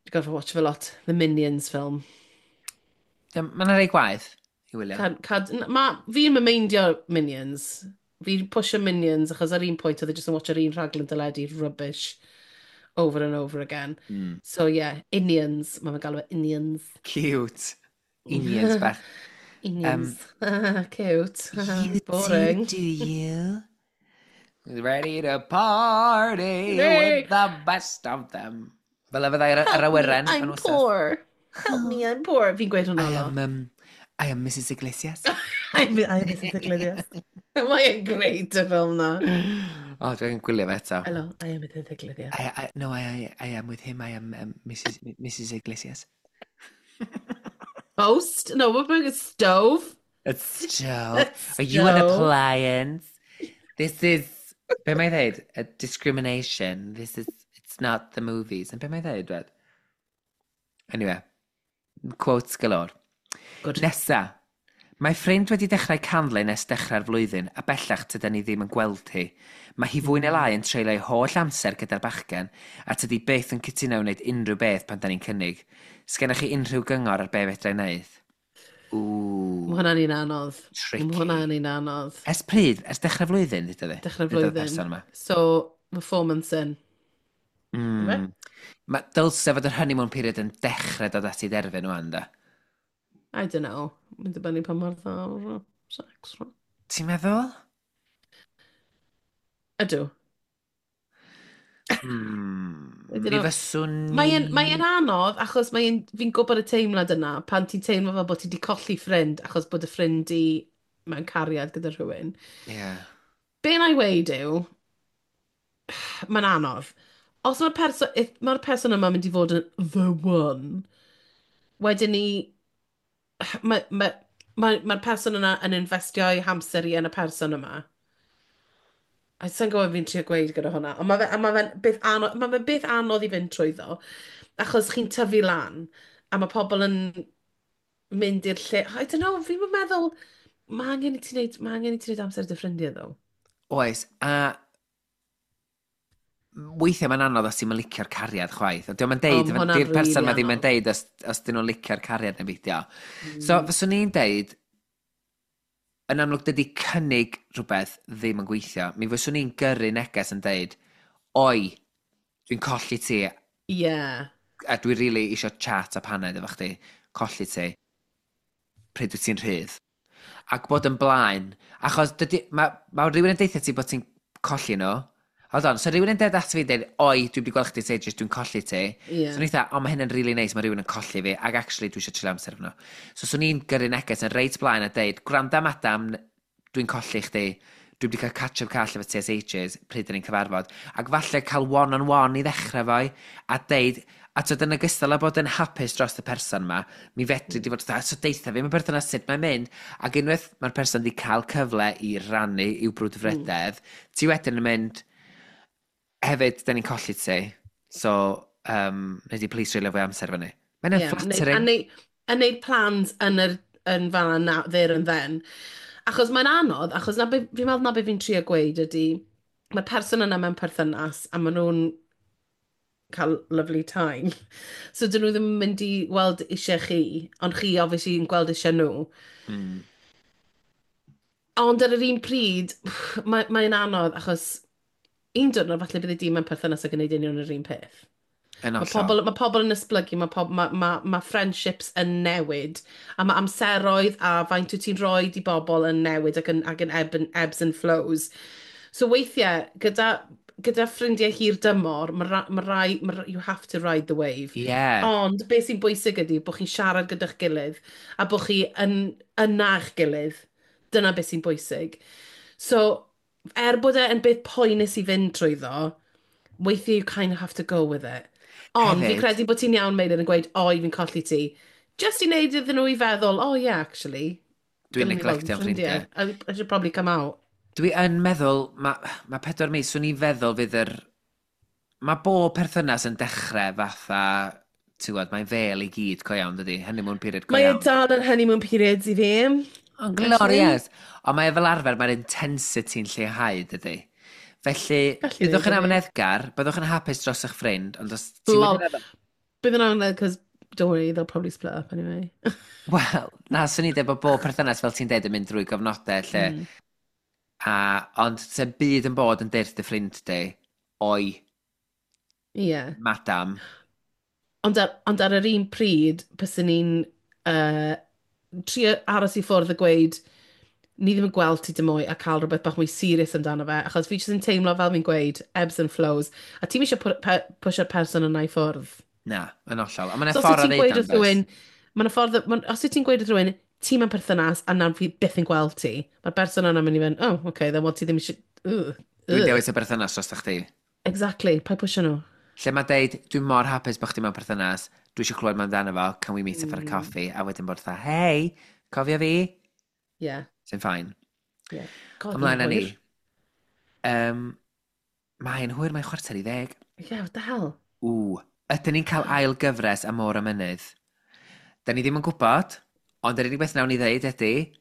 Dwi'n gorfod watch fe lot. The Minions film. Mae'n rhai gwaith i wylio. Fi'n meindio Minions. Fi'n pwysio Minions achos ar un pwynt oedd e jyst yn watch yr un rhaglen deledu rubbish over and over again. So yeah, Inions. Mae'n galw e Inions. Cute. Inions bach. Inions. Cute. You Boring. Do you? Ready to party with the best of them. Fel y fyddai'r yr awyren. I'm poor. Help me, I'm poor. Fi'n gweud hwnna lot. I am Mrs Iglesias. I'm Mrs Iglesias. Mae'n great y ffilm na. O, oh, dwi'n gwylio fe eto. Hello, I am Mrs Iglesias. No, I am with him. I am Mrs Iglesias. Post? No, what about a stove? A stove. Are you an appliance? This is... Be mae'n dweud? A discrimination. This is... It's not the movies. And be mae'n dweud, dweud? Anyway. Quotes galore. Good. Nesa. Mae ffrind wedi dechrau canlyn ers dechrau'r flwyddyn a bellach tyda ni ddim yn gweld hi. Mae hi fwy neu lai yn treulio ei holl amser gyda'r bachgen a tydi byth yn cytuno wneud unrhyw beth pan da ni'n cynnig. Sgennych chi unrhyw gyngor ar be fedra i wneud? Ww. Mae hwnna'n un anodd. Tricky. Mae hwnna'n un anodd. Ers pryd? Ers dechrau'r flwyddyn, dweud fi? Dechrau'r flwyddyn. So, mae 4 months in. Mae dylse fod yr honeymoon period yn dechrau dod at ei derfyn wan, da. I don't know. Mae'n dibynnu pa mor dda o'r sex. Ti'n meddwl? Ydw. Mi fyswn ni. Mae'n anodd achos fi'n gwybod y teimlad yna pan ti'n teimlo fel bod ti wedi colli ffrind achos bod y ffrind i mewn cariad gyda rhywun. Be na i weud yw, mae'n anodd. Os mae'r person, if mae'r person yma mynd i fod yn the one, wedyn ni, mae'r ma person yna yn investio ei hamser i yn y person yma. A sa'n gwybod fi'n trio gweud gyda hwnna, ond mae fe'n beth anodd, ma fe beth anodd i fynd trwyddo, achos chi'n tyfu lan, a mae pobl yn mynd i'r lle. I don't know, fi'n meddwl, mae angen i ti wneud amser dy ffrindiau, ddo. Oes, a weithiau mae'n anodd os ti'n licio'r cariad chwaith. Dio'm yn deud, O, ma' hwnna'n di'r person rili ma ddim yn anodd. deud os dyn nhw'n licio'r cariad neu beidio. So, fyswn i'n deud, yn amlwg dydy cynnig rhywbeth ddim yn gweithio. Mi fyswn i'n gyrru neges yn deud, "Oi, dwi'n colli ti, a dwi really eisiau chat a paned efo chdi, colli ti, pryd wyt ti'n rhydd." Ac bod yn blaen, achos dydy, ma rhywun yn deutha ti bod ti'n colli nhw. Hold on, so rhywun yn deud at fi dweud, "Oi, dwi wedi gweld chdi ages, dwi'n colli ti." So ni'n dweud, "O, mae hyn yn really nice, mae rhywun yn colli fi, ac actually dwi eisiau treulio amser efo nhw." So swn i'n gyrru neges yn reit blaen a deud, "Gwranda madam, dwi'n colli chdi, dwi wedi cael catch-up call efo ti ers ages, pryd dyn ni'n cyfarfod." Ac falle cael one-on-one i ddechrau foi, a deud, a tyd yn ogystal â bod yn hapus dros y person yma, mi fedri di fod, "So deutha fi, mae berthynas sut mae'n mynd." Ac unwaith mae'r person wedi cael cyfle i rannu i'w brwdfrydedd, ti wedyn yn mynd, "Hefyd, da ni'n colli ti, so, nei di please treulio fwy amser efo ni." Mae'n Ie, flattering. A neud plans yn fan na, there and then. Achos mae'n anodd, achos fi'n meddwl na be fi'n trio gweud ydy, mae'r person yna mewn perthynas a maen nhw'n cael lovely time. So dyn nhw ddim yn mynd i weld eisiau chi, ond chi obviously yn gweld eisiau nhw. Ond ar yr un pryd, mae'n anodd achos un diwrnod falle bydd y dyn mewn perthynas ac yn gwneud union yr un peth. Yn Mae hollol. pobl yn esblygu, mae friendships yn newid, a mae amseroedd a faint wyt ti'n rhoi i bobl yn newid ac yn ebbs and flows. So weithiau, gyda gyda ffrindiau hir dymor, mae ra, ma rai, ma, you have to ride the wave. Ond beth sy'n bwysig ydy bod chi'n siarad gyda'ch gilydd a bod chi yn yna eich gilydd. Dyna beth sy'n bwysig. So, er bod e yn beth poenus i fynd trwyddo, weithiau you kind of have to go with it. Ond fi credu bod ti'n iawn, Meilir, yn gweud, "O, i fi'n colli ti." Just i wneud iddyn nhw i feddwl, "Oh yeah, actually." Dwi'n dylwn i fod yn neglectio'n ffrindiau. I should probably come out. Dwi yn meddwl, mae 4 mis, swn i'n feddwl fydd yr... Mae bob perthynas yn dechrau fatha, ti'n gwybod, mae'n fel i gyd co iawn, dydy? Honeymoon period go Mae e iawn. dal yn honeymoon periods i fi. Ond glorious! Ond mae e fel arfer, mae'r intensity'n lleihau, dydy? Felly, Gallu byddwch yn dweud hynny. amyneddgar, byddwch yn hapus dros eich ffrind, ond os ti'n Lol. mynd yn Bydd yn amlwg, because don't worry, they'll probably split up anyway. Wel, na, swn i'n dweud bod bob perthynas, fel ti'n dweud, yn mynd drwy gyfnodau lle. Ond sy'n byd yn bod yn dyrth dy ffrind di, oi, madam. Ond ar yr un pryd, byswn ni'n trio aros i ffwrdd a gweud, "Ni ddim yn gweld ti dim mwy," a cael rhywbeth bach mwy serious amdano fe, achos fi jyst yn teimlo fel fi'n gweud, ebbs and flows, a ti'n eisiau pwysio'r person yna i ffwrdd. Na, yn hollol. A mae'n So os wyt ffordd o ti'n ddeud gweud o'n wrth rhywun, mae'n ffordd, ma, os wyt ti'n gweud wrth rhywun, "Ti'n mewn perthynas a nawr fi byth yn gweld ti," mae'r person yna'n mynd i fynd, "Oh, okay, then what, ti ddim eisiau, Dwi'n dewis y berthynas dros chdi. Exactly, paid pwysio nhw. Lle mae deud, "Dwi'n mor hapus bod chdi mewn perthynas, dwi eisiau clywed mwy amdano fo, can we meet up for a coffee?" A wedyn bod fatha, "Hey, cofio fi?" Sy'n fine. Yeah. God, Ymlaen â mae'n ni. hwyr. Mae'n hwyr, mae'n 9:45. Yeah, what the hell? Ww, ydyn ni'n cael ail gyfres am Môr a Mynydd? Da ni ddim yn gwybod, ond yr unig beth nawn ni ddeud ydy,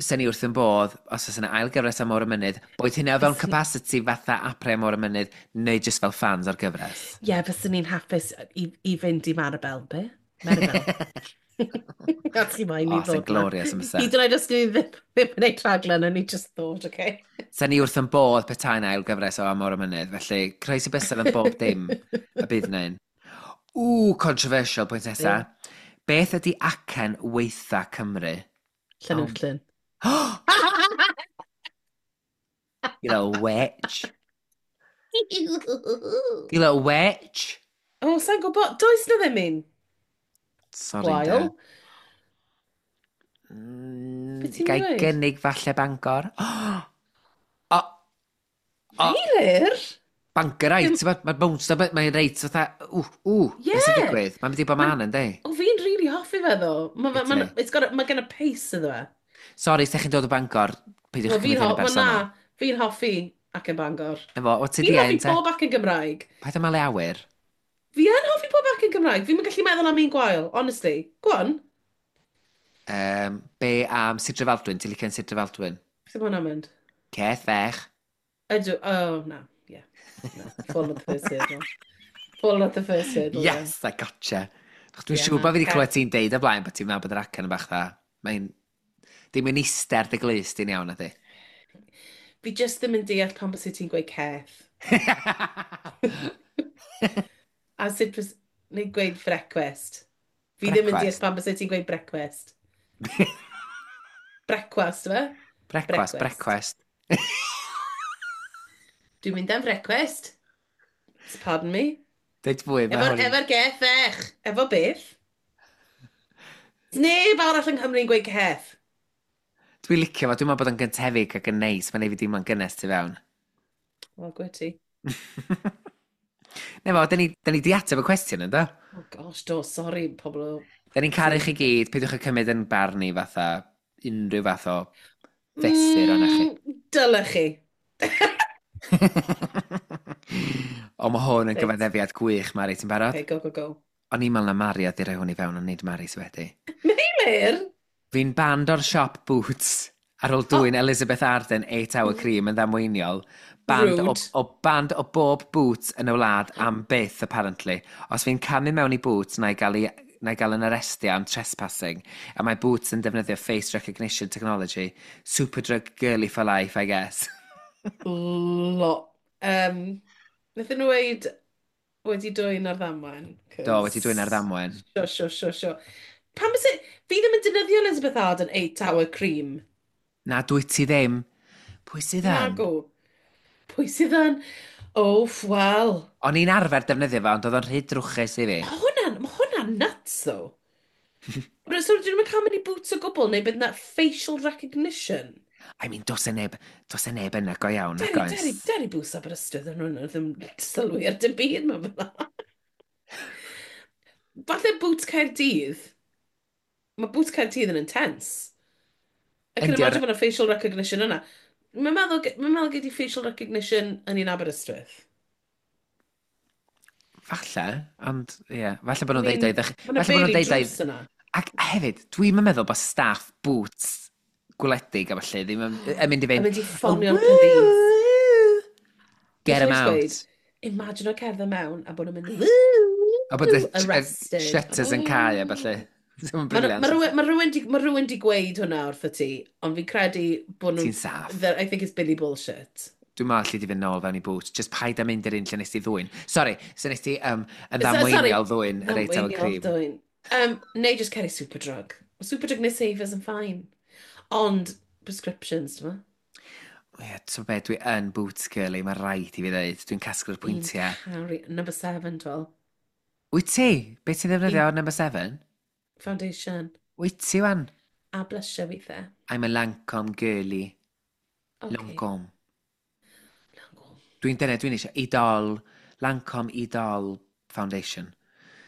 sen ni wrth yn bodd os oes yna ail gyfres am Môr a Mynydd, boed hynna o fewn capacity fatha Aprau Môr a Mynydd, neu just fel fans o'r gyfres. Ie, yeah, fyswn ni'n hapus i fynd i Maribel, be? Maribel. A ti moyn i O, sy'n ddod 'na. glorious yn fysa. Hyd yn oed os ni ddim yn gwneud rhaglen, and ni just thought, okay. Sen ni wrth yn bodd petai'n ail gyfres o Am Môr a Mynydd, felly croesi bysedd yn bob dim y bydd yna un. Ww, controversial pwynt nesa. Beth ydy acen weitha Cymru? Llanwllyn. You little witch. You little witch. O, sa'n gwybod, does na ddim un. Sorry, Gwael. de. Be ti'n Gai dweud? gynnig falle Bangor? O, o, Meilir? Bangorite, ti'n bod, mae'r bounce, mae'n reit fatha, ww, ww, beth sy'n digwydd? Mae'n mynd i bod man yn di. O, fi'n really hoffi fe ddo. Mae Wyt ma, ti? it's got a, mae gen a pace iddo fe. Sori, os chi'n dod o Bangor, peidiwch Wel, cymryd fi'n hyn ho yn wel, na, bersonol. fi'n hoffi acen Bangor. Efo, o ti Fi'n di hoffi ein te? pob acen Gymraeg. Paid â malu awyr. Fi yn hoffi pob acen Gymraeg. Fi'n gallu meddwl am un gwael, honestly. Go on. Be am Sir Drefaldwyn? Ti'n licio'n Sir Drefaldwyn? Sut mae hwnna'n mynd? Ceth fech. Ydw, oh, na, yeah. No, fall at the first hurdle. Fall at the first hurdle, yeah. Yes, I gotcha. Dwi'n Ie, siŵr na, bod fi wedi ce- clywed ti'n deud o blaen bod ti'n meddwl bod yr acen yn bach dda. Mae'n... Dim yn eistedd dy glust di'n iawn, ydy. Fi just ddim yn deall pam bys ti'n gweud "ceth". A sut bys... Neu gweud "frecwest". Fi ddim yn deall Brecwast? pam bys ti'n gweud "brecwest". Brecwast, fe? Brecwast, Brecwast. brecwast. Dwi'n mynd am frecwest. Pardon me. Deud fwy, mae Efo'r hwn. efo geth fech. Efo beth? Neb arall yng Nghymru'n gweud "ceth". Dwi'n licio fo, dwi'n meddwl bod o'n gyntefig ac yn neis, mae'n neud fi deimlo'n gynnes tu fewn. Wel, gwe ti. Ne fo, da ni di ateb y cwestiwn, ynddo? Oh gosh, do, sorry, pobl o. Da ni'n caru chi gyd, peidiwch â cymryd yn barn ni fatha unrhyw fath o fesur o'na chi. Dylech chi. O, mae hwn yn gyfaddefiad gwych, Mari, ti'n barod? Okay, go, go, go. O'n i'n meddwl na Mari oedd i roi hwn i fewn, ond nid Mari sydd wedi. Meilir? Fi'n banned o'r siop Boots ar ôl dwyn Elizabeth Arden 8 Hour Cream yn ddamweiniol. Banned o, Rude. o, banned o bob Boots yn y wlad am byth, apparently. Os fi'n camu mewn i Boots, na i gael yn arestio am trespassing. A mae Boots yn defnyddio face recognition technology. Superdrug girly for life, I guess. Lo. Wnaethon nhw weid "wedi dwyn ar ddamwain"? Do, "wedi dwyn ar ddamwain". Sure. Pam bys? Fi ddim yn defnyddio Elizabeth Arden 8 Hour Cream. Na, dwi ti ddim. Pwy sydd yn? Nago. Pwy sydd yn? Oh, wel. O'n i'n arfer defnyddio fo, ond oedd o'n rhy drwchus i fi. Mae hwnna'n nuts, though. So, dyn nhw'n cael mynd i Boots o gwbl, neu bydd na facial recognition? I mean, does e neb yna go iawn, nag Deri, oes? deri, deri Boots Aberystwyth yn hwnna, ddim sylwi ar dim byd mewn fel. Falle Boots Caerdydd. Mae Boots Caerdydd yn intense. I can Yndi, imagine bod 'na facial recognition yna. Mae'n meddwl gei di facial recognition yn un Aberystwyth. Falle, ond ie, yeah, falle bod I nhw'n mean, deud o'i mae 'na falle bod nhw'n barely deud o'i drws yna. Ac hefyd, dwi'n meddwl bod staff Boots gwledig a falle ddim yn mynd i Yn fynd, mynd i ffonio'r police. "Get him Beth out." gweud, imagine o cerdded mewn a bod nhw'n mynd, A bod y arrested. shutters yn cau a falle. Mae'n Mae brilliant. ma rhywun di gweud hwnna wrtho ti, ond fi'n credu bod nhw'n Ti'n saff. I think it's Billy bullshit. Dwi'n meddwl allu di fynd nôl fewn i Boots. Just paid â mynd i'r un lle nes ti ddwyn. Sorry, so nes ti yn ddamweiniol ddwyn yr eitem o Ddamweiniol cream. ddwyn. Neu just carry Superdrug. Mae Superdrug neu Savers yn fine. Ond prescriptions, ti'n ma? Ie, so be, dwi yn Boots girly, mae rhaid i fi ddeud. Dwi'n casglu'r pwyntiau. Carry, number 7, twel. Wyt ti? Be ti'n ddefnyddio o'r number 7? Foundation. Wyt ti wan? A blusher weithiau. I'm a Lancome girly. Okay. Lancome. Lancome. Dwi'n dyna, dwi'n eisiau Idol, Lancome Idol Foundation.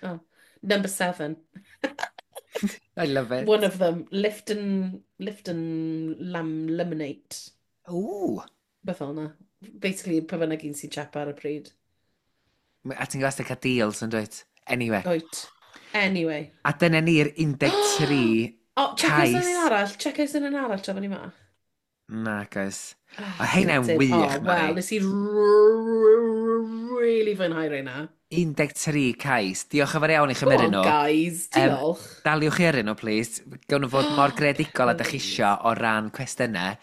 Oh. Number 7. I love it. One of them. Lift and Lam Lemonade. Ooh. Beth fel yna. Basically, pa bynnag un sy'n cheap ar y pryd. A ti'n gwybod cael deals yn dweud? Anyway. Oet. Anyway. A dyna ni'r 13 O, check us yn cais. un arall. Check us yn un arall tra bod ni ma. Na, guys. Ah, O, heina'n gutted. wych, O, Mari. wel, nes i really fwynhau reina. 13 cais. Diolch yn fawr iawn i Go chymryd on, nhw. guys. Diolch. Daliwch chi ar nhw, please. Gawn nhw fod mor greadigol a dych chi Please. isio o ran cwestiynau.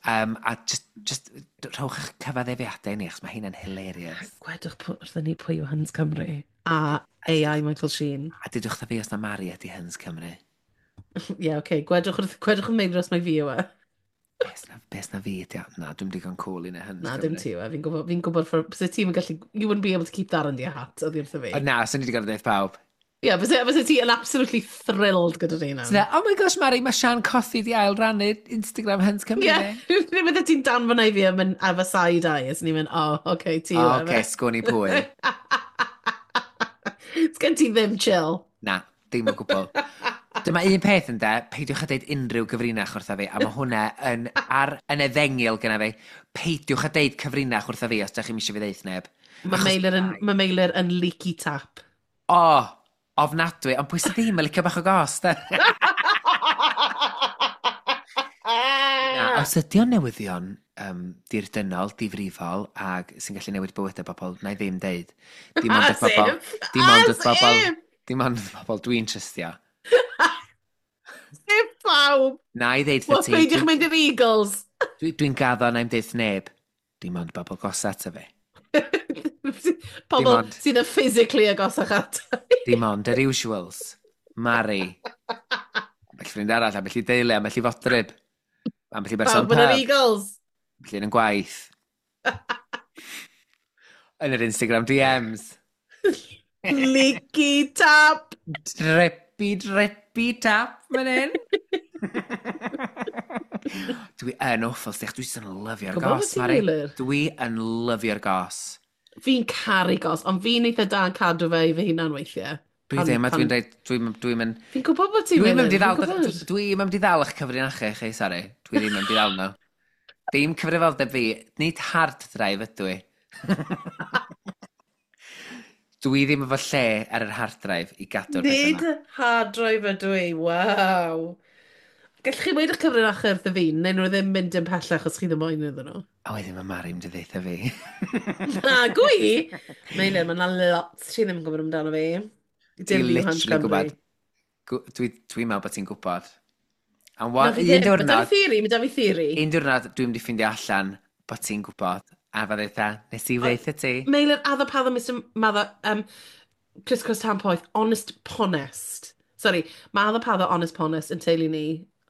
A just rhowch eich cyfaddefiadau i ni, achos mae hynna'n hilarious. Gwedwch wrthyn ni pwy yw Hans Cymru. A AI Michael Sheen. A dydwch wrtha fi os na Mari ydi Hans Cymru. Ie, yeah, okay. Gwedwch yn Meilir os mai fi yw e. Beth na fi ydi o? Na, dwi'n digon cool i neud Hans Na, Cymru. dim ti yw e. Fi'n gwybod, byse ti'n gallu. You wouldn't be able to keep that under your hat, oedd wrtho fi. O, na, swn i wedi gorfod deud pawb. Ie, yeah, byse ti yn absolutely thrilled gyda rheina. So, oh my gosh, Mari, mae Sian Cothi di ail rannu Instagram Hans Cymru. Ie, fi. ddim bydde ti'n danfon i fi am yn efo side eye, a ni'n mynd, "Oh, okay, ti O, yw e." oce, sgwn i pwy. Sgen ti ddim chill. Na, dim o gwbl. Dyma un peth yn de, peidiwch â deud unrhyw gyfrinach wrtha fi, a mae hwnna yn, ar, yn efengil gyda fi. Peidiwch â deud cyfrinach wrtha fi os ydych chi'n eisiau fi ddeud neb. Mae Meilir yn leaky tap. O, ofnadwy, ond pwy sydd ddim yn licio bach o gost, de? Na, os ydy o'n newyddion dirdynnol, difrifol, ag sy'n gallu newid bywydau bobl, na i ddim deud. Dim ond wrth As bobl, if! dim ond As wrth bobl, if! dim ond wrth bobl dwi'n trystio. Sef pawb! Na i ddeud Wel, wrth ti, peidiwch mynd i'r Eagles. Dwi'n gaddo na i'm deud neb. Dim ond bobl gosa ata fi. Pobl sydd yn physically agosach at. Dim ond yr usuals. Mari. Ambell ffrind arall, ambell i deulu, ambell i fodryb. Ambell i berson Pawb yn yr pub. Eagles. Ambell un yn gwaith. Yn yr Instagram DMs. Leaky tap. Drippy, drippy tap, man hyn. Dwi yn awful, stych. Dwi jyst yn lyfio'r Gwbod bod gos, ti'n Mari. Meilir. Dwi yn lyfio'r gos. Fi'n caru gos, ond fi'n eitha da yn cadw fe i fy hunan weithiau. Dwi ddim, a dwi'n dweud, dwi'n mynd Fi'n gwybod bod ti'n Dwi'n mynd i Meilir, ddal, fi'n gwybod. dwi'n mynd i ddal eich cyfrinachau chi, sori. Dwi ddim yn mynd i ddal nhw. Dim cyfrifoldeb fi, nid hard drive ydw i. Dwi ddim efo lle ar yr hard drive i gadw'r pethau Nid yma. hard drive ydw i, waw. Gallwch chi weud eich cyfrinachau wrtho fi, neu nhw ddim mynd yn pellach os chi ddim moyn iddyn nhw. A wedyn mae Mari mynd i ddeutha fi. Na, gwi! Meilir, mae yna lot ti ddim yn gwybod amdano fi. Ti Dim fi yw Hans literally Cymru. gwybod. Dwi'n meddwl bod ti'n gwybod. A Na, un fi ddim. Mae da diwrnod, fi theori, mae da fi theori. un diwrnod dwi'n mynd i ffindio allan bod ti'n gwybod. A fa ddeutha, nes i ddeutha ti. Meilir, addo paddo Mr Maddo, Chris Chris Tan Poeth, honest ponest. Sorry, mae addo paddo honest ponest yn teulu ni.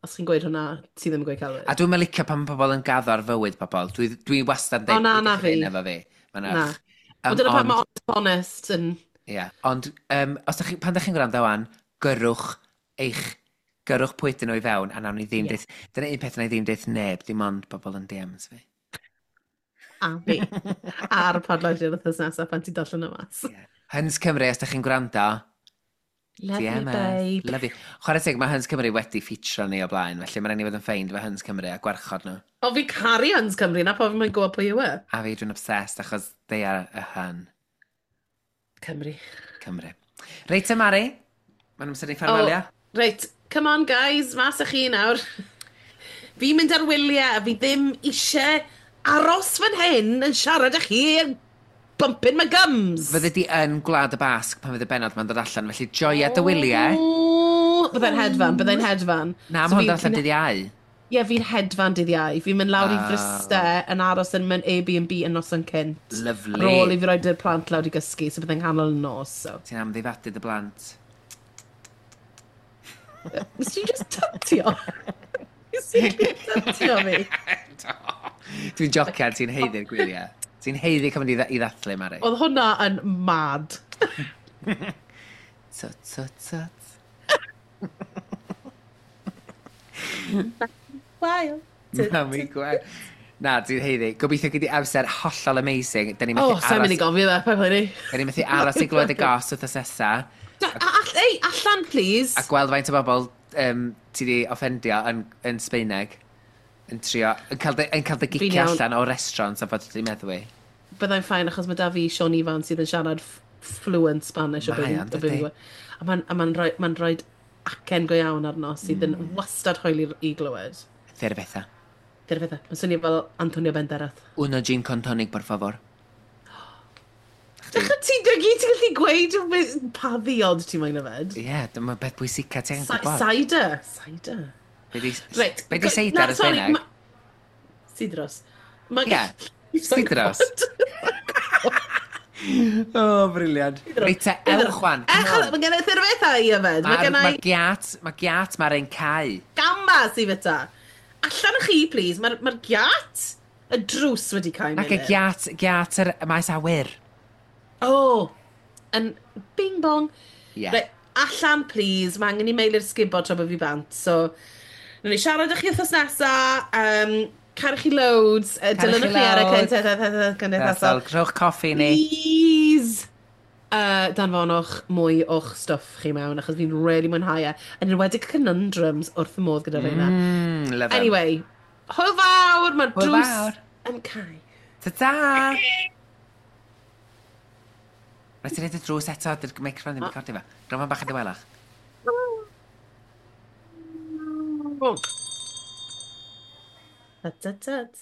Os chi'n gweud hwnna, ti ddim yn gweud celwydd. A dwi'n licio pan mae pobl yn gaddo ar fywyd pobl. Dwi wastad yn deud, na, na fi. Efo fi. Mae'n Na. Ond dyna pan mae honest yn. Ie, yeah. Ond os dach chi, pan ydych chi'n gwrando wan, gyrrwch eich, gyrrwch pwy dyn nhw i fewn, a nawn ni ddim yeah. deith, dyna un peth na i ddim deith neb, dim ond bobl yn DMs fi. A fi. Ar y podlediad wythnos nesaf pan ti'n darllen y mas. Yeah. Hyns Cymru, os ydych chi'n gwrando, Love you, babe. Love you. Chwarae teg, mae Hyns Cymru wedi ffitro ni o blaen, felly mae'n rhaid ni fod yn ffeind efo Hyns Cymru a gwarchod nhw. O, fi caru Hyns Cymru, na pofyn mae'n gwybod pwy yw e. A fi, dwi'n obsessed, achos they are a hun. Cymru. Cymru. Reit te, Mari, mae'n amser i ffarwelio. Oh, reit, come on guys, mas â chi nawr. Fi'n mynd ar wyliau a fi ddim eisiau aros fan hyn yn siarad â chi yn bumping my gums. Fydde di yn Gwlad y Basg pan fydd y bennod ma'n dod allan, felly joia dy wyliau. Byddai'n hedfan, byddai'n hedfan. Na, mae hwn dod allan dydd Iau. Ie, yeah, fi'n hedfan dydd Iau. Fi'n mynd lawr i Fryste yn aros yn mewn Airbnb yn noson cynt. Lovely. Ar ôl i fi roed y plant lawr i gysgu, so byddai'n nghanol y nos. So. Ti'n amddifadu dy blant. Nes ti just tytio? Nes ti tytio fi? Dwi'n jocian, ti'n haeddu'r gwyliau. Ti'n haeddu cymryd i ddathlu, Mari. Oedd hwnna yn mad. Tut, tut, tut. Wael. Mami gwael. Na, ti'n haeddu. Gobeithio gei di amser hollol amazing. Da ni methu aros... Sa'n mynd i gofio fe, pa poeni. Da ni methu aros i glywed y gos wrth nesa. Ei, allan, please. A gweld faint o bobl ti di offendio yn Sbeineg. Yn trio, yn cael dy gicio allan o restaurant a fod ti'n meddwi. Byddai'n fine achos mae da fi Sean Ifan sydd yn siarad fluent Spanish. Mae o'n, dydy. A mae'n ma rhoi, ma rhoi acen go iawn arno sydd yn wastad hwyl i glywed. Cerveza. Cerveza. Mae'n swnio fel Antonio Banderas. Uno gin con tonic, por favor. Dechrau ti'n dygu, ti'n gallu gweud pa ddiod ti'n moyn yfed? Ie, yeah, dyma beth bwysica ti'n gwybod. Cider. Cider. Be di, right. Be di seidr yn Sbaeneg? Sidros. Ie, sidros. Oh, briliant. Reit te, ewch wan. Ewch, mae gen i thirfethau i yfed. Mae gen i... Mae giat, mae'r ein cau. Gambas i fyta. Allan o chi, please. Mae'r ma giat, y drws wedi cael mynd. Ac y giat, giat yr maes awyr. Oh, yn bing bong. Yeah. Reit, allan, please. Mae angen i meilu'r sgubod tra bod fi bant. So, Wnawn ni siarad â chi wythnos nesa. Caru chi loads. Dilynwch ni ar y cymdeithasol. Rhowch coffi ni. Please! Danfonwch mwy o'ch stwff chi mewn, achos fi'n really mwynhau e. Yn enwedig conundrums wrth y modd gyda rheina. Love. Anyway, hwyl fawr, mae'r drws yn cau. Ta-ta! Rhaid ti'n neud y drws eto, dy'r microphone ddim yn recordio fe. Rhaid bach yn dawelach. Tut, tut, tut.